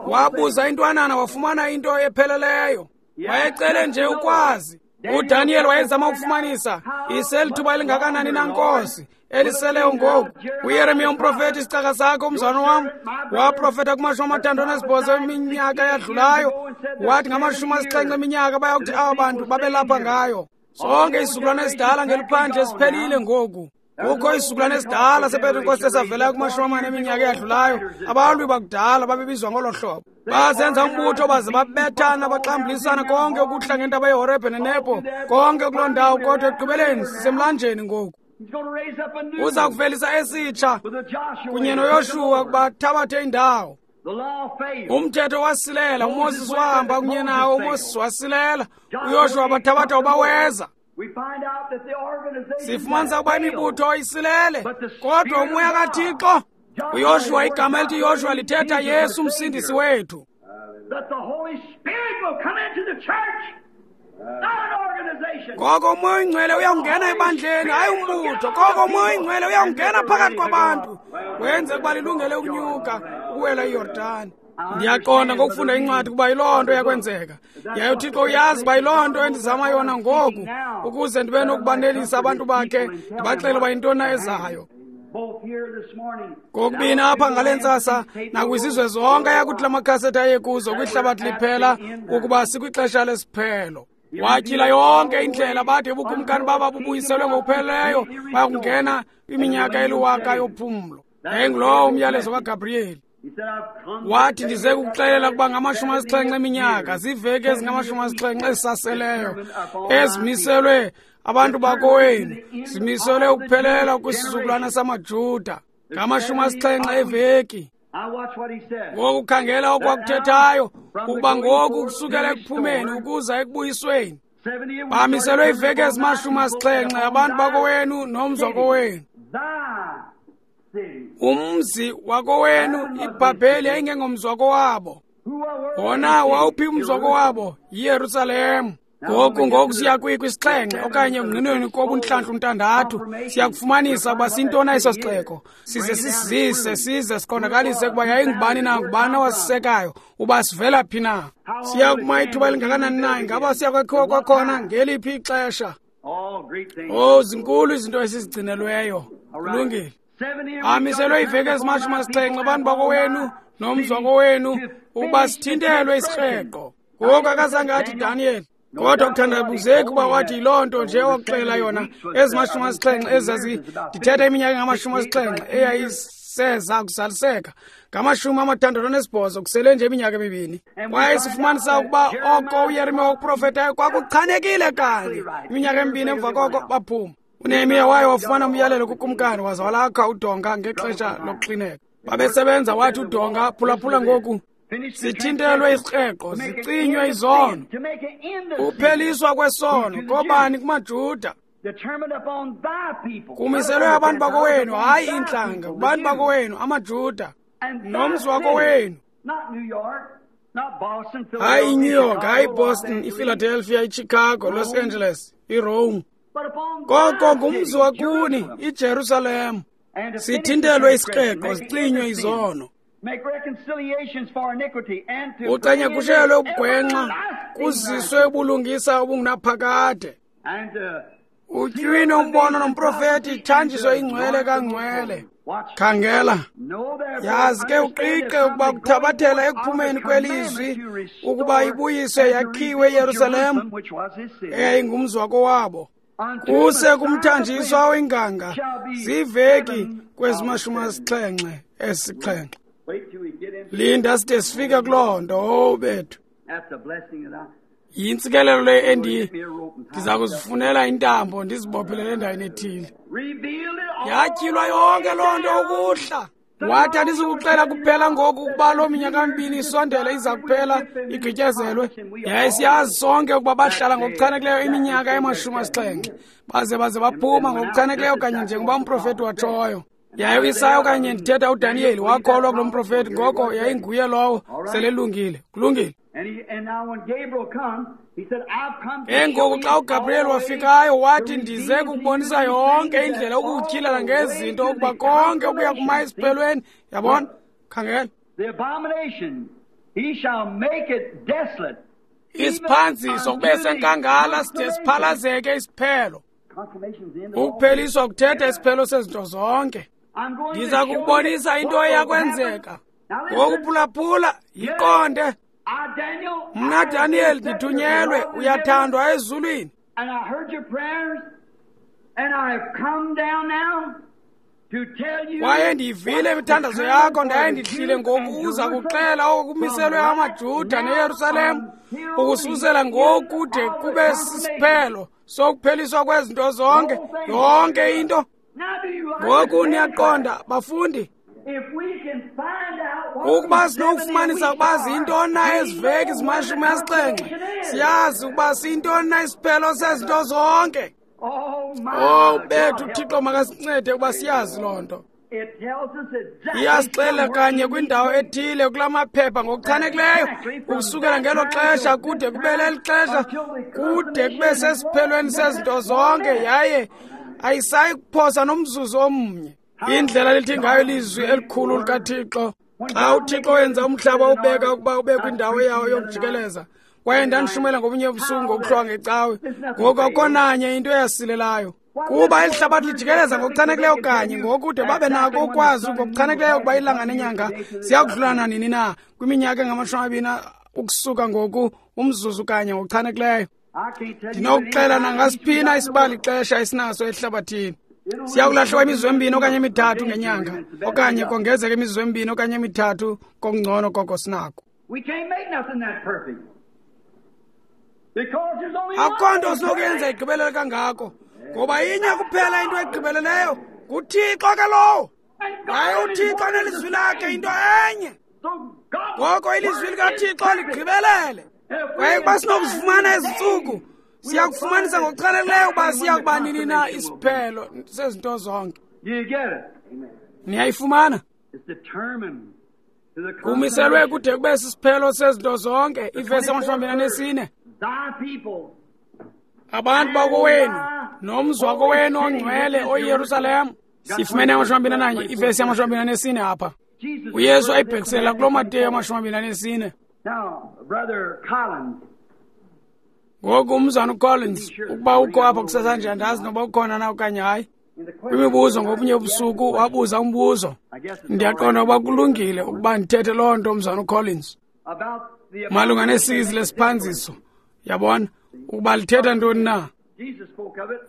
Wabuza intwanana wafumana into epheleleyo. Wayecele nje ukwazi. uDaniel wayezama ukufumanisa iselithuba elingakanani na Nkosi eliseleyo ngoku. uYeremiya umprofeti, isicaka sakho, umzalwane wam, waprofeta kumashumi amathathu anesibhozo eminyaka eyadlulayo, wathi ngamashumi asixhenxe eminyaka bayakuthi aba bantu babelapha ngayo. Sonke isizukulwane esidala ngeliphandle siphelile ngoku. Kukho isizukulwane esidala sePentekoste esavelayo kumashumi amane eminyaka eyadlulayo. Abalwi bakudala babebizwa ngolo hlobo. Bazenza umbutho baze babethana, baxambulisana konke ukuhla ngentaba yeHorebhe neNebo, konke kuloo ndawo, kodwa ekugqibeleni sisemlanjeni ngoku. Uza kuvelisa esitsha kunye noYoshuwa ukuba thabathe indawo. Umthetho wasilela, uMoses wahamba kunye nawo, uMoses wasilela, uYoshuwa bathabatha ubaweza. Sifumanisa ukuba imibutho isilele, kodwa umoya kaThixo, uYoshuwa, igama elithi Yoshuwa lithetha Yesu umsindisi wethu. Ngoko umoya oyingcwele uyawungena ebandleni, hayi umbutho. Koko umoya oyingcwele uyawungena phakathi kwabantu, wenze ukuba lilungele ukunyuka ukuwela iYordani. Ndiyaqonda ngokufunda incwadi ukuba yiloo nto yakwenzeka. Yaye uThixo uyazi uba yiloo nto endizama yona ngoku, ukuze ndibe nokubanelisa abantu bakhe, ndibaxele uba yintoni na ezayo. Ngokubini apha ngale ntsasa nakwizizwe zonke ayakuthi la makhasethi aye kuzo kwihlabathi liphela, ukuba sikwixesha lesiphelo. Watyhila yonke indlela bade ubukumkani baba bubuyiselwe ngokupheleleyo, bayakungena kwiminyaka eliwaka yophumlo. Yayingulowo umyalezo kaGabriyeli. Wathi, ndize kukuxelela ukuba ngamashumi asixhenxe eminyaka, ziiveki ezingamashumi asixhenxe ezisaseleyo ezimiselwe abantu bakowenu, zimiselwe ukuphelela kwisizukulwana samaJuda, ngamashumi asixhenxe eveki. Ngoku khangela okwakuthethayo, ukuba ngoku kusukela ekuphumeni ukuza ekubuyisweni bamiselwe iiveki ezimashumi asixhenxe abantu bakowenu nomzi wakowenu. Umzi wakowenu, iBhabheli yayingengomzi wakowabo. Wona wawuphi umzi wakowabo? YiYerusalem. Ngoku ngoku siya kwisixhenxe okanye ngqinweni kobuntlantlu ntandathu, siyakufumanisa ukuba sintoni eso sixeko, size sisizise, size siqondakalise ukuba yayingubani na, ngubani owasisekayo, uba sivela phi na. Siya kuma ithuba elingakanani na? Ingaba siya kwakhiwa kwakhona ngeliphi ixesha? Oh, zinkulu izinto esizigcinelweyo. Kulungile. Amiselwe iiveki ezimashumi asixhenxe abantu bakowenu nomzi wakowenu ukuba sithintelwe isikreqo. Ngoku akazange athi Daniel, kodwa kuthandabuzeki uba wathi yiloo nto nje wakuxelela yona ezimashumi asixhenxe ezazi ndithetha iminyaka engamashumi asixhenxe seza kuzaliseka ngamashumi amathandathu anesibhozo kusele nje iminyaka emibini. Kwaye sifumanisa ukuba oko uYeremiya wakuprofetayo kwakuchanekile kanye. Iminyaka emibini emva koko baphuma. UNehemiya waye wafumana umyalelo kukumkani waza walakha udonga ngexesha lokuxineka. Babesebenza wathi udonga, phulaphula ngoku, sithintelwe isikreqo, zicinywe izono. Upheliswa kwesono kobani? KumaJuda. Kumiselwe abantu bakowenu, hayi iintlanga, kubantu bakowenu, amaJuda, nomzi wakowenu. Hayi iNew York, hayi iBoston, iPhiladelphia, iChicago, Los Angeles, iRome. Koko ngumzi wakuni, iJerusalem. Sithintelwe isikreqo, zicinywe izono. Ucanyakushelwe ubugwenxa, kuziswe ubulungisa obungunaphakade. Utywine umbono nomprofeti, ithanjiswe ingcwele kangcwele. Khangela, yazi ke uqiqe ukuba kuthabathela ekuphumeni kwelizwi ukuba ibuyiswe yakhiwe iYerusalem eyayingumzi wakowabo. Kuse kumthanjiswa oyinganga ziveki kwezimashumi asixhenxe esixhenxe. Linda side sifike kuloo nto, owu bethu. Yintsikelelo le endi ndiza kuzifunela intambo ndizibophelele endaweni ethile. Yatyhilwa yonke loo nto ukuhla. Wathi andizukuxela kuphela ngoku ukuba loo minyaka mibini isondele iza kuphela igqityezelwe. Yaye siyazi sonke ukuba bahlala ngokuchanekileyo iminyaka emashumi asixhenxe baze baze baphuma ngokuchanekileyo kanye njengoba umprofeti watshoyo. Yaye uIsaya okanye ndithetha uDaniyeli wakholwa kulo mprofeti, ngoko yayinguye lowo selelungile. Kulungile. Ke ngoku xa uGabriel wafikayo wathi, ndize kukubonisa yonke indlela ukukutyhilela ngezinto ukuba konke okuya kuma esiphelweni. Yabona? Khangela. Isiphanziso kube senkangala side siphalazeke isiphelo. Ukupheliswa kuthetha isiphelo sezinto zonke. Ndiza kukubonisa into eyakwenzeka. Ngoku phulaphula, yiqonde. Mna Daniel ndithunyelwe, uyathandwa ezulwini. Kwaye ndiyivile imithandazo yakho, ndaye ndihlile ngoku uza kuxela okumiselwe amaJuda neYerusalem ukususela ngoku de kube sisiphelo sokupheliswa kwezinto zonke, yonke into. Ngoku niyaqonda, bafundi. Ukuba sinokufumanisa ukuba ziyintoni na ezi veki zimashumi asixhenxe, siyazi ukuba siyintoni na isiphelo sezinto zonke. Oh bethu, uThixo makasincede ukuba siyazi loo nto. Iyasixelela kanye kwindawo ethile kula maphepha ngokuchanekileyo ukusukela ngelo xesha kude kube leli xesha, kude kube sesiphelweni sezinto zonke, yaye ayisayi kuphosa nomzuzu omnye. Indlela lithi ngayo ilizwi elikhulu likaThixo. Xa uThixo wenza umhlaba ubeka ukuba ube kwindawo yawo yokujikeleza, kwaye ndandishumela ngobunye ubusuku ngokuhlwa ngecawe, ngoku akukho nanye into eyasilelayo. Kuba eli hlabathi lijikeleza ngokuchanekileyo kanye, ngokude babe nako ukwazi ngokuchanekileyo ukuba ilanga nenyanga ziyakudlulana nini na kwiminyaka engamashumi amabini ukusuka ngoku, umzuzu kanye ngokuchanekileyo. Ndinokuxela nangasiphi isibali ixesha esinaso ehlabathini. Siyakulahlwa imizuzu emibini okanye emithathu ngenyanga, okanye kongezeka imizuzu emibini okanye emithathu kokungcono koko sinako. Akukho nto sinokuyenza igqibelele kangako, ngoba inye kuphela into egqibeleleyo, nguThixo ke lowo. Hayi, uThixo nelizwi lakhe into enye. Ngoko ilizwi likaThixo ligqibelele. Kwaye ukuba sinokuzifumana ezi ntsuku, siyakufumanisa ngokuchanekileyo ukuba siya kuba nini na isiphelo sezinto zonke. Niyayifumana? Kumiselwe kude kube sisiphelo sezinto zonke. Ivesi yamashumi amabini anesine. Abantu bakowenu nomzi wakowenu ongcwele oyiYerusalem. Sifumene amashumi amabini ananye, ivesi yamashumi amabini anesine apha. uYesu ayibhekisela kuloo Mateyu amashumi amabini anesine. Ngoku umzana uCollins, ukuba ukho apha kusasanje, andazi noba ukhona na okanye hayi. Kwimibuzo ngobunye ubusuku wabuza umbuzo. Ndiyaqonda ukuba kulungile ukuba ndithethe loo nto, umzana uCollins, malunga nesizi lesiphanziso. Yabona ukuba lithetha ntoni na.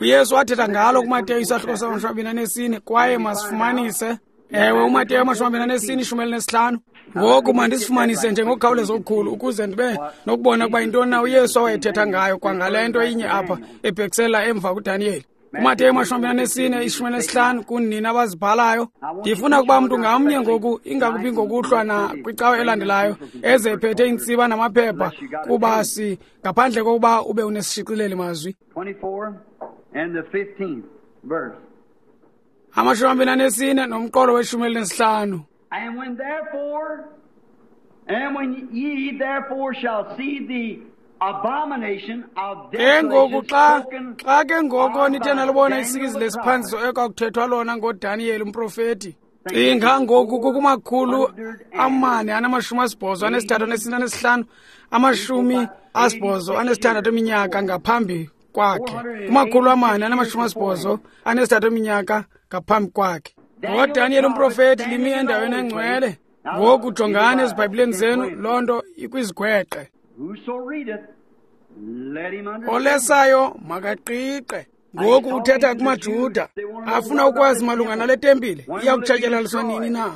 uYesu wathetha ngalo kuMateyu isahluko samashumi amabini anesine, kwaye masifumanise. Ewe, uMateyu amashumi amabini anesine ishumi elinesihlanu. Ngoku mandisifumanise nje ngokukhawuleza okukhulu ukuze ndibe nokubona ukuba yintoni na uYesu awayethetha ngayo kwangale nto inye apha ebhekisela emva kuDaniyeli. UMateyu amashumi amabini anesine ishumi elinesihlanu kunina abazibhalayo. Ndifuna ukuba mntu ngamnye ngoku, ingakubi ngokuhlwa na kwicawe elandelayo, eze ephethe iintsiba namaphepha kuba si ngaphandle kokuba ube unesishicileli mazwi. Amashumi amabini anesine nomqolo weshumi elinesihlanu. And when therefore, and when ye therefore shall see the abomination of Ke ngoku desolation xa spoken xa ke ngoko nithe of nalubona by isikizi Daniel the lesiphanziso prophet. ekwakuthethwa lona ngoDaniyeli umprofeti. Cinga ngoku kukumakhulu amane anamashumi asibhozo anesithathu anesine anesihlanu amashumi asibhozo anesithandathu eminyaka ngaphambi kwakhe. Kumakhulu amane anamashumi asibhozo anesithathu eminyaka ngaphambi kwakhe. NgoDaniyeli umprofeti limi endaweni engcwele. Ngoku jongani ezibhayibhileni zenu, loo nto ikwizigweqe. Whoso readeth, let him understand. Olesayo makaqiqe. Ngoku uthetha kumaJuda afuna ukwazi malunga nale tempile iya kutshatyalaliswa nini na,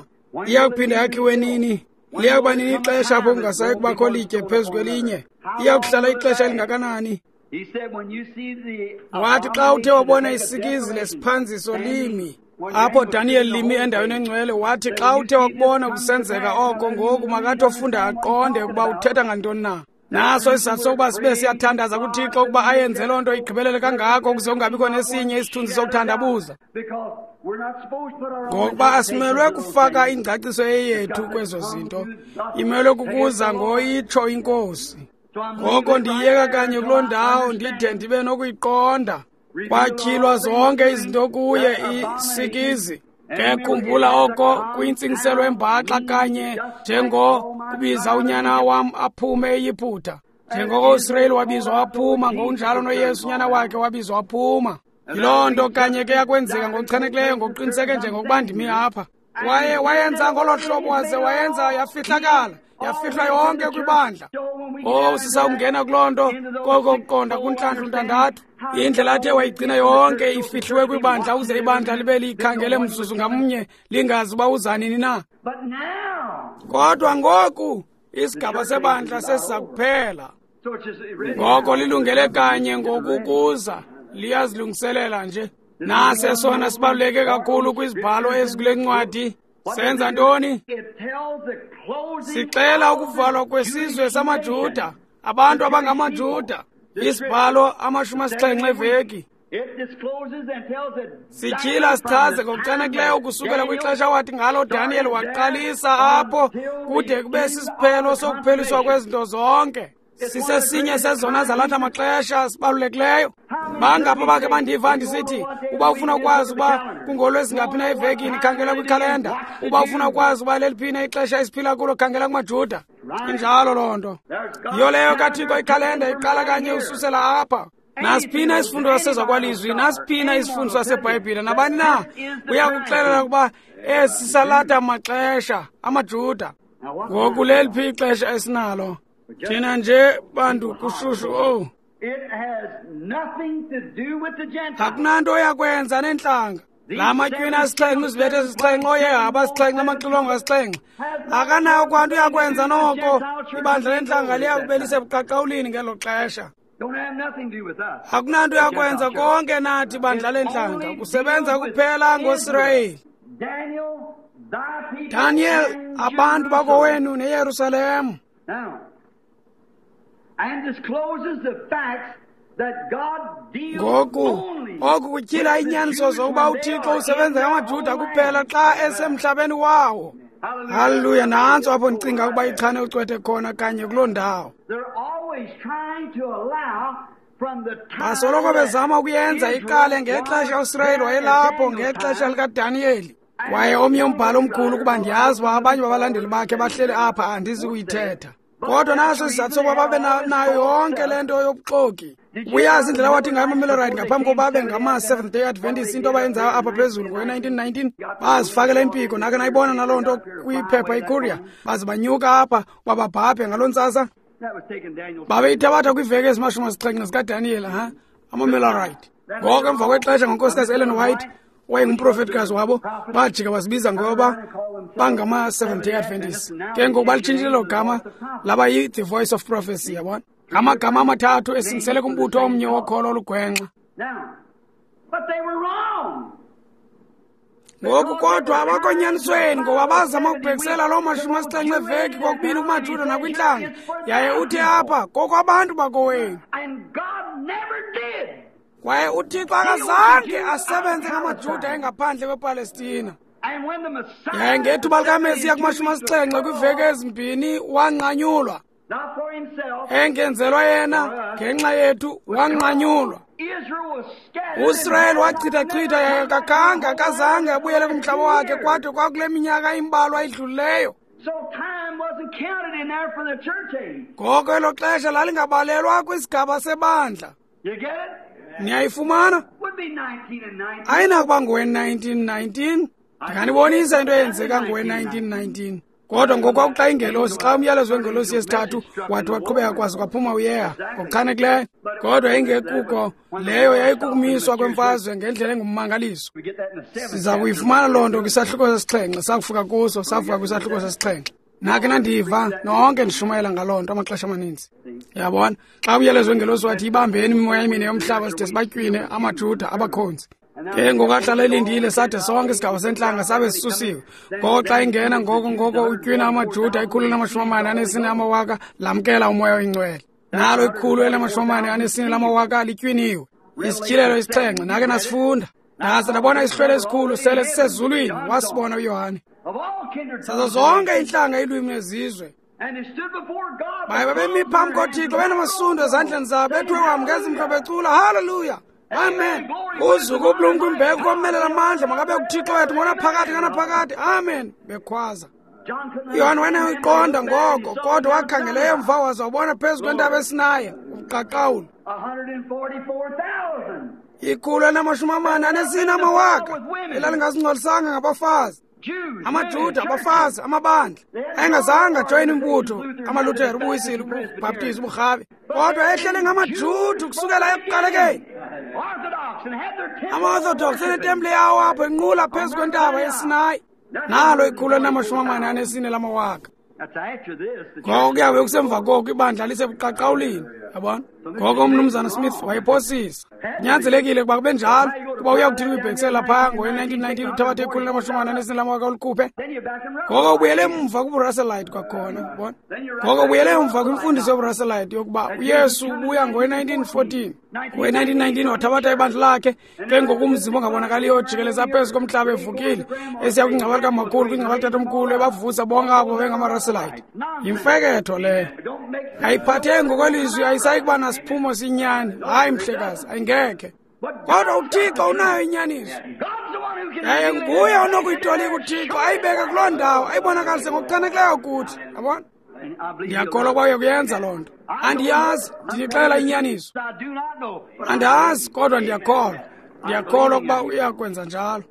iya kuphinda yakhiwe nini, liya kuba nini ixesha apho kungasayi kubakho litye phezu kwelinye, iya kuhlala ixesha elingakanani. He said, when you see the Wathi xa uthe wabona abomination of isikizi desolation lesiphanziso limi when apho Daniel Daniel was in the limi holy endaweni place, engcwele, wathi said, xa when you uthe see this wakubona come to kusenzeka pass, oko, now ngoku you makathi ofunda understand what aqonde he's ukuba talking uthetha about. ngantoni na. Naso isizathu sokuba sibe siyathandaza kuThixo ukuba ayenze loo nto igqibelele kangako ukuze kungabikho nesinye isithunzi sokuthandabuza. Because we're not supposed to put our own Ngokuba asimelwe interpretations of those kufaka things. ingcaciso eyethu kwezo zinto, imelwe kukuza ngoyitsho iNkosi. So I'm Ngoko leaving it right ndiyiyeka there kanye until kuloo I ndawo understand ndide it. ndibe nokuyiqonda. Reveal Kwatyhilwa all things zonke to me, izinto kuye that abomination. isikizi. And Ke remember, it khumbula has a oko kuyintsingiselo compound embaxa meaning, kanye just like njengo all my kubiza son unyana wam aphume eYiputa. Njengoko uSirayeli wabizwa waphuma, ngokunjalo noYesu unyana wakhe wabizwa waphuma. Yiloo nto kanye ke yakwenzeka ngokuchanekileyo, ngokuqiniseke njengokuba ndimi apha. Kwaye wayenza ngolo hlobo waze wayenza yafihlakala, yafihlwa yonke kwibandla. Oh, sisawungena kuloo nto koko kuqonda kuntlantlu ntandathu. Indlela athe wayigcina yonke ifihliwe kwibandla ukuze ibandla libe liyikhangele mzuzu ngamnye lingazi uba uza nini na. But now, Kodwa ngoku isigaba sebandla sesiza kuphela. so it's just ready Ngoko now. lilungele kanye ngokukuza, liyazilungiselela nje. Nase sona sibaluleke kakhulu kwizibhalo ezikule ncwadi. Senza ntoni? It tells the closing Sixela of the ukuvalwa kwesizwe Jewish samaJuda, nation. abantu The Jewish abangamaJuda. people. The Isibhalo amashumi scripture, asixhenxe seventy weeks. eveki. It discloses and tells Sityhila exactly from sichaze the time ngokuchanekileyo that ukusukela Daniel kwixesha wathi ngalo Daniel started there waqalisa apho until the kude kube end of sisiphelo the sokupheliswa consummation. kwezinto zonke. It's one of the Sisesinye greatest sezona zalatha times. maxesha sibalulekileyo. How many Bangapha churches bakhe say, bandiva if you want to ndisithi know what day of uba the week ufuna it is, ukwazi look at the uba calendar. kungolwezingaphi You na want to know what evekini, time khangela it is, kwikhalenda. watch the Uba ufuna Jews. ukwazi uba leliphi na ixesha esiphila kulo, khangela kumaJuda. Right. Injalo loo nto. There's Yiyo God's leyo kaThixo calendar ikhalenda taken from iqala right kanye here. ususela apha. Nasiphina Anything goes. isifundo Any Bible sasezakwalizwi, scholar, nasiphina anyone isifundo will tell you sasebhayibhile, that nabani na this is the uya time kuxelela ukuba esi salata maxesha amaJuda. Now what Ngoku time leliphi ixesha esinalo? But just Thina nje bantu people holler. kushushu owu. It has nothing to do with the Gentiles. Akunanto yakwenza neentlanga. La These matywina seven asixhenxe seals, uzibethe seven zisixhenxe plagues, ooyehaba seven bowls, asixhenxe seven amaxilongo trumpets asixhenxe. has not Akanayo one kwanto thing to yakwenza do with the noko. Gentile church Ibandla will be lentlanga closed at liya that kube time. lisebuqaqawulini ngelo xesha. Don't have nothing to do with us, Akunanto the yakwenza Gentile church. konke nathi bandla It lentlanga. only Kusebenza deals with kuphela Israel. ngoSirayeli. Daniel, thy people Daniel, and abantu Jerusalem. bakowenu neYerusalem. Now, and discloses the facts that God deals Ngoku only oku kutyhila with the iinyaniso Jews zokuba when they uThixo are in usebenza their ngamaJuda own kuphela land. xa esemhlabeni wawo. Hallelujah. Haleluya, That's nantso apho it. ndicinga Right ukuba there. ichane ucwethe khona kanye kuloo ndawo. They're always trying to allow from the time Basoloko that bezama ukuyenza iqale Israel ngexesha was uSirayeli there at wayelapho Daniel's ngexesha time likaDaniyeli. Kwaye and omnye umbhalo one omkhulu writer kuba who ndiyazi uba also abanye babalandeli forward bakhe said bahleli apha won't andizi say it. kuyithetha. But Kodwa that's naso the isizathu reason sokuba they babe had na- all this nayo false yonke stuff. le nto yobuxoki. Did you Uyazi ever indlela awathi ngayo know amaMillerite before they ngaphambi came kokuba babe Seventh Day ngama-Seventh Day Adventists, what Adventists they into did up abayenzayo here in apha phezulu nineteen ngowe-nineteen nineteen? nineteen Got the bazifakela women impiko all nake nayibona naloo got nto up here to fly kwiphepha away that iCourier morning. baze banyuka apha uba babhabhe ngaloo ntsasa. That was taking Daniel's Babeyithabatha kwiiveki ezimashumi asixhenxe zikaDaniyeli ha amaMillerite. Then Ngoko later emva on, kwexesha by ngoNkosikazi Miss Ellen Ellen White White, owayengumprofetikazi wabo, bajika bazibiza ngoba bangama-Seventh-day Adventists. Ke ngoku balitshintshile elo gama laba yi-The Voice of Prophecy, yabona. Ngamagama amathathu esingisele kumbutho omnye wokholo olugwenxa. Ngoku kodwa abakonyanisweni ngoba bazama ukubhekisela loo mashumi asixhenxe eveki kokubini kumaJuda nakwintlanga. Yaye uthi apha kokwabantu bakowenu. Kwaye uThixo akazange asebenze ngamaJuda engaphandle kwePalestina. Yaye ngethuba likaMesiya kumashumi asixhenxe kwiiveki ezimbini wanqanyulwa. Engenzelwa yena ngenxa yethu wanqanyulwa. USirayeli wachithachitha yaye kakhange akazange abuyele kumhlaba wakhe kwade kwakule minyaka imbalwa idlulileyo. Ngoko elo xesha lalingabalelwa kwisigaba sebandla. Niyayifumana? Ayinakuba ngowe nineteen nineteen. Ndinganibonisa into eyenzeka ngowe nineteen nineteen. Kodwa ngoku xa ingelosi, xa umyalezo wengelosi yesithathu wathi waqhubeka kwaze kwaphuma uyeha ngokuchanekileyo. Kodwa ingekuko leyo yayikukumiswa kwemfazwe ngendlela engummangaliso. Siza kuyifumana loo nto kwisahluko sesixhenxe, sakufika kuso, safika kwisahluko sesixhenxe. Nakhe nandiva nonke ndishumayela ngaloo nto amaxesha amaninzi. Yabona, xa umyalezo wengelosi wathi ibambeni imimoya emine yomhlaba side sibatywine amaJuda abakhonzi. Ke ngoku ahlala elindile sade sonke isigaba sentlanga sabe sisusiwe. Ngoko xa ingena ngoko ngoko utywina amaJuda ikhulu lamashumi amane anesine amawaka lamkela umoya oyingcwele. Nalo ikhulu elamashumi amane anesine lamawaka litywiniwe. Isityhilelo isixhenxe nake nasifunda. Ndaza ndabona isihlwele esikhulu sele sisezulwini, wasibona uYohane. Sazo zonke iintlanga, iilwimi nezizwe. Baye babemi phambi koThixo benamasundo ezandleni zabo, bethiwe wam ngezimhlobo becula haleluya. Amen. Uzuko ubulumko imbeko komelela amandla makabe kuThixo wethu ngonaphakade kanaphakade. Amen. Bekhwaza. uYohane wayenayiqonda ngoko, kodwa wakhangela emva waza wabona phezu kwentaba eSinayi ubuqaqawuli. Ikhulu elinamashumi amane anesine amawaka elalingazingcolisanga ngabafazi. amaJuda, abafazi, amabandla ayengazange ajoyine imbutho, amaLuthere, ubuWisile, ubuBhaptizi, ubuRhabe, kodwa ehlele ngamaJuda kusukela ekuqalekeni. Ama-Orthodox enetempile yawo apho enqula phezu kwentaba yeSinayi. Nalo ikhulu elinamashumi amane anesine lamawaka. Ngoko kuyabe kusemva koko ibandla lisebuqaqawulini, yabona. Ngoko uMnumzana Smith wayephosisa. Kunyanzelekile ukuba kube njalo, kuba uya kuthini uyibhekisela phaa ngowe-nineteen nineteen uthabathe ikhulu lamashumi amane anesine lamawaka ulikhuphe. Ngoko ubuyele emva kubuRusselite kwakhona, yabona. Ngoko ubuyele emva kwimfundiso yobuRusselite yokuba uYesu ubuya ngowe-nineteen fourteen. Ngowe-nineteen nineteen wathabatha ibandla lakhe, ke ngoku umzimba ongabonakaliyo ojikeleza phezu komhlaba evukile, esiya kwingcwaba likamakhulu, kwingcwaba likaTatomkhulu, ebavusa bonke abo bengamaRusselite. Yimfeketho leyo. Ayiphathe ngokwelizwi, ayisayi kuba nasiphumo sinyani. Hayi mhlekazi, ayingekhe. Kodwa uThixo unayo inyaniso. Yaye nguye onokuyitolika uThixo, ayibeke kuloo ndawo, ayibonakalise ngokuchanekileyo kuthi. Yabona? Ndiyakholwa ukuba uyakuyenza loo nto. Andiyazi, ndinixelela inyaniso. Andazi, kodwa ndiyakholwa. Ndiyakholwa ukuba uyakwenza njalo.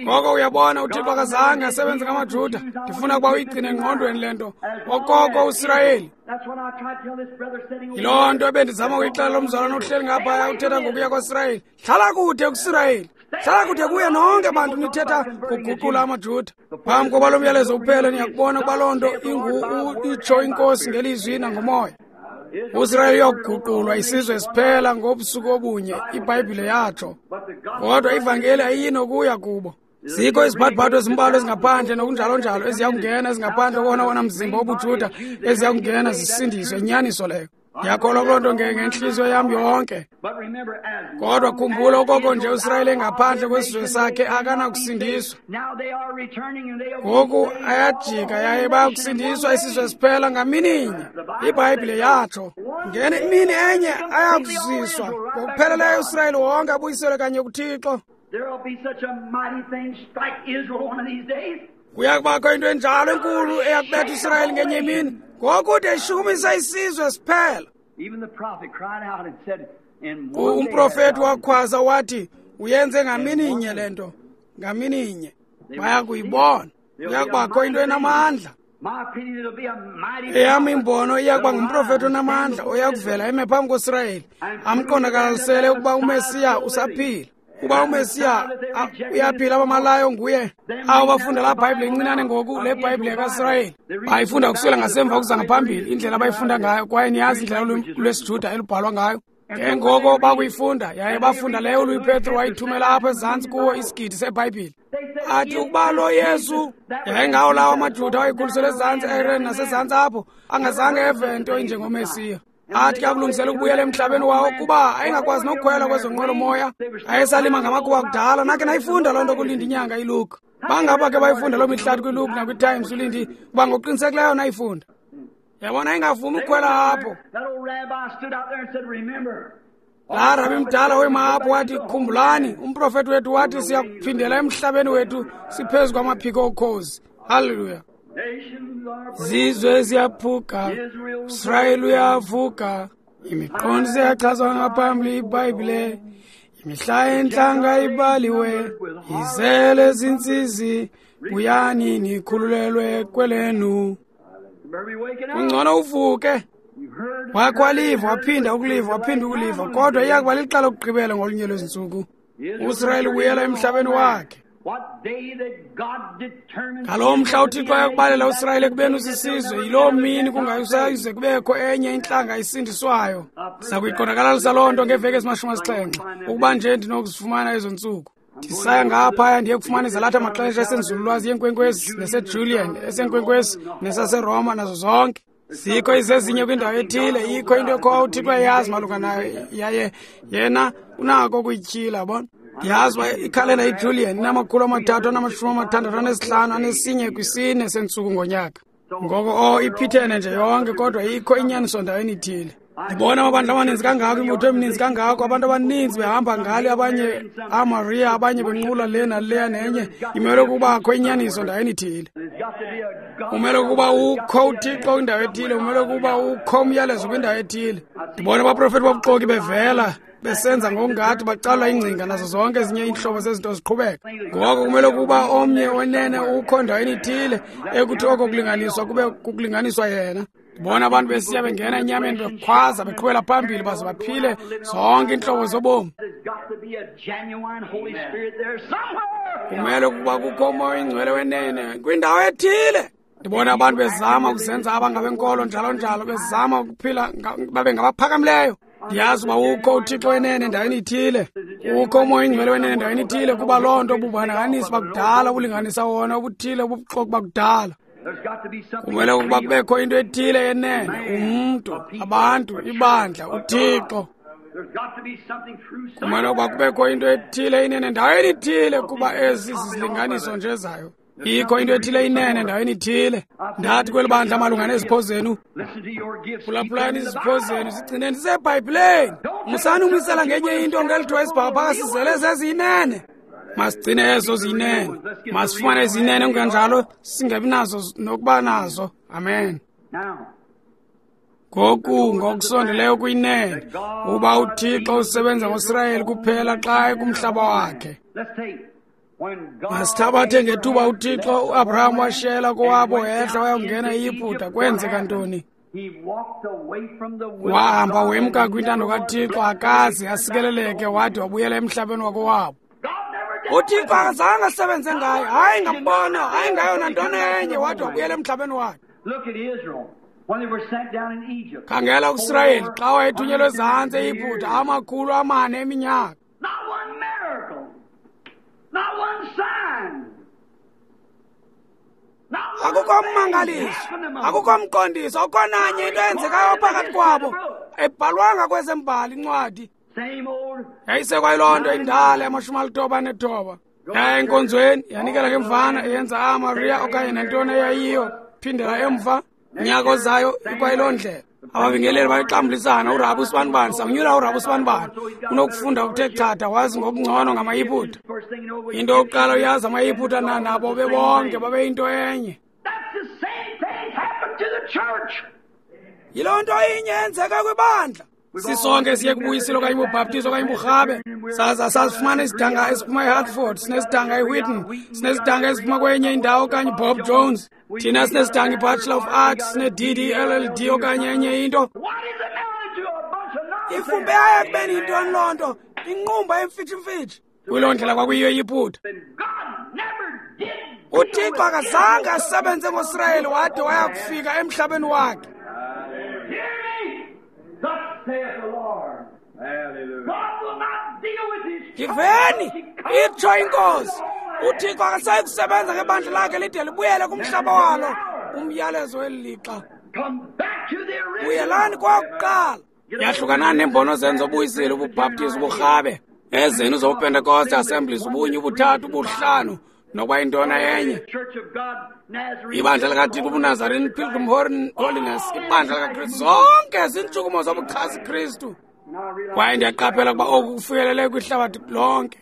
Ngoko uyabona, uThixo akazange asebenze ngamaJuda. Ndifuna ukuba uyigcine engqondweni le nto. Okoko uSirayeli. Yiloo nto ebendizama ukuyixelela lo mzalwana ohleli ngaphaya uthetha ngokuya kwaSirayeli. Hlala kude kuSirayeli. Hlala kude kuye nonke bantu nithetha ngokuguqula amaJuda. Phambi koba lo myalezo uphele, niyakubona ukuba loo nto ingu itsho iNkosi ngelizwi nangomoya. uSirayeli uyokuguqulwa isizwe siphela ngobusuku obunye, iBhayibhile yatsho. Kodwa ivangeli ayinokuya kubo. Zikho iziphathiphatho ezimbalwa ezingaphandle nokunjalo-njalo eziya kungena ezingaphandle kowona wona mzimba wobuJuda eziya kungena zisindiswe, inyaniso leyo. Ndiyakholwa kuloo nto ngentliziyo yam yonke. Kodwa khumbula, okoko nje uSirayeli engaphandle kwesizwe sakhe akanakusindiswa. Ngoku ayajika yaye bayakusindiswa isizwe siphela ngamininye. IBhayibhile yatsho. Ngene imini enye ayakuziswa ngokupheleleyo uSirayeli wonke abuyiselwe kanye kuThixo. Kuya kubakho into enjalo enkulu eyakubetha uSirayeli ngenye imini, ngokude ishukumisa isizwe siphela. Umprofeti wakhwaza wathi, uyenze ngamininye le nto, ngamininye. Baya kuyibona. Kuya kubakho into enamandla. Eyam imbono iya kuba ngumprofeti onamandla oya kuvela eme phambi koSirayeli, amqonakalisele ukuba uMesiya usaphila. Kuba uMesiya uyaphila, abamalayo nguye. Abo bafunda laa Bhayibhile incinane ngoku, le Bhayibhile kaSirayeli, bayifunda kusukela ngasemva ukuza ngaphambili, indlela abayifunda ngayo, kwaye niyazi indlela lwesiJuda elubhalwa ngayo. Ke ngoko bakuyifunda, yaye bafunda leyo uLouis Petro wayithumela apho ezantsi kuwo isigidi seBhayibhile. Athi ukuba lo Yesu yayingawo lawo amaJuda awayekhuliselwe ezantsi eIran nasezantsi apho, angazange eve nto injengoMesiya. Athi ke akulungisela ukubuyela emhlabeni wawo kuba ayengakwazi nokukhwela kwezo nqwelomoya, ayesalima ngamakuwa kudala. Nakhe nayifunda loo nto kuLindi inyanga iLuke. Bangaba ke bayifunda loo mihlathi kwiLuke nakwiTimes uLindi, kuba ngokuqinisekileyo nayifunda. Yabona, ingavumi ukukhwela apho. Laa rabi mdala wema apho wathi, khumbulani, umprofethi wethu wathi siyakuphindela emhlabeni wethu siphezu kwamaphiko okhozi. Haleluya. Zizwe ziyaphuka, Israyeli uyavuka, imiqondiso iyachazwa ngaphambili iBhayibhile, imihla yentlanga ibaliwe, izele zintsizi, buyani nikhululelwe kwelenu. Kungcono uvuke. Wakho waliva, waphinda ukuliva, waphinda ukuliva, kodwa iyakuba lixa lokugqibela ngolunye lwezintsuku. USirayeli ubuyela emhlabeni wakhe. Ngaloo mhla uThixo ayakubalela uSirayeli ekubeni usisizwe, yiloo mini kungayisayize kubekho enye intlanga isindiswayo. Siza kuyiqondakalalisa loo nto ngeveki ezimashumi asixhenxe, ukuba nje ndinokuzifumana ezo ntsuku. Ndisaya ngaphaya ndiye kufumana izalatha amaxesha esenzululwazi yenkwenkwezi neseJulian, esenkwenkwezi nesaseRoma, nazo zonke. Zikho izezinye kwindawo ethile, ikho into ekhoyo uThixo eyazi malunga nayo, yaye yena unako ukuyityhila, yabona. Ndiyazi uba ikhalenda iJulian inamakhulu amathathu anamashumi amathandathu anesihlanu anesinye kwisine sentsuku ngonyaka. Ngoko o iphithene nje yonke, kodwa ikho inyaniso ndaweni ithile. Ndibona amabandla amaninzi kangako, imibutho emininzi kangako, abantu abaninzi behamba ngale, abanye amaria, abanye benqula le naleya nenye. Imele ukubakho inyaniso ndaweni ithile. Umele ukuba ukho uThixo kwindawo ethile, umele ukuba ukho umyalezo kwindawo ethile. Ndibona abaprofethi bobuxoki bevela besenza ngokungathi bacalula ingcinga nazo zonke ezinye iintlobo zezinto ziqhubeka. Ngoko kumele ukuba omnye wenene ukho ndaweni ithile ekuthi oko kulinganiswa kube kukulinganiswa yena. Ndibona abantu besiya bengena enyameni bekhwaza beqhubela phambili baze baphile zonke iintlobo zobomi. Kumele ukuba kukho umoya oyingcwele wenene kwindawo ethile. Ndibona abantu bezama ukuzenza abangabenkolo njalo njalo, bezama ukuphila babe ngabaphakamileyo. Ndiyazi uba ukho uThixo wenene endaweni ithile, ukho umoya oyingcwele wenene endaweni ithile, kuba loo nto bubonakalisa bakudala, ubulinganisa wona obuthile ubuxoki bakudala. Kumele ukuba kubekho into ethile yenene, umntu, abantu, ibandla, uThixo. Kumele ukuba kubekho into ethile inene endaweni ithile, kuba ezi zizilinganiso nje zayo. Ikho into ethile inene endaweni ithile. Ndathi kweli bandla malunga nezipho zenu, phulaphulani izipho zenu, zigcineni ziseBhayibhileni. Musani umisela ngenye into ngelithiwa isibhakabhaka sizele zeziyinene. Masigcine ezo ziyinene, masifumane izinene, kungenjalo singabi nazo nokuba nazo. Amen. Ngoku ngokusondeleyo kuyinene, uba uThixo usebenza ngoSirayeli kuphela xa ekumhlaba wakhe. Masithabathe ngethuba uThixo uAbraham washiyela kowabo wehla wayongena eYiputa, kwenzeka ntoni? Wahamba wemka kwintando kaThixo, akaze asikeleleke, wade wabuyela emhlabeni wakowabo. uThixo akazange asebenze ngayo, hayi ngambona, hayi ngayo nantoni enye, wade wabuyela emhlabeni wakhe. Khangela uSirayeli xa wayethunyelwe ezantsi eYiputa amakhulu amane eminyaka. Akukho mmangaliso, akukho mqondiso, akukho nanye into eyenzekayo phakathi kwabo ebhalwanga kwezembali incwadi. Yayisekwayiloo nto indala yamashumi alithoba anethoba. Yaya enkonzweni, yanikela ngemvana, eyenza amaria okanye nantoni eyayiyo, phindela emva, nyaka ozayo ikwayiloo ndlela. Ababingeleli bayixambulisana, uRabi usibanibani, sawunyula uRabi usibanibani. Unokufunda okuthe chatha, wazi ngokungcono ngamaYiputa. Into yokuqala uyazi amaYiputa na nabo bebonke babeyinto enye. Yiloo nto inye eyenzeka kwibandla. Sisonke siye kubuyisilo okanye ubhaptizo okanye uburhabe. Saza sasifumana isidanga esiphuma eHartford, sinesidanga eWheaton, sinesidanga esiphuma kwenye indawo okanye Bob Jones. Thina sinesidanga iBachelor of Arts, sine-D D L L D okanye enye into. Ifumbe yayo ekubeni yintoni loo nto? Inqumba emfitshimfitshi. Kuyiloo ndlela kwakuyiyo eYiputa. UThixo akazange asebenze ngoSirayeli wade waya kufika emhlabeni wakhe. Ndiveni, itsho iNkosi. UThixo akasayi kusebenza ngebandla lakhe lide libuyele kumhlaba walo. Umyalezo weli lixa. Buyelani kwakuqala. Yahlukanani neembono zenu zobuyisile, ububhaptizi, uburhabe, ezenu zobuPentekoste, Assemblies, ubunye, ubuthathu, ubuhlanu, nokuba yintona enye. Ibandla likaThixo, ubuNazarene, Pilgrim Holiness, ibandla likaKristu, zonke ziintshukumo zobuchasi Kristu. Kwaye ndiyaqaphela ukuba oku kufikelele kwihlabathi lonke.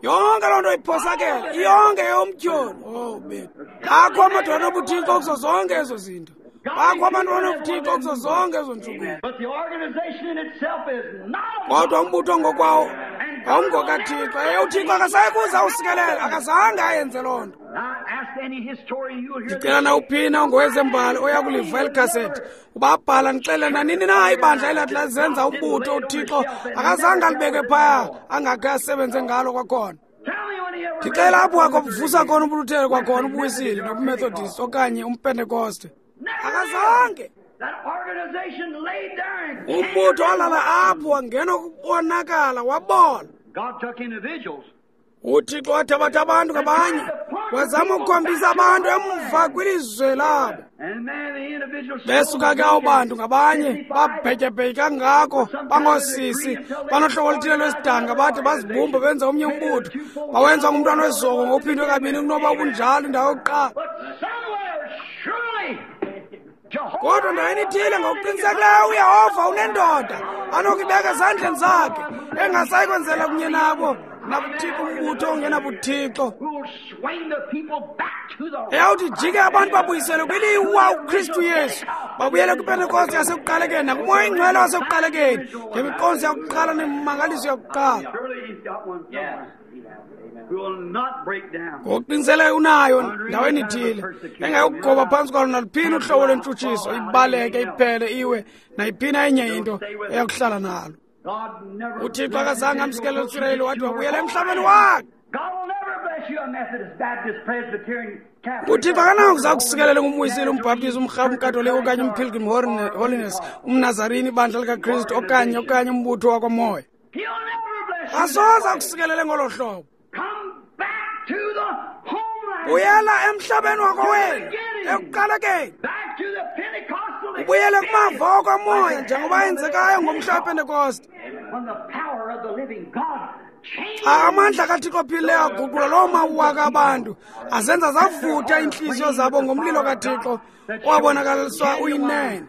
Yonke loo nto iphosakele, yonke yomtyholi. Oh, bethu. Akho amadoda anobuthixo kuzo zonke ezo zinto. Bakho abantu abanobuthixo kuzo zonke ezo ntshukumo. Kodwa umbutho ngokwawo awungokaThixo. UThixo akasayi kuza usikelela, akazange ayenze loo nto. Ndicela nawuphina ongowezembali oya kuliva eli khasethi uba abhala ndixelele nanini na ibandla elathi lazenza umbutho uThixo akazange alibeke phaya angakhe asebenze ngalo kwakhona. Ndicela apho wakobuvusa khona ubuLuthele kwakhona ubuWisile nobuMethodist okanye umPentekoste. Akazange. Umbutho walala apho wangena ukubonakala wabola. UThixo wathabatha abantu ngabanye wazama ukukhombisa abantu emva kwilizwe labo. Besuka ke abo bantu ngabanye babhetyebhetye kangako, bangoosisi, banohlobo oluthile lwesidanga, bathi bazibumba benza omnye umbutho, bawenza ngumntwana wezoko ngokuphindwe kabini kunoba ubunjalo indawo yokuqala. Kodwa ndaweni ithile ngokuqinisekileyo uYehova unendoda anokuyibeka ezandleni zakhe engasayi kwenzela kunye nabo nabuthixo umbutho ongenabuthixo. Eyawuthi jike abantu babuyisele kwiliwa uKristu Yesu, babuyele kwiPentekoste yasekuqalekeni nakuMoya oyiNgcwele wasekuqalekeni ngemiqondiso yakuqala nemimangaliso yakuqala. Ngokuqinisekileyo unayo ndaweni ithile engayokugoba phantsi kwalo naluphina uhlobo lwentshutshiso, ibaleke iphele iwe nayiphina enye into eyakuhlala nalo. UThixo akazange amsikelele uSirayeli wathi wabuyela emhlabeni wakhe. UThixo akanakuza kusikelele ngumwisile, umbhaptizi, umrhabe, umKatolika okanye umPilgrim Holiness, umNazarini, ibandla likaKristu okanye okanye umbutho wakwamoya. Asoze akusikelele ngolo hlobo. Buyela emhlabeni wakowenu ekuqalekeni. Ubuyele kumava okwamoya njengoba yenzekayo ngomhla wePentekoste. Xa amandla kaThixo ophilileyo aguqula loo mawaka abantu, azenza zavutha iintliziyo zabo ngomlilo kaThixo owabonakaliswa uyinene.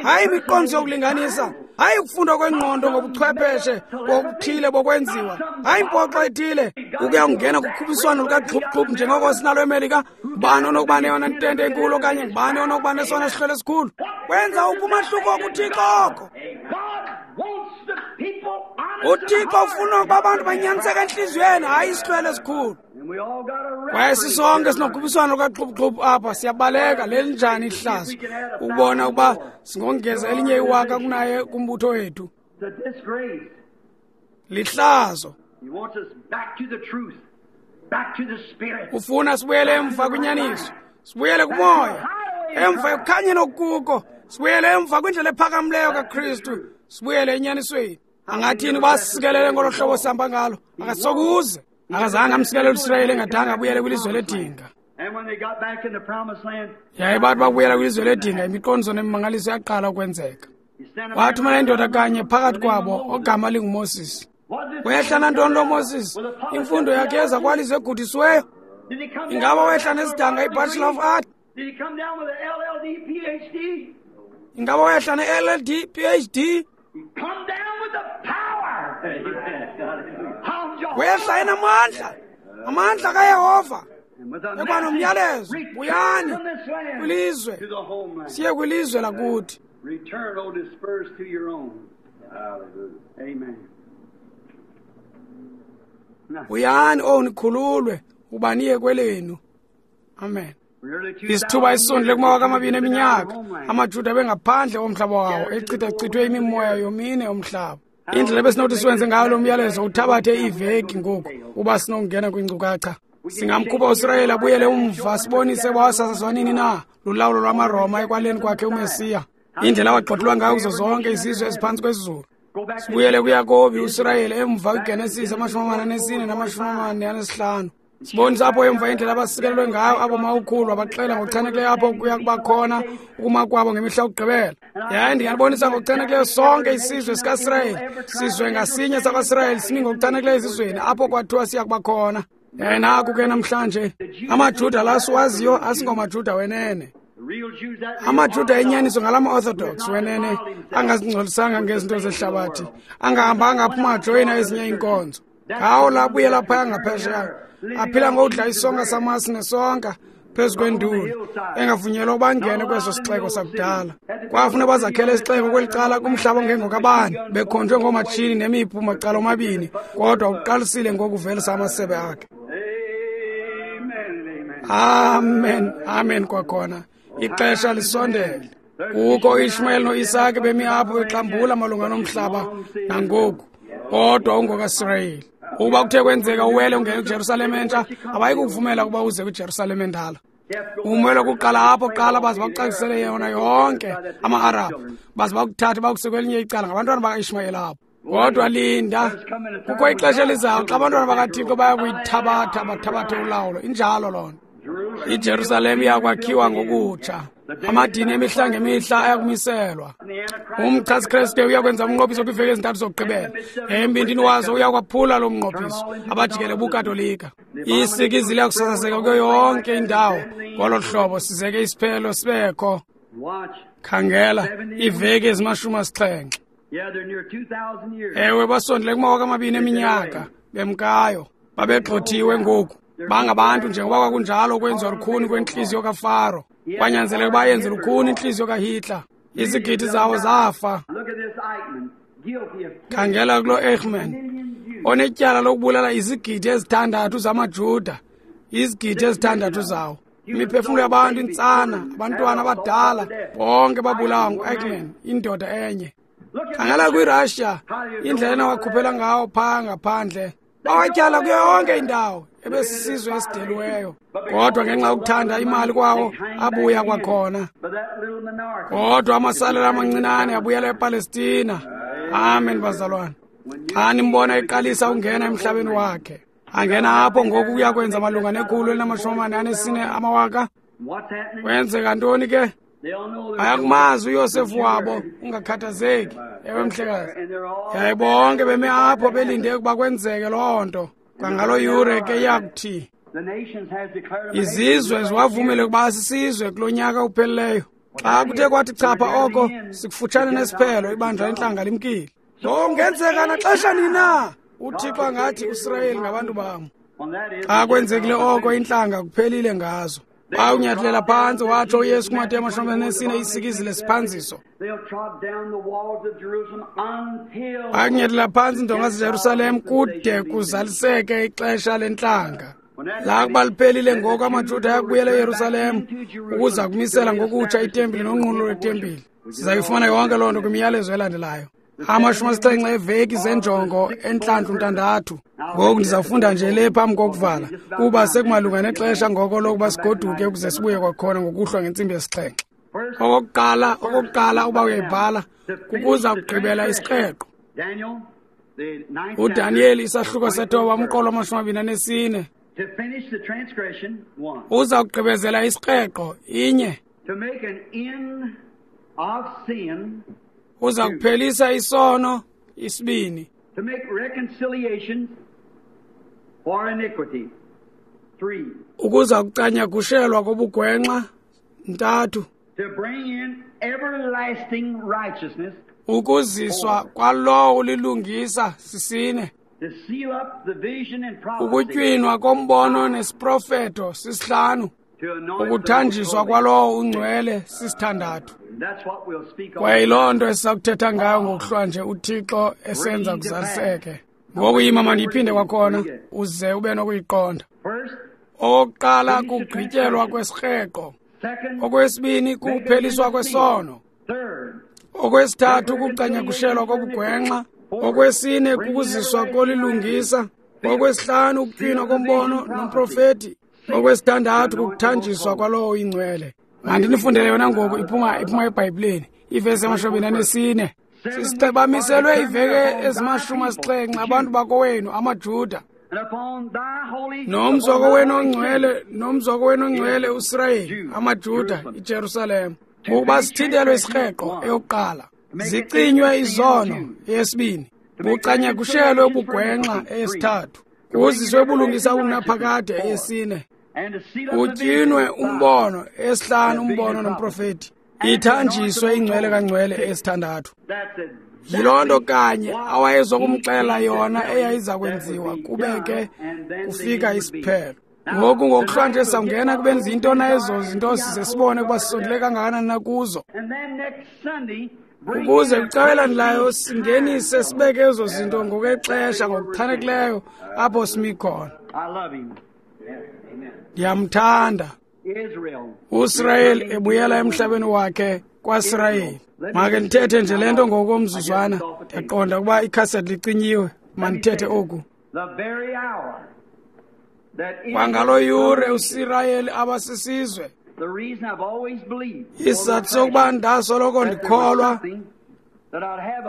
Hayi imiqondiso yokulinganisa, hayi ukufundwa kwengqondo ngobuchwepheshe bokuthile bokwenziwa, hayi impoxo ethile ukuya kungena kukhuphiswano lukaxhuphuxhuphu njengoko sinalo eMelika. Ngubani onokuba neyona ntente enkulu okanye ngubani onokuba nesona sihlwele esikhulu? Kwenza uphi umahluko kuThixo oko? UThixo ufuna ukuba abantu banyaniseke entliziyweni, hayi isihlwele esikhulu. Kwaye sisonke sinokhuphiswano lukaxhuphuxhuphu apha, siyabaleka. Lelinjani ihlazo ukubona ukuba singongeza elinye iwaka kunaye kumbutho wethu. Lihlazo. Ufuna sibuyele emva kwinyaniso, sibuyele kumoya, emva ekukhanyeni okukuko, sibuyele emva kwindlela ephakamileyo kaKristu, sibuyele enyanisweni. Angathini uba sisikelele ngolo hlobo sihamba ngalo? Akasokuze. Akazange amsikelele uSirayeli engadanga abuyele kwilizwe ledinga. Yaye bathi bakubuyela kwilizwe ledinga, imiqondiso nemimangaliso yaqala ukwenzeka. Wathumela indoda kanye phakathi kwabo ogama linguMoses. Wehla nantoni lo Moses? Imfundo yakhe yeza kwalizwe egudisiweyo? Ingaba wehla nesidanga iBachelor of Art? Ingaba wehla ne-L L D P H D? Wehla enamandla, amandla kaYehova ekuba nomyalezo, buyani kwilizwe, siye kwilizwe lakuthi. Return, O dispersed to your own. Amen. Buyani, o nikhululwe, uba niye kwelenu. Amen. Isithuba esisondele kumawaka amabini eminyaka, amaJuda bengaphandle komhlaba wawo, echithachithwe imimoya yomine yomhlaba. Indlela ebesinothi siwenze ngayo lo myalezo uthabathe iiveki ngoku uba sinokungena kwiinkcukacha. Singamkhupha uSirayeli abuyele umva sibonise wasasazwa nini na lulawulo lwamaRoma ekwaleni kwakhe uMesiya. Indlela awagxothulwa ngayo kuzo zonke izizwe eziphantsi kwezulu. Sibuyele kuYakobi uSirayeli emva kwiGenesis amashumi amane anesine namashumi amane anesihlanu. Sibonisa apho emva indlela abasikelelwe ngayo abo mawukhulu abaxela ngokuchanekileyo apho kuya kuba khona ukuma kwabo ngemihla yokugqibela. Yaye ndingalibonisa ngokuchanekileyo sonke isizwe sikaSirayeli. Sizwe ngasinye sakwaSirayeli simi ngokuchanekileyo ezizweni apho kwathiwa siya kuba khona. Yaye naku ke namhlanje amaJuda la siwaziyo asingomaJuda wenene. AmaJuda enyaniso ngalama-Orthodox wenene angazingcolisanga ngezinto zehlabathi, angahambanga aphuma ajoyina ezinye iinkonzo. Ngawo la abuyela phaya ngaphesheya, aphila ngokudla isonka samasi nesonka phezu kwenduli, engavunyelwa ukuba angene kweso sixeko sakudala. Kwafuna bazakhele isixeko kweli cala kumhlaba ongengokabani, bekhonjwe ngoomatshini nemiphu macala omabini, kodwa uqalisile ngokuvelisa amasebe akhe. Amen, amen kwakhona. Ixesha lisondele. Kukho uIshmael noIsake bemi apho bexambula malunga nomhlaba nangoku, kodwa ungokaSirayeli. Ukuba kuthe kwenzeka uwele ungene kwiJerusalem entsha, abayi kukuvumela ukuba uze kwiJerusalem endala. Umelwe kuqala apho kuqala baze bakucacisele yona yonke ama-Arabhu, baze bakuthathe bakuse kwelinye icala ngabantwana bakaIshmayeli apho. Kodwa linda, kukho ixesha elizayo xa abantwana bakaThixo baya kuyithabatha bathabathe ulawulo. Injalo loo nto. IJerusalem iyakwakhiwa ngokutsha. Amadini emihla ngemihla ayakumiselwa. Umchasi-Kristu uyakwenza umnqophiso kwiiveki ezintathu zokugqibela. Embindini wazo uyakwaphula lo mnqophiso abajikele buKatolika. Isikizi liyakusasazeka kuyo yonke indawo. Ngolo hlobo sizeke isiphelo sibekho. Khangela iiveki ezimashumi asixhenxe. Ewe, basondele kumawaka amabini eminyaka bemkayo. Babegxothiwe ngoku. Bangabantu njengoba kwakunjalo ukwenziwa lukhuni kwentliziyo kaFaro. Kwanyanzeleka ukuba yenze lukhuni intliziyo kaHitler. Izigidi zawo zafa. Khangela kulo Eichmann onetyala lokubulala izigidi ezithandathu zamaJuda, izigidi ezithandathu zawo. Imiphefumlo yabantu, intsana, abantwana abadala, bonke babulawa ngu-Eichmann, indoda enye. Khangela kwiRussia, indlela enawakhuphela ngawo phaa ngaphandle. Bawatyala kuyo yonke indawo, ebesisizwe esideliweyo. Kodwa ngenxa yokuthanda imali kwawo, abuya kwakhona. Kodwa amasalela amancinane abuyela ePalestina. Amen, bazalwane. Xa nimbona eqalisa ukungena emhlabeni wakhe, angena apho ngoku kuya kwenza malunga nekhulu elinamashumi amane anesine amawaka. Kwenzeka ntoni ke? Bayakumazi uYosefu wabo, ungakhathazeki. Ewe mhlekazi. Yaye bonke beme apho belinde ukuba kwenzeke loo nto. Kwangalo yure ke iyakuthi izizwe ziwavumele ukuba sisizwe kulo nyaka upheleleyo. Xa kuthe kwathi chapha oko, sikufutshane nesiphelo, ibandla lentlanga limkile. Lo kungenzeka naxesha nini na uThixo angathi uSirayeli ngabantu bam. Xa kwenzekile oko, intlanga kuphelile ngazo. Bawunyathelela phantsi, watsho uYesu kuMateyu amashumi anesine isikizi lesiphanziso. Bakunyathelela phantsi iindonga zeJerusalem kude kuzaliseke ixesha lentlanga. Lakuba liphelile ngoku, amaJuda ayakubuyela eYerusalem ukuza kumisela ngokutsha itempile nonqulo lwetempile. Sizayifumana yonke loo nto kwimiyalezo elandelayo. Amashumi asixhenxe eveki zenjongo entlantlu ntandathu. Ngoku ndizawufunda nje le phambi kokuvala, kuba sekumalunga nexesha ngoko lokuba sigoduke ukuze sibuye kwakhona ngokuhlwa ngentsimbi yesixhenxe. Okokuqala, okokuqala uba uyayibhala, kukuza kugqibela isikreqo. UDaniyeli isahluko sethoba umqolo wamashumi amabini anesine. Uza kugqibezela isikreqo inye. Uza kuphelisa isono isibini. To make reconciliation for iniquity. Three. Ukuza kucanyagushelwa kobugwenxa ntathu. To bring in everlasting righteousness. Ukuziswa kwalowo ulilungisa sisine. To seal up the vision and prophecy. Ukutywinwa kombono nesiprofeto sisihlanu. Ukuthanjiswa kwalowo ungcwele sisithandathu. Kwaye yiloo nto esisakuthetha ngayo ngokuhlwa nje uThixo esenza kuzaliseke. Ngoku yima mandiyiphinde kwakhona uze ube nokuyiqonda. Okokuqala kugqityelwa kwesikreqo. Okwesibini kukupheliswa kwesono. Okwesithathu kucanyagushelwa kobugwenxa. Okwesine kukuziswa kolilungisa. Okwesihlanu ukutywinwa kombono nomprofeti. Okwesithandathu kukuthanjiswa kwalowo ingcwele. Mandinifundele yona ngoku iphuma iphuma eBhayibhileni. Ivesi yamashumi anesine. Bamiselwe iveke ezimashumi asixhenxe abantu bakowenu amaJuda. Nomzi wakowenu ongcwele, nomzi wakowenu ongcwele uSirayeli, amaJuda, iJerusalem. Ngokuba sithintelwe isikreqo eyokuqala, zicinywe izono eyesibini, bucanyakushelwe ubugwenxa eyesithathu, kuziswe ubulungisa obungunaphakade eyesine, kutyinwe umbono eyesihlanu umbono nomprofeti, ithanjiswe ingcwele kangcwele eyesithandathu. Yiloo nto kanye awayezokumxelela yona eyayiza kwenziwa kube ke kufika isiphelo. Ngoku ngokuhlwa nje sawungena kubeni ziyintona ezo zinto size sibone ukuba sisondele kangakanani na kuzo. Ukuze kwicala elandelayo singenise sibeke ezo zinto ngokwexesha ngokuchanekileyo apho simi khona. Ndiyamthanda uSirayeli ebuyela emhlabeni wakhe kwaSirayeli. Make ndithethe nje le nto ngokomzuzwana, ndiyaqonda ukuba ikhasethi licinyiwe. Mandithethe oku. Kwangalo yure uSirayeli abasisizwe. Isizathu sokuba ndasoloko ndikholwa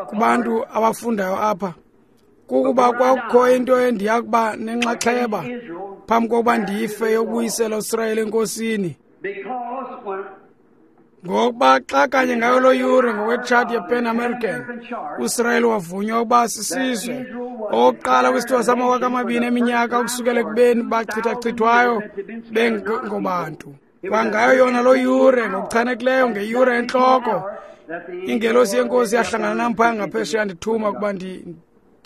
kubantu abafundayo apha kukuba kwakukho into endiya kuba nenxaxheba phambi kokuba ndife yokubuyisela uSirayeli enkosini. Ngokuba xa kanye ngayo loo yure ngokwetshati yePan American, uSirayeli wavunywa ukuba sisizwe okokuqala kwisithuba samawaka amabini eminyaka ukusukela ekubeni bachithachithwayo bengobantu. Kwangayo yona loo yure ngokuchanekileyo ngeyure entloko, ingelosi yenkosi yahlangana nam phaya ngaphesheya ndithuma ukuba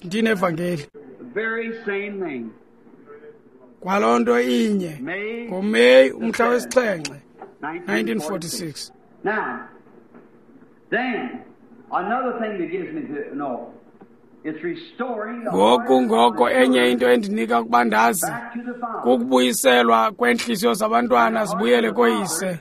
ndinevangeli. Kwaloo nto inye ngoMeyi umhla wesixhenxe nineteen forty-six. Now, then, another thing that gives me to know, it's restoring the Ngoku ngoko enye into endinika ukuba ndazi kukubuyiselwa kweentliziyo zabantwana zibuyele koyise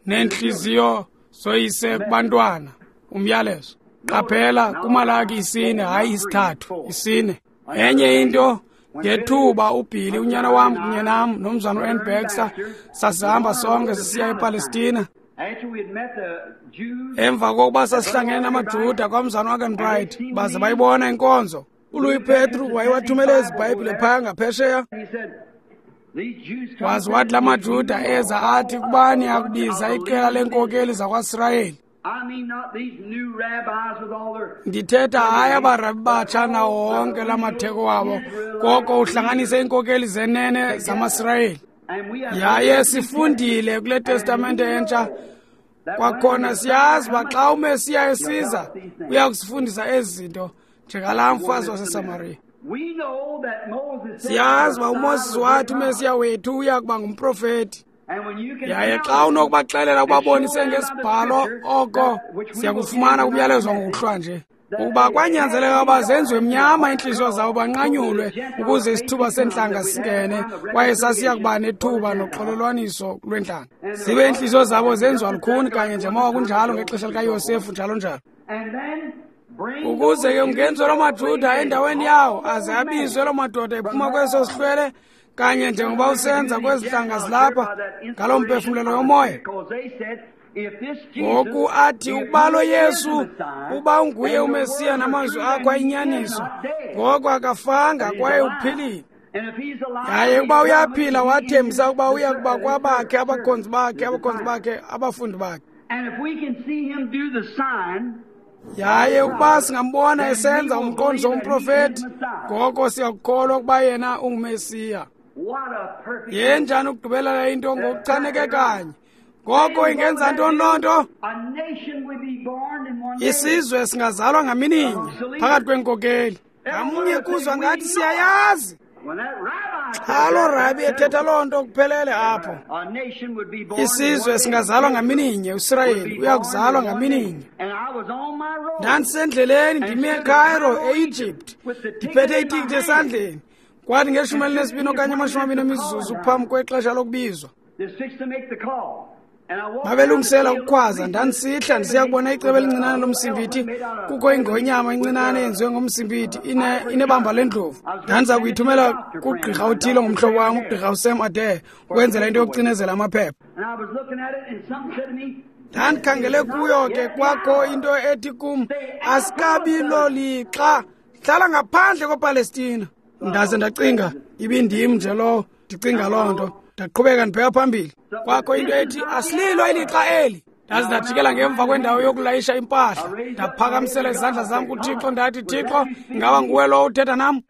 neentliziyo zoyise kubantwana. Umyalezo. Qaphela kuMalaki isine, hayi isithathu, isine. Enye into ngethuba uBhili unyana wam kunye nam nomzana uAnn Baxter sasihamba sonke sisiya ePalestina. Emva kokuba sasihlangene namaJuda kwamzana wakhe Bright baze bayibona inkonzo. uLouis Petru wayewathumele ezi Bhayibhile phaya ngaphesheya. Waze wathi la maJuda eza athi kubani akubiza iqela leenkokeli zakwaSirayeli. Ndithetha hayi abarabi batsha nawo wonke la matheko wabo, koko uhlanganise iinkokeli zenene zamaSirayeli. Yaye sifundile kule Testamente entsha kwakhona siyazi uba xa uMesiya esiza uya kusifundisa ezi zinto njengalaa mfazi waseSamariya. Siyazi uba uMoses wathi uMesiya wethu uya kuba ngumprofeti. Yaye xa unokubaxelela ubabonise ngesibhalo oko siyakufumana kumyalezo ngokuhlwa nje. Ukuba kwanyanzeleka uba zenziwe mnyama iintliziyo zabo banqanyulwe ukuze isithuba seentlanga singene, kwaye sasiya kuba nethuba noxolelwaniso lwentlanga. Zibe iintliziyo zabo zenziwa lukhuni kanye njengoba kunjalo ngexesha likaYosefu njalo njalo. Ukuze ke kungenziwe loo maJuda endaweni yawo aze abizwe loo madoda ephuma kweso sihlwele kanye njengoba usenza kwezi ntlanga zilapha ngaloo mphefumlelo yomoya. Ngoku athi ukuba lo Yesu uba unguye uMesiya namazwi akho ayinyaniso, ngoko akafanga kwaye uphilile. Yaye ukuba uyaphila wathembisa ukuba uya kuba kwabakhe abakhonzi bakhe abakhonzi bakhe abafundi bakhe. Yaye ukuba singambona esenza umqondiso womprofeti, ngoko siyakukholwa ukuba yena unguMesiya. Yenjani ukugqibelela into ngokuchaneke kanye? Ngoko ingenza ntoni loo nto? Isizwe singazalwa ngamininye phakathi kweenkokeli. Ngamnye kuzwa ngathi siyayazi. Xa loo rabi ethetha loo nto kuphelele apho. Isizwe singazalwa ngamininye, uSirayeli uyakuzalwa ngamininye. Ndandisendleleni ndimi eCairo, e-Egypt, ndiphethe itikiti esandleni. Kwathi ngeshumi elinesibini okanye amashumi amabini emizuzu phambi kwexesha lokubizwa. Babelungisela ukukhwaza. Ndandisihla ndisiya kubona icebo elincinane lomsimbithi. Kukho ingonyama encinane eyenziwe ngomsimbithi, ine inebamba lendlovu. Ndandiza kuyithumela kugqirha othile ngumhlobo wam, ugqirha uSam Adair, ukwenzela into yokucinezela amaphepha. Ndandikhangele kuyo ke, kwakho into ethi kum, asikabi lolixa, hlala ngaphandle kwePalestina. Ndaze ndacinga, ibindim nje lowo, ndicinga loo nto. Ndaqhubeka ndibheka phambili. Kwakho into ethi, asililo ilixa eli. Ndaze ndajikela ngemva kwendawo yokulayisha impahla. Ndaphakamisela izandla zam kuThixo, ndathi, Thixo, ingaba nguwe lowo uthetha nam?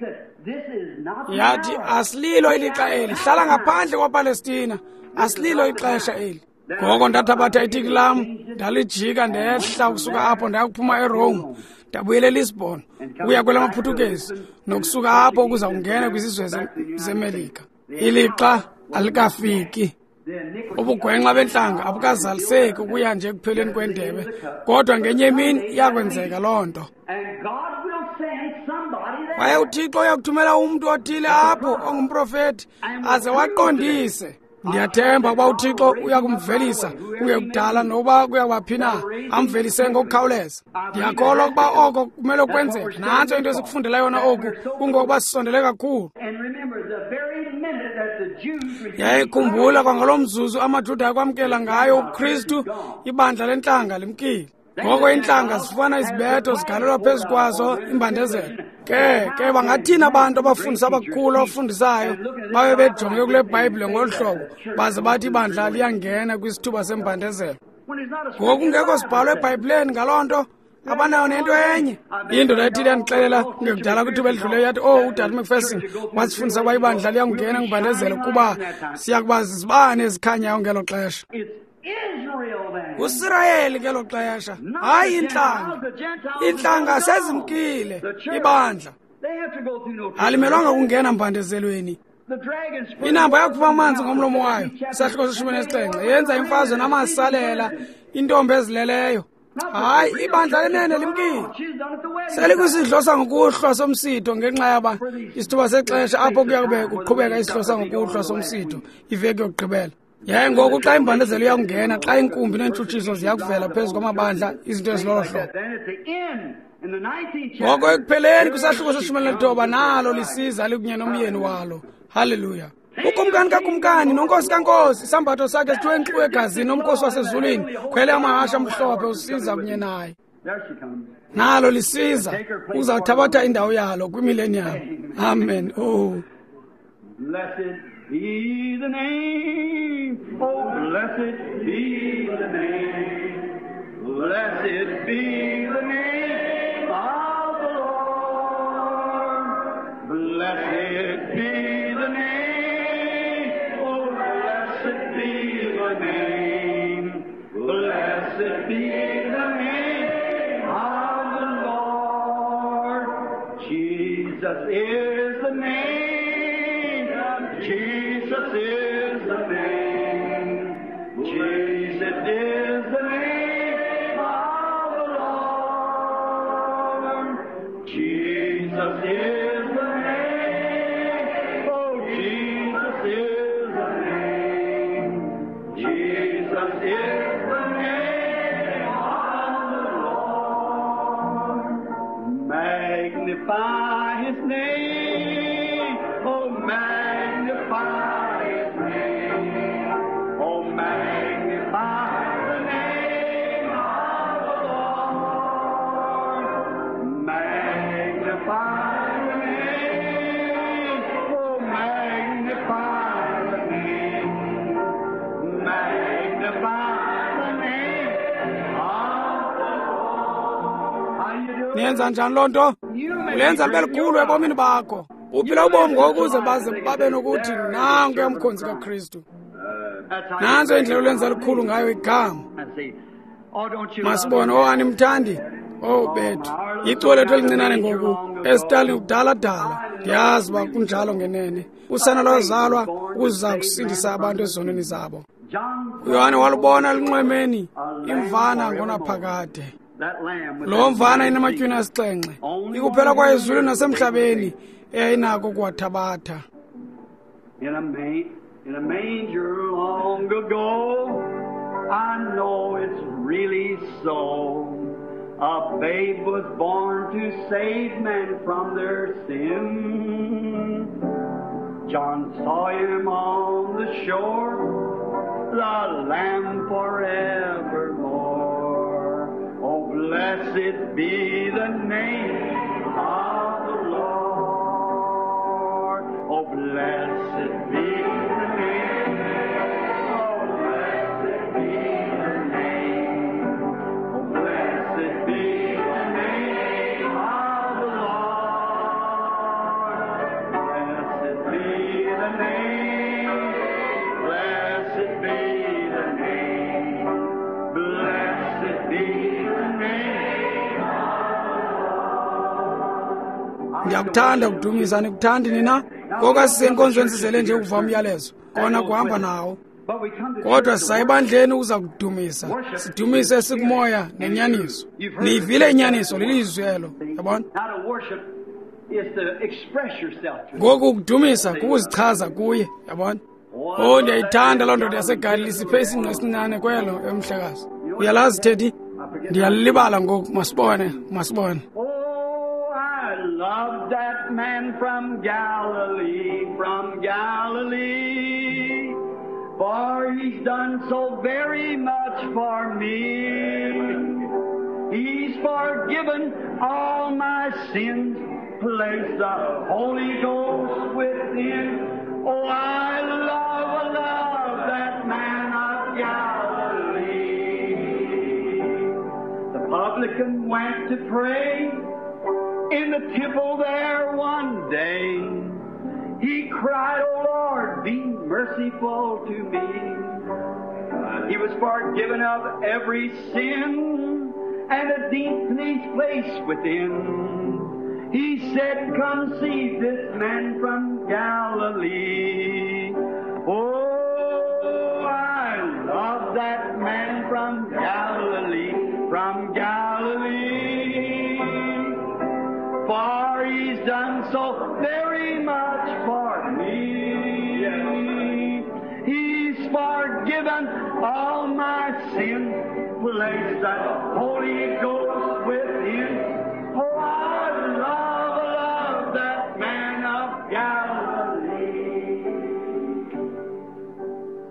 Yathi, asililo ilixa eli, hlala ngaphandle kwaPalestina, asililo ixesha eli. Ngoko ndathabatha itiki lam, ndalijika ndehla ukusuka apho ndaya kuphuma eRome, ndabuyela eLisbon, ukuya kwelamaPhuthukezi, nokusuka apho ukuza kungena kwizizwe zeMelika. Ilixa alikafiki. Ubugwenxa bentlanga abukazaliseki ukuya nje ekupheleni kwendebe, kodwa ngenye imini iyakwenzeka loo nto. Kwaye uThixo uyakuthumela umntu othile apho ongumprofeti aze waqondise. Ndiyathemba ukuba uThixo uyakumvelisa kungekudala, nokuba kuyawaphi na, amvelise ngokukhawuleza. Ndiyakholwa ukuba oko kumele kwenzeke. Nantso into esikufundela yona oku, kungokuba sisondele kakhulu. Yayikhumbula kwangalo mzuzu amaJuda akwamkela ngayo uKristu, ibandla lentlanga limkile. Ngoko iintlanga zifumana izibetho zigalelwa phezu kwazo imbandezelo. Ke ke bangathini abantu abafundisa abakhulu abafundisayo babe bejonge kule Bhayibhile ngolu hlobo, baze bathi ibandla liyangena kwisithuba sembandezelo? Ngoku kungekho sibhalo eBhayibhileni ngaloo nto, abanayo nento enye. Indoda ethile yandixelela kungekudala kwithuba elidluleyo, yathi, oh, uDade McPherson wasifundisa ukuba ibandla liyakungena kwimbandezelo kuba siya kuba zizibane ezikhanyayo ngelo xesha. USirayeli ngelo xesha, hayi intlanga. Intlanga sezimkile, ibandla alimelwanga kungena mbandezelweni. Inamba yakhupha amanzi ngomlomo wayo, isahluko seshumi nesixhenxe, yenza imfazwe namasalela, intombi ezileleyo. Hayi, ibandla lenene limkile. Selikwisidlo sangokuhlwa somsitho ngenxa yaba isithuba sexesha apho kuya kube kuqhubeka isidlo sangokuhlwa somsitho iveki yokugqibela. Yaye ngoku xa imbandezelo iyakungena, xa inkumbi neentshutshiso ziyakuvela phezu kwamabandla, izinto ezilolo hlobo. Ngoko ekupheleni kwisahluko seshumi elinethoba, nalo lisiza likunye nomyeni walo. Haleluya! Ukumkani kakumkani nonkosi kankosi, isambatho sakhe sithiwe nkxu egazini nomkhosi wasezulwini, khwele amahashe amhlophe, usiza kunye naye. Nalo lisiza uzawuthabatha indawo yalo kwimileniyam. Amen. Oh. Blessed be the name, oh, blessed be the name, blessed be the name of the Lord. Blessed be the name, oh, blessed be the name, blessed be the name of the Lord. Jesus is the name. Jesus is the name. Jesus is the name of the Lord. Jesus is the name. Oh, Jesus is the name. Jesus is the name of the Lord. Magnify His name. Oh, magnify His name. Oh, magnify the name of the Lord. Magnify the name. Oh, magnify the name. Magnify the name of the Lord. How you do? Niyenza njani loo nto? Ulenza libe likhulu ebomini bakho. Uphila ubomi ngokuze baze babe nokuthi nanku umkhonzi kaKristu. Nanso indlela olenza likhulu ngayo igama. Masibone, oh, animthandi? Oh, bethu. Iculo lethu elincinane ngoku, esitalini kudala-dala. Ndiyazi uba kunjalo ngenene. Usana lwazalwa ukuza kusindisa abantu ezonweni zabo. uYohane walubona elinxwemeni imvana ngonaphakade. Lo mvana inamatywina asixhenxe, ikuphela kwayo ezulwini nasemhlabeni eyayinako ukuwathabatha. In a, ma- in a manger long ago, I know it's really so. A babe was born to save men from their sin. John saw him on the shore, the Lamb forevermore. Oh, blessed be the name of the Lord. Oh, blessed be the name. Oh, blessed be the name. Oh, blessed be the name of the Lord. Blessed be the name. Blessed be the name. Blessed be the name of the Lord. Ndiyakuthanda ukudumisa, nikuthandi nina? Ngoku asisenkonzweni sizele nje ukuva umyalezo, kona kuhamba nawo. But we come to Kodwa church to sisayibandleni ukuza kudumisa, sidumise sikumoya nenyaniso. Niyivile inyaniso, lilizwi elo, yabona? Now to worship is to express yourself to Ngoku ukudumisa kukuzichaza kuye, yabona? Oh, ndiyayithanda loo ndoda yaseGalili siphe isingqi esincinane kwelo emhlekazi. Uyalazi, Teddy? Ndiyalibala ngoku, masibone, masibone. Oh, I love that man from Galilee, from Galilee. For he's done so very much for me. He's forgiven all my sins, placed the Holy Ghost within. Oh, I love, love that man of Galilee. The publican went to pray in the temple there one day. He cried, "O Lord, be merciful to me." He was forgiven of every sin and a deep peace place within. He said, "Come see this man from Galilee." Oh, I love that man from Galilee, from Galilee. For he's done so very much for me. He's forgiven all my sins, placed the Holy Ghost within. Oh, I love, love that man of Galilee.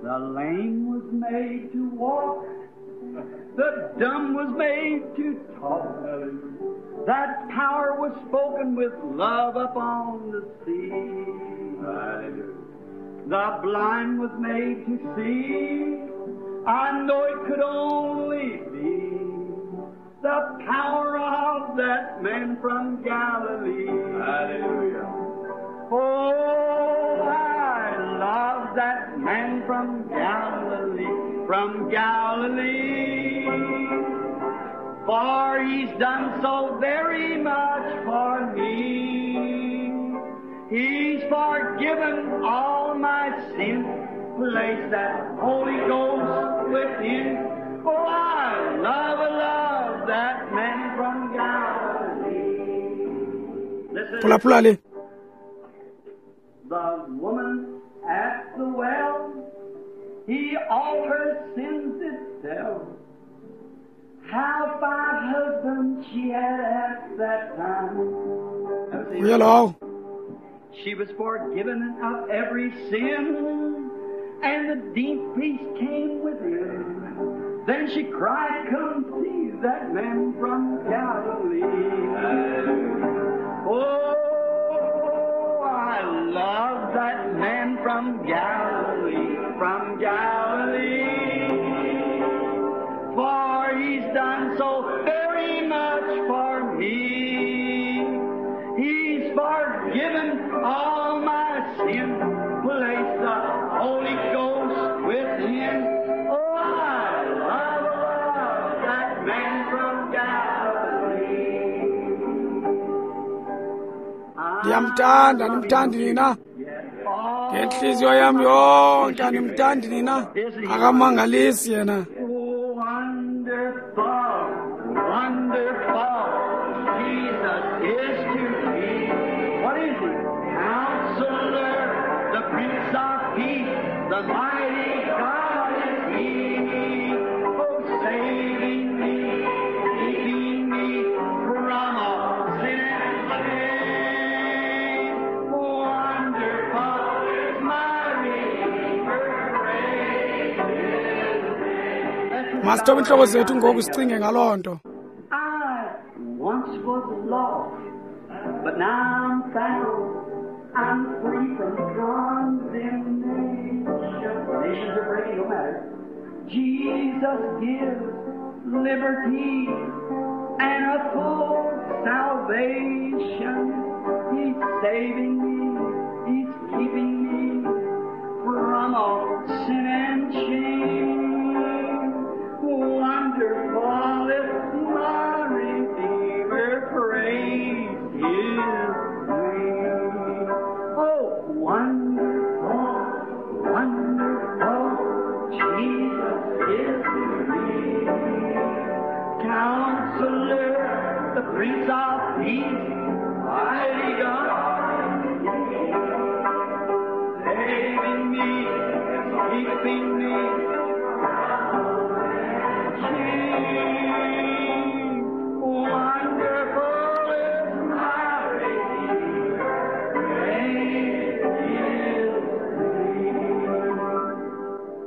The lame was made to walk, the dumb was made to talk. That power was spoken with love upon the sea. The blind was made to see. I know it could only be the power of that man from Galilee. Hallelujah. Oh, I love that man from Galilee, from Galilee. For he's done so very much for me. He's forgiven all my sins, placed that Holy Ghost within. Oh, I love, love that man from Galilee. Listen. Phulaphula le. The woman at the well, he all her sins did tell. How five husbands she had at that time. Uye lowo. She was forgiven of every sin, and the deep peace came within. Then she cried, "Come see that man from Galilee." Oh, I love that man from Galilee, from Galilee. For he's done so very much for me. He's forgiven all my sin, placed the Holy Ghost within. Oh, I love, love that man from Galilee. Ndiyamthanda, andimthandi nina? Ngentliziyo yam yonke andimthandi nina? Akamangalisi yena. Oh, wonderful, wonderful Jesus is to me. What is he? Counselor, the Prince of Peace, the mighty God is he. Masithobe iintloko zethu ngoku sicinge ngaloo nto. I once was lost, but now I'm found. I'm free from condemnation. Nations are breaking, no matter. Jesus gives liberty and a full salvation. He's saving me. He's keeping me from all sin and shame. Wonderful is my Redeemer, praise His name. Oh, wonderful, wonderful, Jesus is to me. Counselor, the Prince of Peace, mighty God, saving me, keeping me. Wonderful is my Redeemer, praise His name.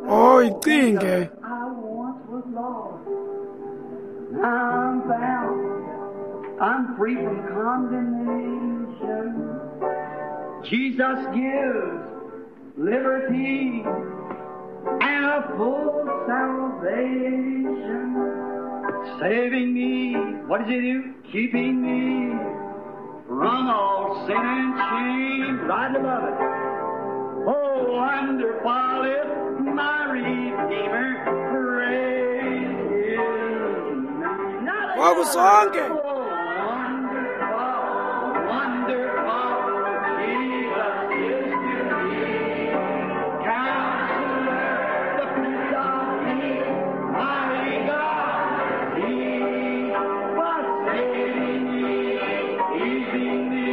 Oh, icinge. I once was lost, now I'm found. I'm free from condemnation. Jesus gives liberty and a full salvation. Saving me, what does He do? Keeping me from all sin and shame. Right above it. Oh, wonderful is my Redeemer, praise His name. Ngoku sonke. Oh, wonderful, wonderful, Jesus is to me. Counselor, the Prince of Peace, mighty God, He was saving me, keeping me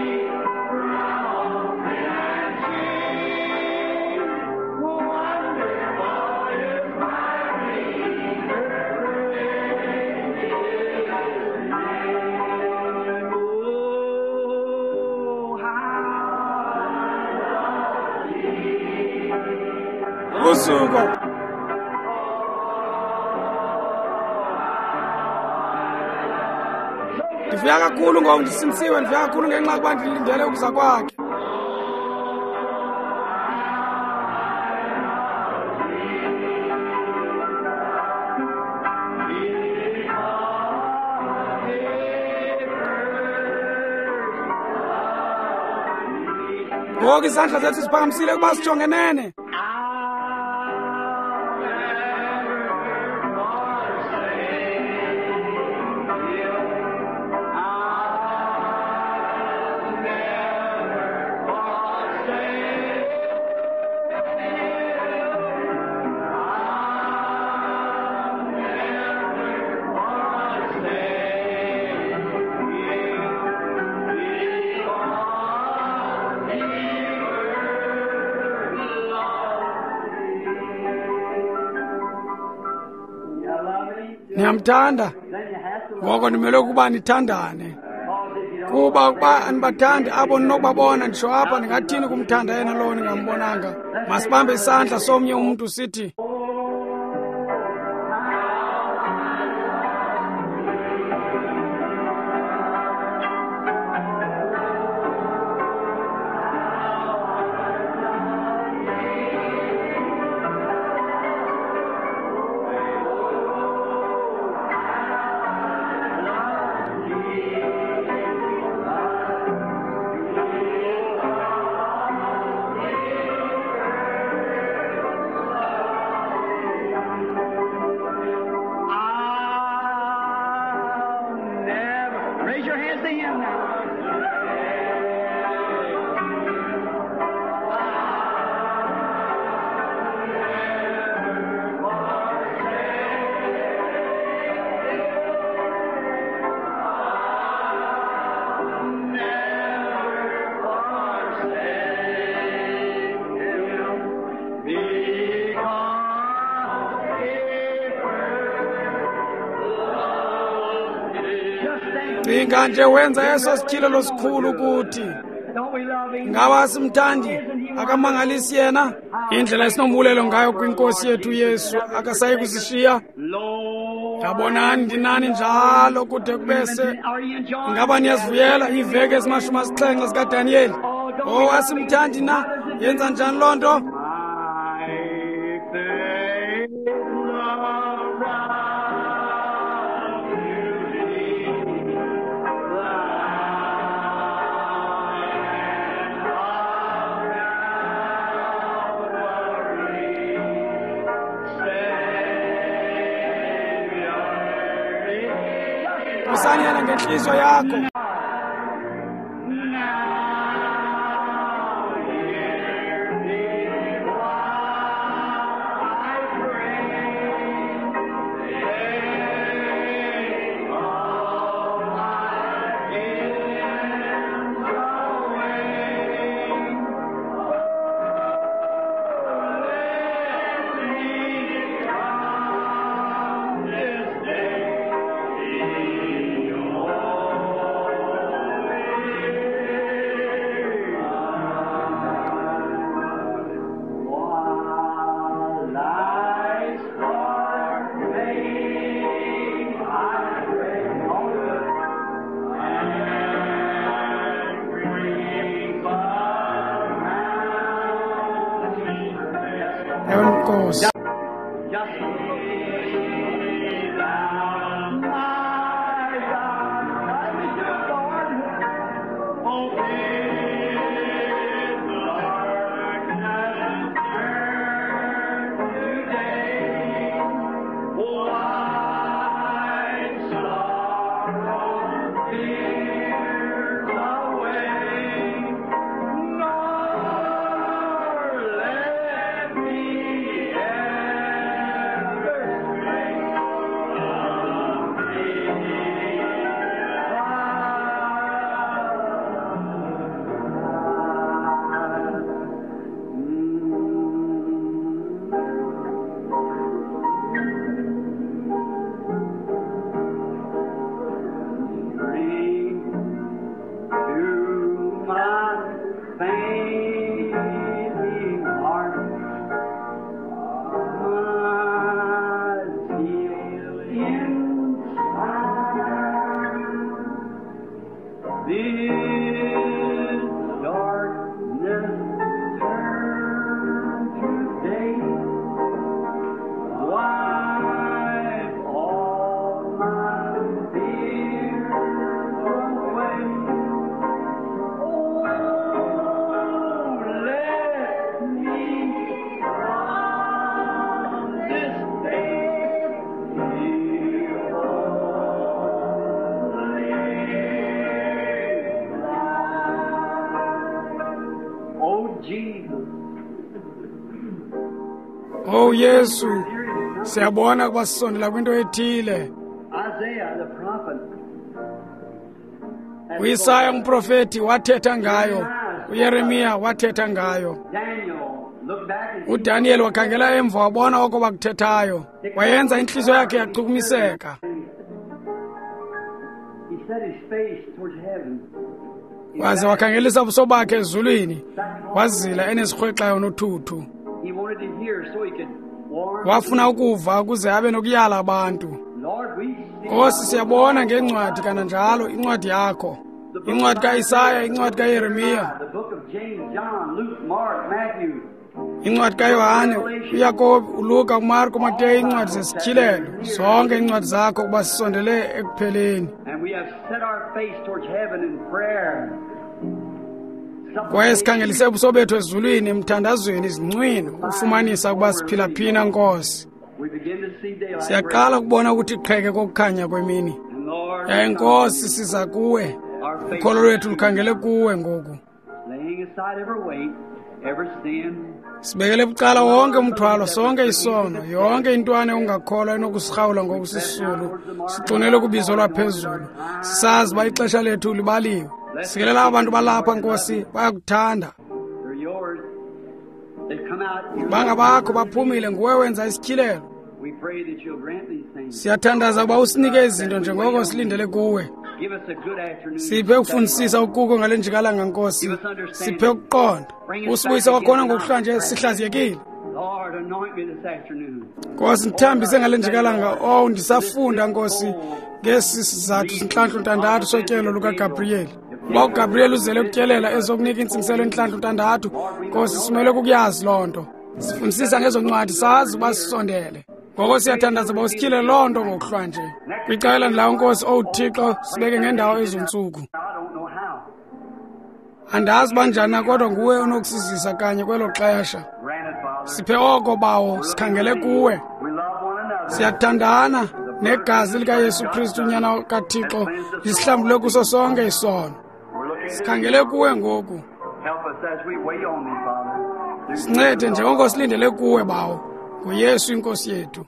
from sin and shame. Wonderful is my Redeemer, praise His name. Oh, how I love Jesus. Usuko. Ndivuya kakhulu ngoku ndisindisiwe, ndivuya kakhulu ngenxa yokuba ndilindele ukuza kwakhe. Ngoku izandla zethu ziphakamisile ukuba sijongenene. Niyamthanda? Ngoko nimele ukuba nithandane. Kuba ukuba anibathandi abo ninokubabona, nditsho apha, ndingathini kumthanda yena lowo ningambonanga? Masibambe isandla somnye umntu sithi, I'll never. Raise your hands to Him now. Cinga nje wenza eso sityhilelo sikhulu kuthi. Don't we love Him? Ngaba simthandi? Akamangalisi yena? Indlela esinombulelo ngayo kwinkosi yethu Yesu akasayi kusishiya. Yabonani ndinani njalo kude kube se. Ingaba niyazivuyela iiveki ezimashumi asixhenxe zikaDaniyeli? Oh, asimthandi na? Yenza njani loo nto? Usani yena ngenhliziyo yakho. Nkosi. Oh Yesu, siyabona ukuba sisondela kwinto ethile. uIsaya umprofeti wathetha ngayo, uYeremiya wathetha ngayo. uDaniel wakhangela emva wabona oko bakuthethayo, wayenza intliziyo yakhe yachukumiseka. Waze wakhangelisa ubuso bakhe ezulwini, wazila enesirhwexayo nothuthu. Wafuna ukuva ukuze abe nokuyala abantu. Nkosi, siyabona ngencwadi kananjalo, incwadi yakho, incwadi kaIsaya, incwadi kaYeremiya, incwadi kaYohane, uYakobi, uLuka, uMarko, uMateyu, iincwadi zesityhilelo, zonke iincwadi zakho ukuba sisondele ekupheleni. Kwaye sikhangelise ubuso bethu ezulwini emthandazweni izincwino ufumanisa ukuba siphila phina, Nkosi. Siyaqala ukubona ukuthi qheke kokukhanya kwemini. Yaye Nkosi, siza kuwe. Ukholo lwethu lukhangele kuwe ngoku. Sibekele bucala wonke umthwalo, sonke isono, yonke intwana ongakholwa enokusirhawula ngokusisulu. Sixunele kubizo lwaphezulu. Sisazi uba ixesha lethu libaliwe. Sikelela abantu balapha, Nkosi, bayakuthanda. Bangabakho baphumile, nguwe wenza isityhilelo. We pray that you'll grant these things. Siyathandaza ukuba usinike izinto njengoko silindele kuwe. Give us a good afternoon. Siphe ukufundisisa ukuko ngale njikalanga, Nkosi. Siphe ukuqonda. Usibuyise kwakhona ngokuhlanje sihlaziyekile. Lord, anoint me this afternoon. Nkosi, ndithambise ngale njikalanga. Oh, ndisafunda, Nkosi, ngesi sizathu sintlantlu ntandathu sotyelo lukaGabriyeli. Uba uGabriyeli uzele ukutyelela ezokunika intsingiselo entlantlu ntandathu, Nkosi, simele kukuyazi loo nto. Sifundisisa ngezo ncwadi, sazi uba sisondele. Ngoko siyathandaza uba usityhile loo nto ngokuhlwanje. Kwicala elandelayo, Nkosi, owu Thixo, sibeke ngendawo ezontsuku. I don't know how. Andazi banjani na, kodwa nguwe onokusizisa kanye kwelo xesha. Grant it, Father. Siphe oko, Bawo, sikhangele kuwe. We love one another. Siyathandana negazi likaYesu Kristu unyana kaThixo lisihlambule kuso sonke isono. We're looking to Sikhangele kuwe ngoku. help us as we wait on thee, Father. Sincede njengoko silindele kuwe, Bawo, ngoYesu inkosi yethu.